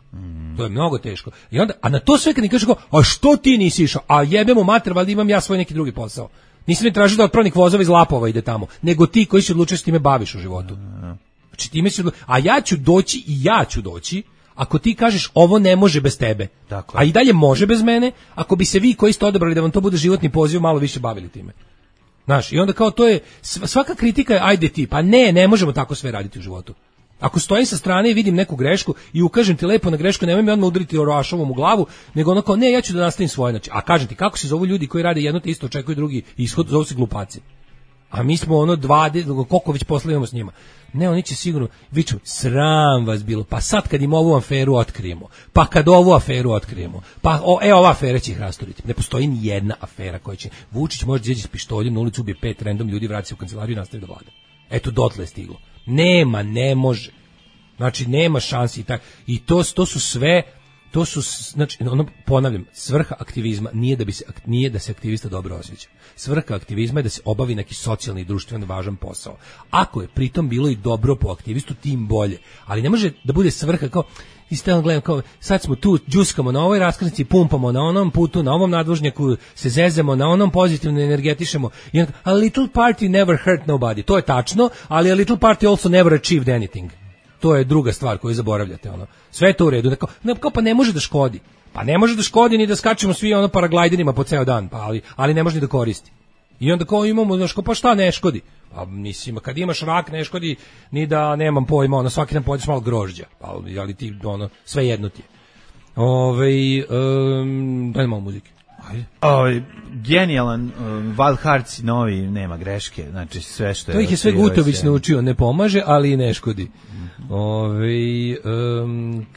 To je mnogo teško. I onda, a na to sve kad mi kažeš, a što ti nisi išao? A jebemo mater, valjda imam ja svoj neki drugi posao. Nisam ni tražio da otpravnik vozova iz Lapova ide tamo, nego ti koji se odlučuješ s time baviš u životu. Znači time se, a ja ću doći ako ti kažeš ovo ne može bez tebe, a i dalje može bez mene, ako bi se vi koji ste odabrali da vam to bude životni poziv malo više bavili time. Znaš, i onda kao to je, svaka kritika je ajde ti, pa ne možemo tako sve raditi u životu. Ako stojim sa strane i vidim neku grešku i ukažem ti lepo na grešku, nemoj mi odmah udariti Orašovom u glavu, nego ono kao ne, ja ću da nastavim svoje. Znači, a kažem ti, kako se zovu ljudi koji rade jedno te isto, očekuju drugi ishod, zovu se glupaci. A mi smo ono 20, koliko već posla imamo s njima. Ne, oni će sigurno, viču, sram vas bilo, pa sad kad im ovu aferu otkrijemo, pa kad ovu aferu otkrijemo, pa ova afera će ih rasturiti. Ne postoji ni jedna afera koja će, Vučić može izaći s pištoljem na ulicu, ubije 5 random ljudi, vrati se u kancelariju i nastavi da vlada. Eto, dotle je stiglo. Ne može. Znači, nema šansi. I to su sve, to su, znači, ponavljam, svrha aktivizma nije da se aktivista dobro osjeća. Svrha aktivizma je da se obavi neki socijalni i društveno važan posao. Ako je pritom bilo i dobro po aktivistu, tim bolje. Ali ne može da bude svrha kao, i stalno gledam kao, sad smo tu, džuskamo na ovoj raskrsnici, pumpamo na onom putu, na ovom nadvožnjaku, se zezemo, na onom pozitivno energetišemo. I onda, a little party never hurt nobody. To je tačno, ali a little party also never achieved anything. To je druga stvar koju zaboravljate, ono. Sve je to u redu. Kao pa ne može da škodi. Pa ne može da škodi ni da skačemo svi ono paraglajderima po ceo dan, pa ali ne može ni da koristi. I onda kao imamo, znaš, pa šta ne škodi? Pa mislim, kad imaš rak ne škodi ni da nemam pojma, ono, svaki dan pojedeš malo grožđa, ali ti, ono, sve jedno ti je. Daj malo muzike. Genijalan Wild Hearts novi, nema greške, znači sve što je... To ih je sve Gutović naučio, ne pomaže, ali i ne škodi.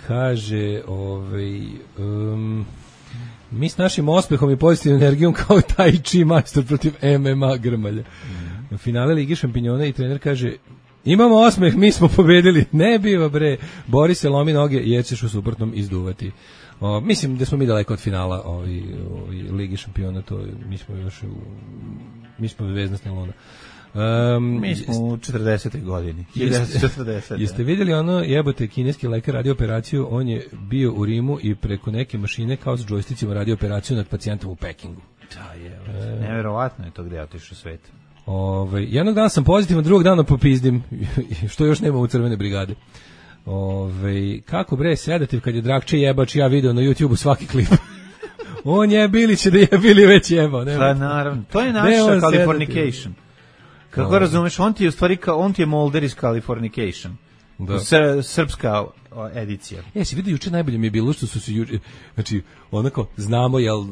Kaže, mi s našim ospehom i pozitivnom energijom kao taj chi majstor protiv MMA Grmalja. Na finale Lige šampinjona i trener kaže, imamo osmeh, mi smo pobedili. Ne biva bre, bori se, lomi noge jer ćeš u suprotnom izduvati. Mislim da smo mi daleko od finala Lige šampiona, to mi smo zvezdna luna. Mi smo u 40. godini. 1940. Jeste vidjeli ono, jebote, kineski lekar radio operaciju, on je bio u Rimu i preko neke mašine kao s džojsticima radio operaciju nad pacijentom u Pekingu. Da, je. Neverovatno je to gde otiš u svet. Jednog dana sam pozitivan, drugog dana popizdim, što još nema u crvene brigade. Kako bre, sedativ kad je Drakče jebač, ja video na YouTubeu svaki klip. On je Bilić da je bili već jebao. Pa naravno, to je naša Californication. Kako razumeš, on ti je u stvari, on ti je Mulder iz Californication. Srpska edicija. Si vidio juče, najbolje mi je bilo što su se juče, znači onako znamo jel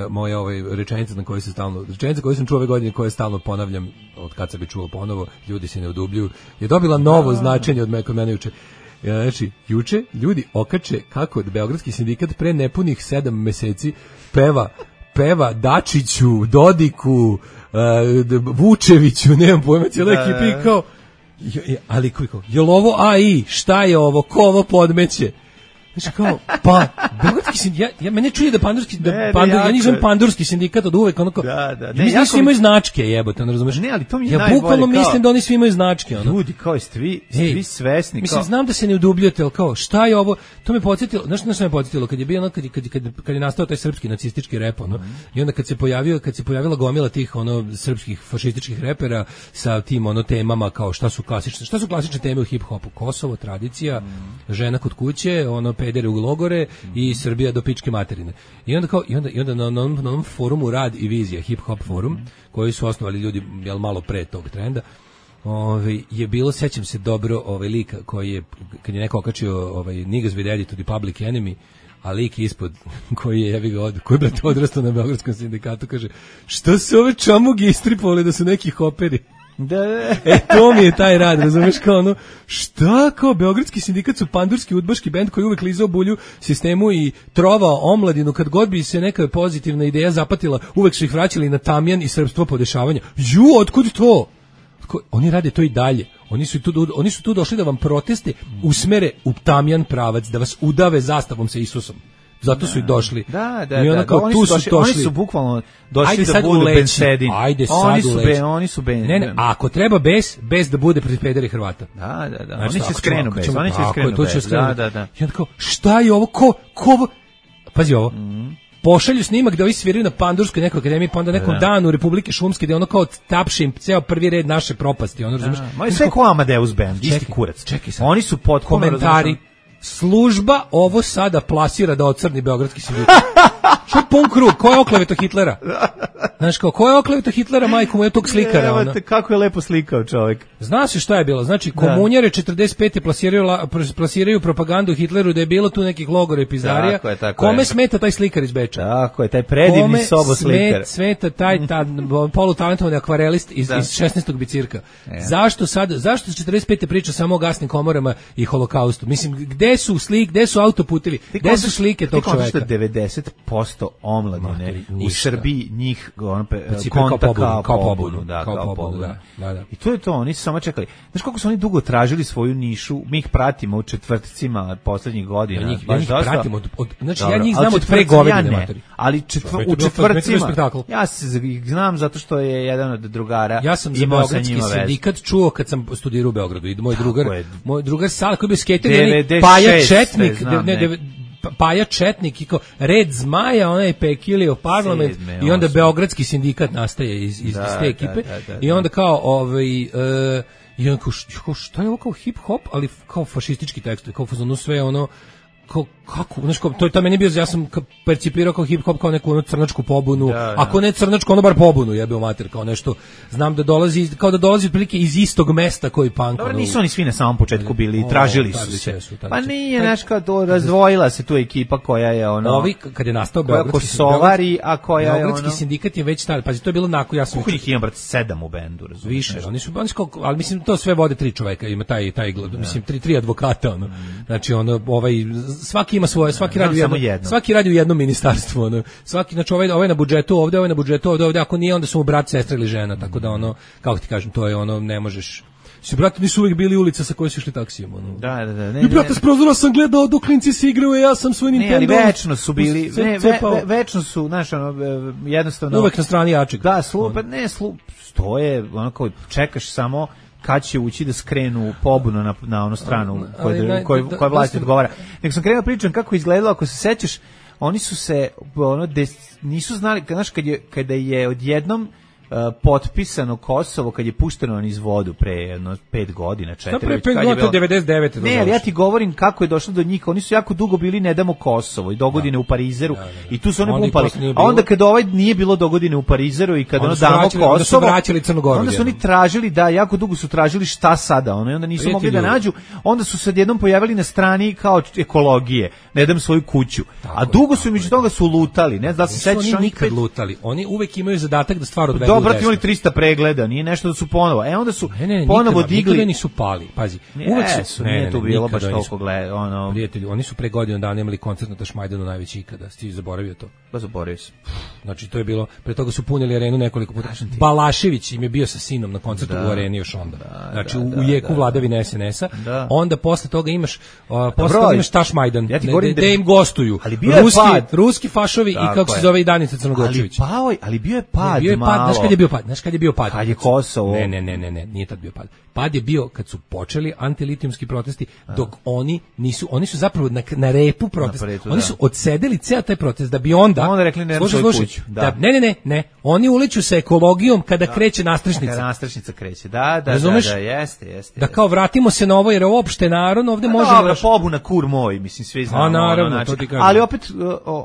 moja rečenica na kojoj se stalno, rečenica koju sam čuo ove godine, koje stalno ponavljam od kad sam bi čuo ponovo, ljudi se ne odubljuju, je dobila novo značenje kod mene juče. Znači, juče ljudi okače kako Beogradski sindikat pre nepunih 7 meseci peva Dačiću, Dodiku, Vučeviću, nemam pojma, cijela ekipa kao, ali kao, jel ovo AI, šta je ovo, ko ovo podmeće? Znači kao, pa, Beogradski sindikat, mene čuje da ja nisam pandurski sindikat od uvek, ono kao, mislim svi imaju značke, jebote, ne razumeš? Ne, ali to mi je najbolje. Ja bukvalno mislim da oni svi imaju značke, ono. Ljudi, kao svi svesni. Mislim, znam da se ne udubljujete, ali kao, šta je ovo? To me podsjetilo, znaš što me podsjetilo, kad je bio ono, kad je nastao taj srpski nacistički rep, ono, i onda kad se pojavila gomila tih, ono, srpskih fašističkih repera sa tim, ono, temama, kao, šta su klasične teme u hip-hopu? Kosovo, tradicija, žena kod kuće, ono, pedere u logore i Srbija do pičke materine. I onda na onom forumu Rad i vizija, hip hop forum, koji su osnovali ljudi malo pre tog trenda, je bilo, sećam se dobro, lika koji je, kad je neko okačio Niggas with Attitude i Public Enemy, a lik ispod koji je brate odrastao na Beogradskom sindikatu, kaže, šta se ove čamugi istripovali da su neki hoperi? To mi je taj rad, razumeš, kao ono, šta, kao Beogradski sindikat su pandurski udbaški bend koji uvek lizao bulju sistemu i trovao omladinu, kad god bi se neka pozitivna ideja zapatila, uvek su ih vraćali na tamjan i srpstvo podešavanja. Otkud to? Oni rade to i dalje. Oni su tu došli da vam proteste usmere u tamjan pravac, da vas udave zastavom sa Isusom. Zato su i došli. I onda kao tu su došli. Oni su bukvalno došli da budu bensedin. Ajde sad uleći. Oni su ben. Ne, ako treba bez da bude protiv pederi Hrvata. Da. Znači, oni će skrenu bez. Da. I onda kao, šta je ovo? Ko? Pazi ovo. Pošalju snimak da ovi sviraju na Pandurskoj nekoj akademiji, pa onda nekom danu Republike Šumske, gde ono kao tapše im ceo prvi red naše propasti. Ono, razumiješ? Moje sve ko Amadeus band, isti kurac. Čekaj sad. Oni su potpuno komentari. Služba ovo sada plasira da ocrni Beogradski sindikat. Što pun krug? Ko je okleveto Hitlera? Znaš kao, ko je okleveto Hitlera, majku mu je tog slikara? Ona? Kako je lepo slikao čovjek. Zna se šta je bilo. Znači, komunjare 45. plasiraju propagandu Hitleru da je bilo tu nekih logora i pizdarija. Kome smeta taj slikar iz Beča? Tako je, taj predivni sobo slikar. Kome smeta taj polutalentovani akvarelist iz 16. bicirka? Zašto 45. priča samo o gasnim komorama i holokaustu? Mislim, gde su autoputevi? Gde su slike tog čoveka? 90% omladine u Srbiji njih konta kao pobunu. I to je to, oni su samo čekali. Znaš koliko su oni dugo tražili svoju nišu, mi ih pratimo u četvrtcima poslednjih godina. Ja njih pratimo, znači ja njih znam od pre godine. Ali u četvrtcima, ja se znam zato što je jedan od drugara. Ja sam za Beogradski sindikat čuo kad sam studirao u Beogradu i moj drugar Sala koji je skater, Paja Četnik, Paja Četnik i kao Red Zmaja, onaj Pekilio parlament i onda Beogradski sindikat nastaje iz te ekipe i onda kao i onda kao šta je ovo kao hip hop, ali kao fašistički tekst, kao fazonu sve ono kako, znaš, to meni bio, ja sam percipirao kao hip hop kao neku ono crnačku pobunu, ako ne crnačku, ono bar pobunu, jebeo mater, kao nešto, znam da dolazi, kao da dolazi otprilike iz istog mesta koji punk. Dobro, nisu oni svi na samom početku bili, tražili su se. Pa nije, znaš, kao to razdvojila se tu ekipa koja je ono... Ovi, kad je nastao Beogradski sindikat je već tada, pazi, to je bilo nakon, ja sam... Kako ih ima, brate, 7 u bendu, razumiješ? Više, oni su, ali mislim, to sve vode 3 čoveka, ima taj mislim, 3 advokata, ono, znači, ono, svaki ima svoje, svaki radi u jednom ministarstvu, ono. Svaki, znači ovaj na budžetu ovde, ako nije onda su mu brat, sestra ili žena, tako da ono, kako ti kažem, to je ono, ne možeš. Brate, nisu uvijek bili ulica sa kojoj su išli taksijem, ono. Da. I brate, s prozora sam gledao dok klinci se igraju, ja sam svoj Nintendo. Ne, ali večno su bili, večno su, znaš, ono, jednostavno. Uvek na strani jačeg. Da, stoje, ono kao, čekaš samo kad će ući da skrenu pobunu na onu stranu koja vlast odgovara. Nek sam krenuo pričam kako je izgledalo, ako se sećaš, oni su se nisu znali, znaš, kada je odjednom potpisano Kosovo, kad je pušteno iz vodu pre 5 godina, 4. Pre 5 godina, to 99. Ne, ali ja ti govorim kako je došlo do njih. Oni su jako dugo bili ne damo Kosovo i dogodine u Parizeru i tu su oni pumpali. A onda kad nije bilo dogodine u Parizeru i kad ono damo Kosovo, onda su oni tražili, jako dugo su tražili šta sada, ono, i onda nisu mogli da nađu. Onda su se odjednom pojavili na strani kao ekologije, ne dam svoju kuću. A dugo su među toga su lutali, ne znam da se sećaš, oni nikad lutali. Oni uvek imaju zadatak da stvar odvedu. kao brate imali 300 pregleda, nije nešto da su ponovo. Onda su ponovo digli. Nikada nisu pali. Pazi. Uvek su nije tu bilo baš toliko gleda, Prijatelji, oni su pre godinu dana imali koncert na Tašmajdanu najveći ikada. Ti zaboravio to? Pa zaboravio sam. Znači to je bilo, pre toga su punili arenu nekoliko puta. Balašević im je bio sa sinom na koncertu u areni još onda. Znači u jeku vladavine SNS-a. Onda posle toga imaš Tašmajdan, gde im gostuju ruski fašovi i kako se zove i Danica Crnogorčević. Ali bio je pad malo. Znaš kad je bio pad? Kad je Kosovo. Ne, nije tad bio pad. Pad je bio kad su počeli antilitijumski protesti, dok oni su zapravo na repu protesta. Oni su odsedeli ceo taj protest da bi onda rekli ne svoju kuću. Ne. Oni uliču sa ekologijom kada kreće nastrešnica. Kada nastrešnica kreće. Da, jeste. Da kao vratimo se na ovo jer je uopšte narod ovde može. Dobro, pobuna kur moj, mislim svi znamo. Naravno, to ti kažem. Ali opet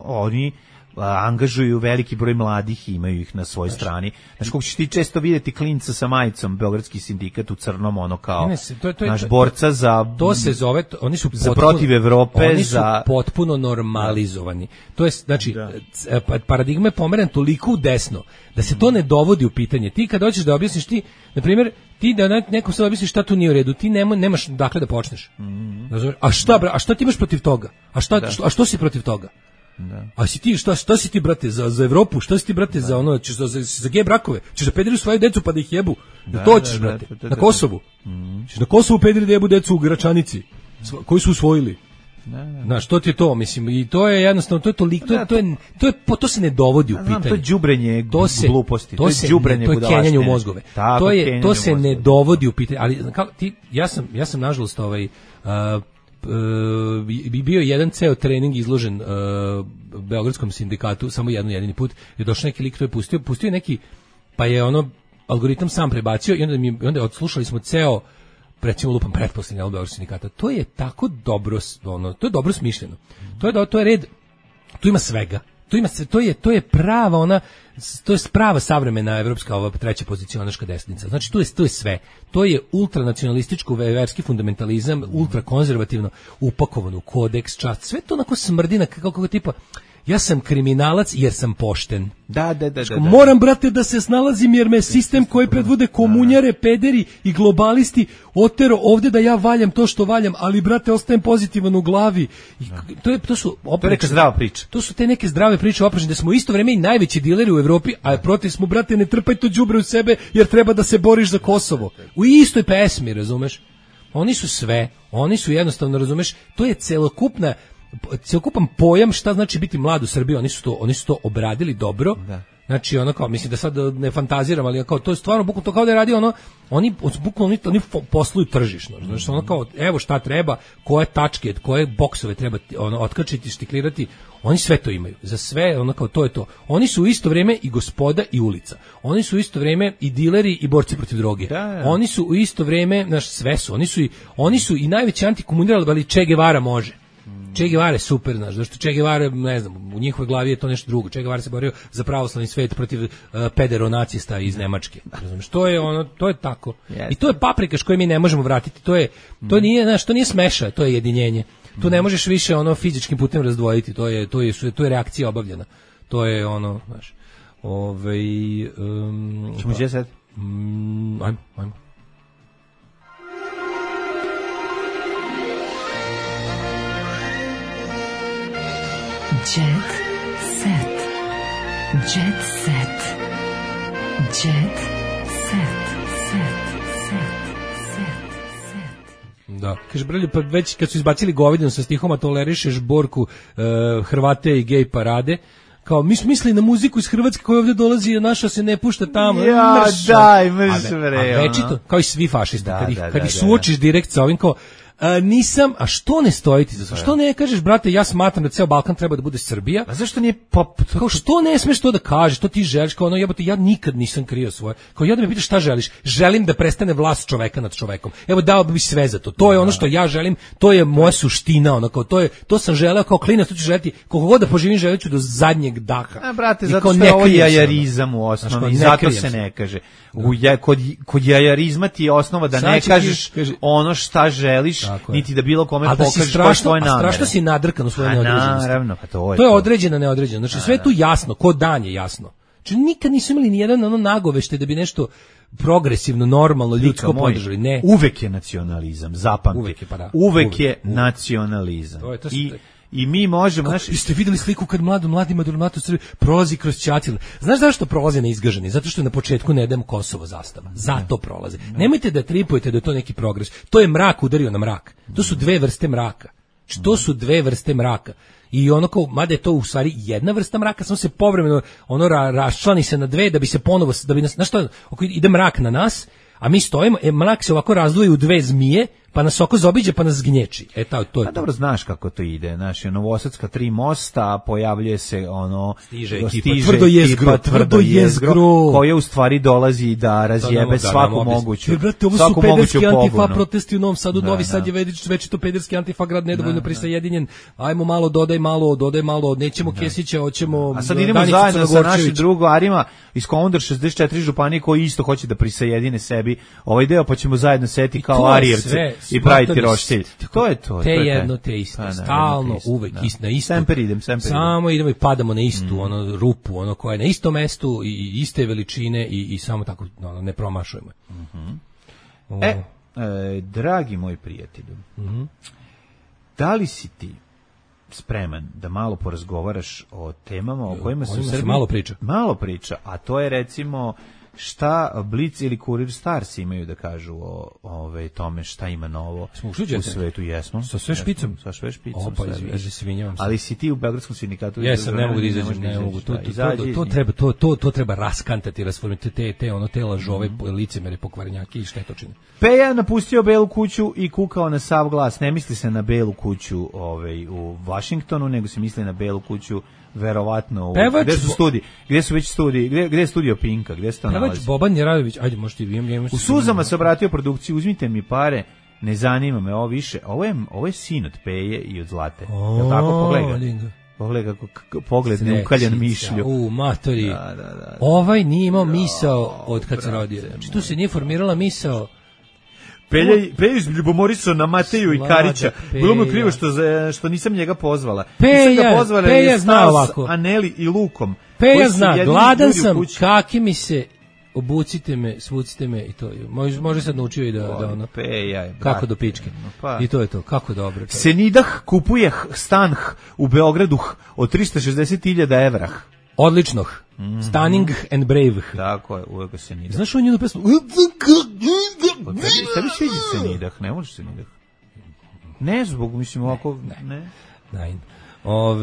oni angažuju veliki broj mladih i imaju ih na svojoj strani. Znaš, kako ćeš ti često vidjeti klinca sa majicom, Beogradski sindikat u crnom, ono kao naš borca za... To se zove, oni su za protiv Evrope, oni su potpuno normalizovani. To je, znači, paradigma je pomeren toliko u desno, da se to ne dovodi u pitanje. Ti kad hoćeš da objasniš ti, na primjer, ti da nekom sad objasniš šta tu nije u redu, ti nemaš dakle da počneš. A šta ti imaš protiv toga? A što si protiv toga? Da. A si ti šta si ti brate za Evropu, šta si ti brate za ono, ćeš za gej brakove, ćeš da pederi svoju decu pa da ih jebu. To hoćeš brate. Na Kosovu. Ćeš na Kosovu pederi da jebu decu u Gračanici koji su usvojili. Znaš, to ti je to, mislim, i to je jednostavno, to je toliko, to se ne dovodi u pitanje. To je đubrenje gluposti, to je đubrenje budalaštine. To je kenjanje u mozgove. To se ne dovodi u pitanje, ali ja sam nažalost bio je jedan ceo trening izložen Beogradskom sindikatu, samo jedini put je došao neki lik, to je pustio neki, pa je ono algoritam sam prebacio i onda odslušali smo ceo, recimo lupam pretposlednji album Beogradskog sindikata. To je tako dobro, to je dobro smišljeno. To je red, tu ima svega. To je prava ona, to je prava savremena evropska ova treća pozicionaška desnica. Znači to je sve. To je ultranacionalističko verski fundamentalizam, ultrakonzervativno upakovano u kodeks, čast. Sve to onako smrdi na kako tipa ja sam kriminalac jer sam pošten. Da. Moram, brate, da se snalazim jer me sistem koji predvode komunjare, pederi i globalisti otero ovde da ja valjam to što valjam, ali, brate, ostajem pozitivan u glavi. I to su neka zdrava priča. To su te neke zdrave priče oprečne, da smo isto vreme i najveći dileri u Evropi, a protiv smo, brate, ne trpaj to đubre u sebe jer treba da se boriš za Kosovo. U istoj pesmi, razumeš? Oni su sve, oni su jednostavno, razumeš, to je celokupan pojam šta znači biti mlad u Srbiji, oni su to obradili dobro. Da. Znači ono kao, mislim da sad ne fantaziram, ali kao to je stvarno bukvalno to kao da je radio oni posluju tržišno. Znači ono kao evo šta treba, koje tačke, koje boksove treba otkačiti, štiklirati, oni sve to imaju. Za sve ono kao to je to. Oni su u isto vrijeme i gospoda i ulica. Oni su u isto vrijeme i dileri i borci protiv droge. Da. Oni su u isto vrijeme, znaš, sve su. Oni su i najveći antikomunirali, ali Che Guevara može. Che Guevara je super, znaš, zašto Che Guevara, ne znam, u njihovoj glavi je to nešto drugo. Che Guevara se borio za pravoslavni svet protiv pederonacista iz Nemačke. Razumiješ, to je tako. Yes. I to je paprika što mi ne možemo vratiti. To nije, znaš, to nije smeša, to je jedinjenje. Tu ne možeš više fizičkim putem razdvojiti. To je reakcija obavljena. To je znaš. Čemo gdje sad? Ajmo. Jet set. Jet set. Jet set. Da, kaže Brelju, pa već kad su izbacili Govedinu sa stihom, a tolerišeš Borku, Hrvate i gej parade, kao mi smo mislili na muziku iz Hrvatske koja ovdje dolazi i naša se ne pušta tamo. Ja, daj, mrš bre. A večito, kao i svi fašisti, kad ih suočiš direkt sa ovim kao, nisam, a što ne stojiti za to? Što ne kažeš, brate, ja smatram da ceo Balkan treba da bude Srbija? A zašto nije pop? Kao što ne smeš to da kažeš, to ti želiš, kao jebote, ja nikad nisam krio svoje. Kao ja da me pitaš šta želiš? Želim da prestane vlast čoveka nad čovekom. Evo dao bi sve za to. To je ono što ja želim, to je moja suština, kao to sam želeo kao klinac, to ću želeti koliko god da poživim, želeću do zadnjeg daha. A brate, zato što je ovo jajarizam u osnovi, i zato se ne kaže. Kod jajarizma ti je osnova da ne kažeš ono šta želiš, niti da bilo kome pokažeš koje svoje namere. A strašno si nadrkan u svojoj neodređenosti. Naravno, pa to je određeno, neodređeno. Znači sve je tu jasno, ko dan je jasno. Znači nikad nisu imali ni jedan ono nagovešte da bi nešto progresivno, normalno, ljudsko podržali. Ne. Uvek je nacionalizam, zapamti. Uvek je nacionalizam. I mi možemo... Jeste videli sliku kad mladi matur prolazi kroz Ćatil. Znaš zašto prolaze neizgaženi? Zato što na početku ne dajemo Kosovo zastava. Zato prolaze. Nemojte da tripujete da je to neki progres. To je mrak udario na mrak. To su dve vrste mraka. To su dve vrste mraka. I ono kao, mada je to u stvari jedna vrsta mraka, samo se povremeno ono raščlani se na dve da bi se ponovo, da bi nas, znaš što, ide mrak na nas, a mi stojimo, mrak se ovako razdvoji u dve zmije, pa nas oko zaobiđe, pa nas gnječi. To je. A dobro, znaš kako to ide. Znaš, Novosadska 3 mosta, pojavljuje se stiže ekipa tvrdo jezgro, koja u stvari dolazi da razjebe svaku moguću. Jer, brate, ovo su pederski antifa protesti u Novom Sadu, Novi Sad je već to pederski antifa grad nedovoljno prisajedinjen. Ajmo malo, dodaj malo, nećemo Kesića, hoćemo. A sad idemo zajedno sa našim drugarima iz Komandor 64 županije koji isto hoće da prisajedine sebi ovaj deo, pa ćemo zajedno seti kao Arijevci i praviti roštilj. To je to. Te jedno, te isto. Stalno, uvek na isto. Semper idem. Samo idemo i padamo na istu rupu, ono koja je na istom mestu i iste veličine i samo tako ne promašujemo. Dragi moj prijatelju, da li si ti spreman da malo porazgovaraš o temama o kojima se u Srbiji malo priča, a to je recimo šta Blic ili Kurir Stars imaju da kažu o tome šta ima novo u svetu. Jesmo. Sa sve špicom. Ali si ti u Beogradskom sindikatu? Jesam, ne mogu da izađem, ne mogu. To treba raskantati, rasformirati te lažove, licemere, pokvarenjake i štetočine. Peja napustio Belu kuću i kukao na sav glas. Ne misli se na Belu kuću u Vašingtonu, nego se misli na Belu kuću verovatno gde su već studiji, gde je studio Pinka, gde se to nalazi? Pevač Boban Jeradović, ajde možete vi u suzama se obratio produkciji, uzmite mi pare, ne zanima me ovo više. Ovo je sin od Peje i od Zlate. Jel tako? Pogledaj kako pogled neukaljan mišlju. Matori. Da. Ovaj nije imao misao od kad se rodio. Znači tu se nije formirala misao. Peja izljubomorisao na Mateju i Karića. Bilo mu krivo što nisam njega pozvala. Peja zna ovako. Aneli i Lukom. Peja zna, gladan sam, kaki mi se, obucite me, svucite me i to. Može sad naučio i da ono. Peja. Kako do pičke. I to je to, kako dobro. Senidah kupuje stan u Beogradu od 360.000 evra. Odlično. Stunning and brave. Tako je, uvek se Senidah. Znaš on njenu pesmu? Tebi sviđa Senidah, ne možeš Senidah. Ne zbog, mislim, ovako, ne.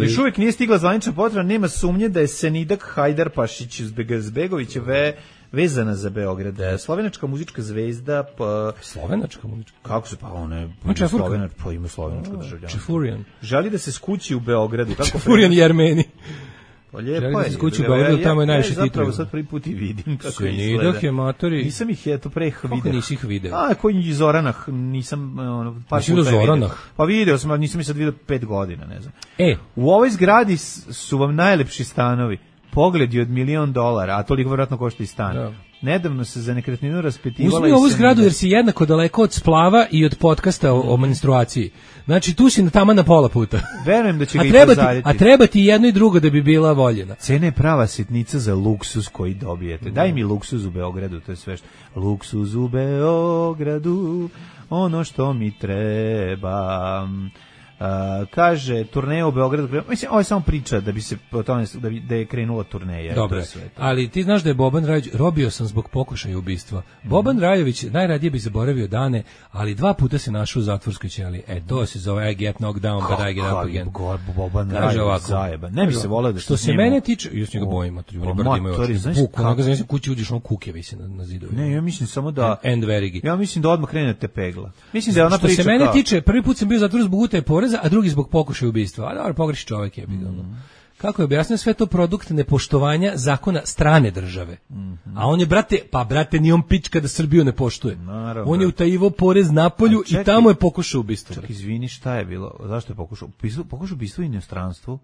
Još uvijek nije stigla zvanična potvrda, nema sumnje da je Senidah Hajdarpašić Zbegović vezana za Beograd. Slovenačka muzička zvezda. Slovenačka muzička? Kako se, ona je Slovenačka, pa ima slovenačko državljanstvo. Čefurijan. Želi da se skući u Beogradu. Čefurijan i Armeni. Pa lijepo je. Skući u Beogradu, tamo je najviše titula. Zapravo sad prvi put i vidim kako izgleda. Senidah je matori. Nisam ih pre vidio. Kako nisi ih video? Koji iz Zoranah, nisam par puta vidio. Pa video sam, ali nisam ih sad vidio 5 godina, ne znam. U ovoj zgradi su vam najlepši stanovi. Pogledi od $1.000.000, a toliko vjerojatno košta i stan. Da. Nedavno se za nekretninu raspitivala. Uzmi ovu zgradu jer si jednako daleko od splava i od podcasta o menstruaciji. Znači tu si tamo na pola puta. Verujem da će ga i pozaditi. A treba ti jedno i drugo da bi bila voljena. Cena je prava sitnica za luksuz koji dobijete. Daj mi luksuz u Beogradu, to je sve što. Luksuz u Beogradu, ono što mi treba. Kaže turneja u Beogradu, mislim ovo je samo priča da bi se o tome da je krenula turneja. Dobro, ali ti znaš da je Boban Rajović, robio sam zbog pokušaja ubistva. Boban Rajović najradije bi zaboravio dane, ali 2 puta se našao u zatvorskoj ćeliji. To se zove I get knocked down but I get up again. Boban Rajović zajeba. Ne bi se voleo da što se mene tiče, još njega bojim, oni bar imaju oči. Onoga znači kući uđeš, on kuke visi na zidovi. Ne, ja mislim samo da end verigi. Ja mislim da odmah krenete pegla. Mislim da je ona priča. Što se mene tiče, prvi put sam bio u zatvoru zbog utaje poreza, a drugi zbog pokušaja ubistva. A dobro, pogreši čovjek je bilo. Kako je objasnio, sve to produkt nepoštovanja zakona strane države. A on je, brate, ni on pička da Srbiju ne poštuje. Naravno. On je utajivo porez napolju i tamo je pokušao ubistvo. Čak izvini, šta je bilo? Zašto je pokušao? Pokušao ubistvo u inostranstvu?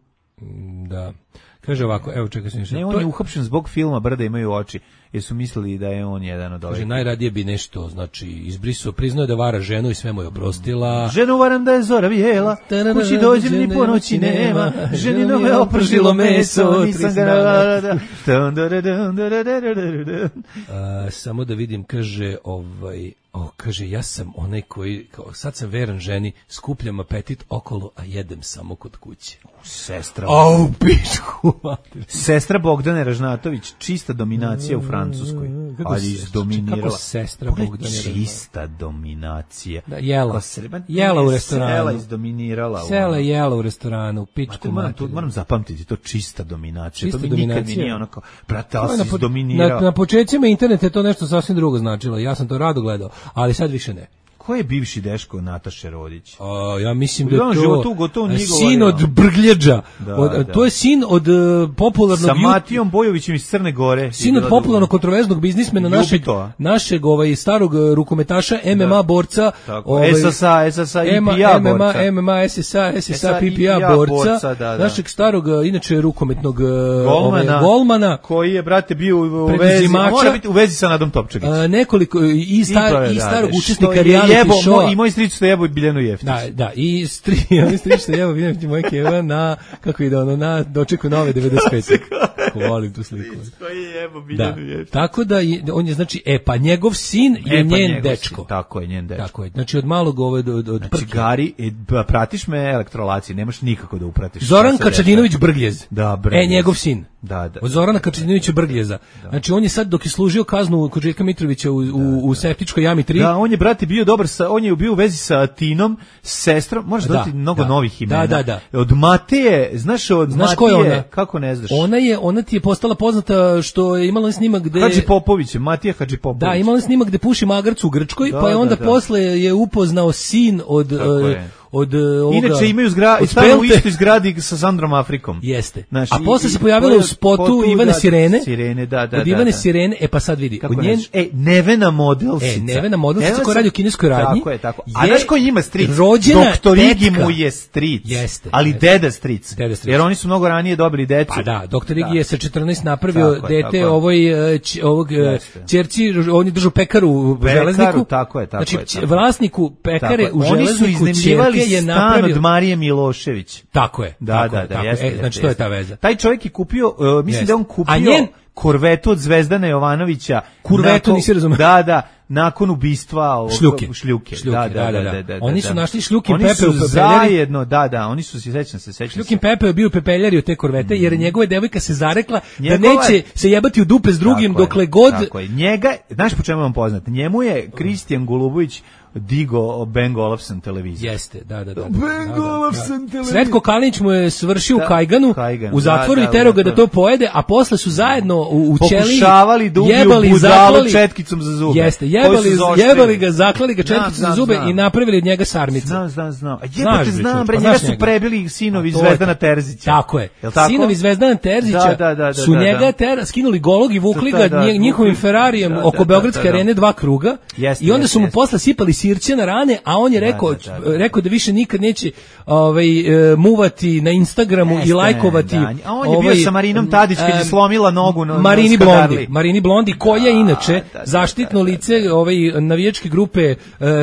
Da. Kaže ovako, evo čekaj se. Ne, on je uhapšen zbog filma Brda imaju oči. Jer su mislili da je on jedan od ovih. Kaže, najradije bi nešto, znači, izbrisao, priznao je da vara ženu i sve mu je oprostila. Ženu varam da je zora bijela, kući dođem ni po noći nema, ženino me opržilo meso, nisam ga... Samo da vidim, kaže, kaže, ja sam onaj koji, sad sam veran ženi, skupljam apetit okolo, a jedem samo kod kuće. Sestra. Au, pičku. Sestra Bogdane Ražnatović, čista dominacija u Francuskoj. Ali izdominirala. Kako sestra Bogdane Ražnatović? Čista dominacija. Da, jela u restoranu. Sela izdominirala. Sela jela u restoranu, pičku materiju. Moram zapamtiti, to čista dominacija. To mi nikad mi nije onako, brate, ali si izdominirao. Na početcima interneta je to nešto sasvim drugo značilo. Ja sam to rado gledao, ali sad više ne. Ko je bivši deško Nataše Rodić? Ja mislim da je to sin od Brgljeđa. To je sin od popularnog... Sa Matijom Bojovićem iz Crne Gore. Sin od popularnog kontroverznog biznismena našeg starog rukometaša, MMA borca. SSA, IPA borca. MMA, SSA, PPA borca. Našeg starog, inače rukometnog golmana. Koji je, brate, bio u vezi. Mora biti u vezi sa Nadom Topčagić. Nekoliko i starog učesnika reality showa. I moj stric što jebo Biljanu Jeftić. Da, i stric što jebo Biljanu Jeftić, moj keva na, kako ide ono, na dočeku nove 95. Ko volim tu sliku. Koji je jebo Biljanu Jeftić. Tako da, on je, znači, pa njegov sin je njen dečko. Tako je, njen dečko. Tako je, znači od malog od znači, Gari, pratiš me elektrolacije, nemaš nikako da upratiš. Zoran Kačadinović Brgljez. Da, Brgljez. Njegov sin. Da. Od Zorana Kačadinovića Brgljeza. Znači, on je sad, dok je služio kaznu kod Željka Mitrovića u septičkoj jami 3. Da, on je, brate, bio dobar on je bio u vezi sa Tinom, sestrom, možeš dati mnogo novih imena. Da. Od Mateje, znaš ko je ona? Kako ne znaš? Ona ti je postala poznata što je imala snimak gde... Hadžipopović, Matija Hadžipopović. Da, imala snimak gde puši magarcu u Grčkoj, pa je onda posle je upoznao sin od ovoga... Inače imaju stanu u istoj zgradi sa Sandrom Afrikom. Jeste. Znaš, a posle se pojavila u spotu Ivane Sirene. Da. Od Ivane Sirene, pa sad vidi. Kako Nevena Modelsica. Nevena Modelsica koja radi u kineskoj radnji. Tako. A znaš ko ima stric? Doktor Igi mu je stric. Jeste. Ali deda stric. Jer oni su mnogo ranije dobili decu. Pa da, doktor Igi je sa 14 napravio dete ovog ćerci, on je držao pekaru u Železniku. Tako je. Znači, vlasniku pekare u Železniku je stan od Marije Milošević. Tako je. Da. Znači, to je ta veza. Taj čovjek je kupio, mislim da on kupio korvetu od Zvezdana Jovanovića. Kurvetu, nisi razumio. Da, nakon ubistva Šljuke. Da. Oni su našli Šljukin Pepe u pepeljari. Zajedno, oni su se, sećam se. Šljukin Pepe je bio u pepeljari od te korvete, jer njegova devojka se zarekla da neće se jebati u dupe s drugim dokle god... Tako je. Njega, znaš po čemu je on poznat? Njemu je Kristijan Golubović digo Ben Olufsen televiziju. Jeste, da. Ben Olufsen televiziju. Sretko Kalinić mu je svršio u Kajganu, u zatvoru i tero ga da to pojede, a posle su zajedno u ćeliji pokušavali da ubiju budalu četkicom za zube. Jeste, jebali ga, zaklali ga četkicom za zube i napravili od njega sarmice. Znam. Znam, bre, njega su prebili sinovi Zvezdana Terzića. Tako je. Sinovi Zvezdana Terzića su njega skinuli golog i vukli ga njihovim Ferrarijem oko Beogradske arene 2 kruga i onda su mu posle sipali sirće na rane, a on je rekao da više nikad neće muvati na Instagramu i lajkovati. A on je bio sa Marinom Tadić kad je slomila nogu na Marini Blondi, koja inače zaštitno lice navijačke grupe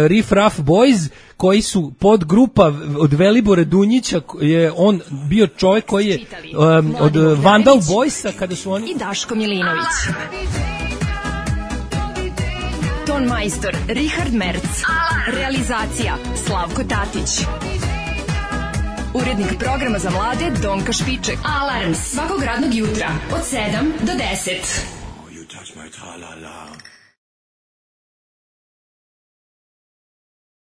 Riff Raff Boys, koji su podgrupa od Velibora Dunjića, je on bio čovjek koji je od Vandal Boysa kada su oni... I Daško Milinović. Ton majstor Richard Merc. Realizacija Slavko Tatić. Urednik programa za mlade Donka Špiček. Alarms svakog radnog jutra od 7 do 10.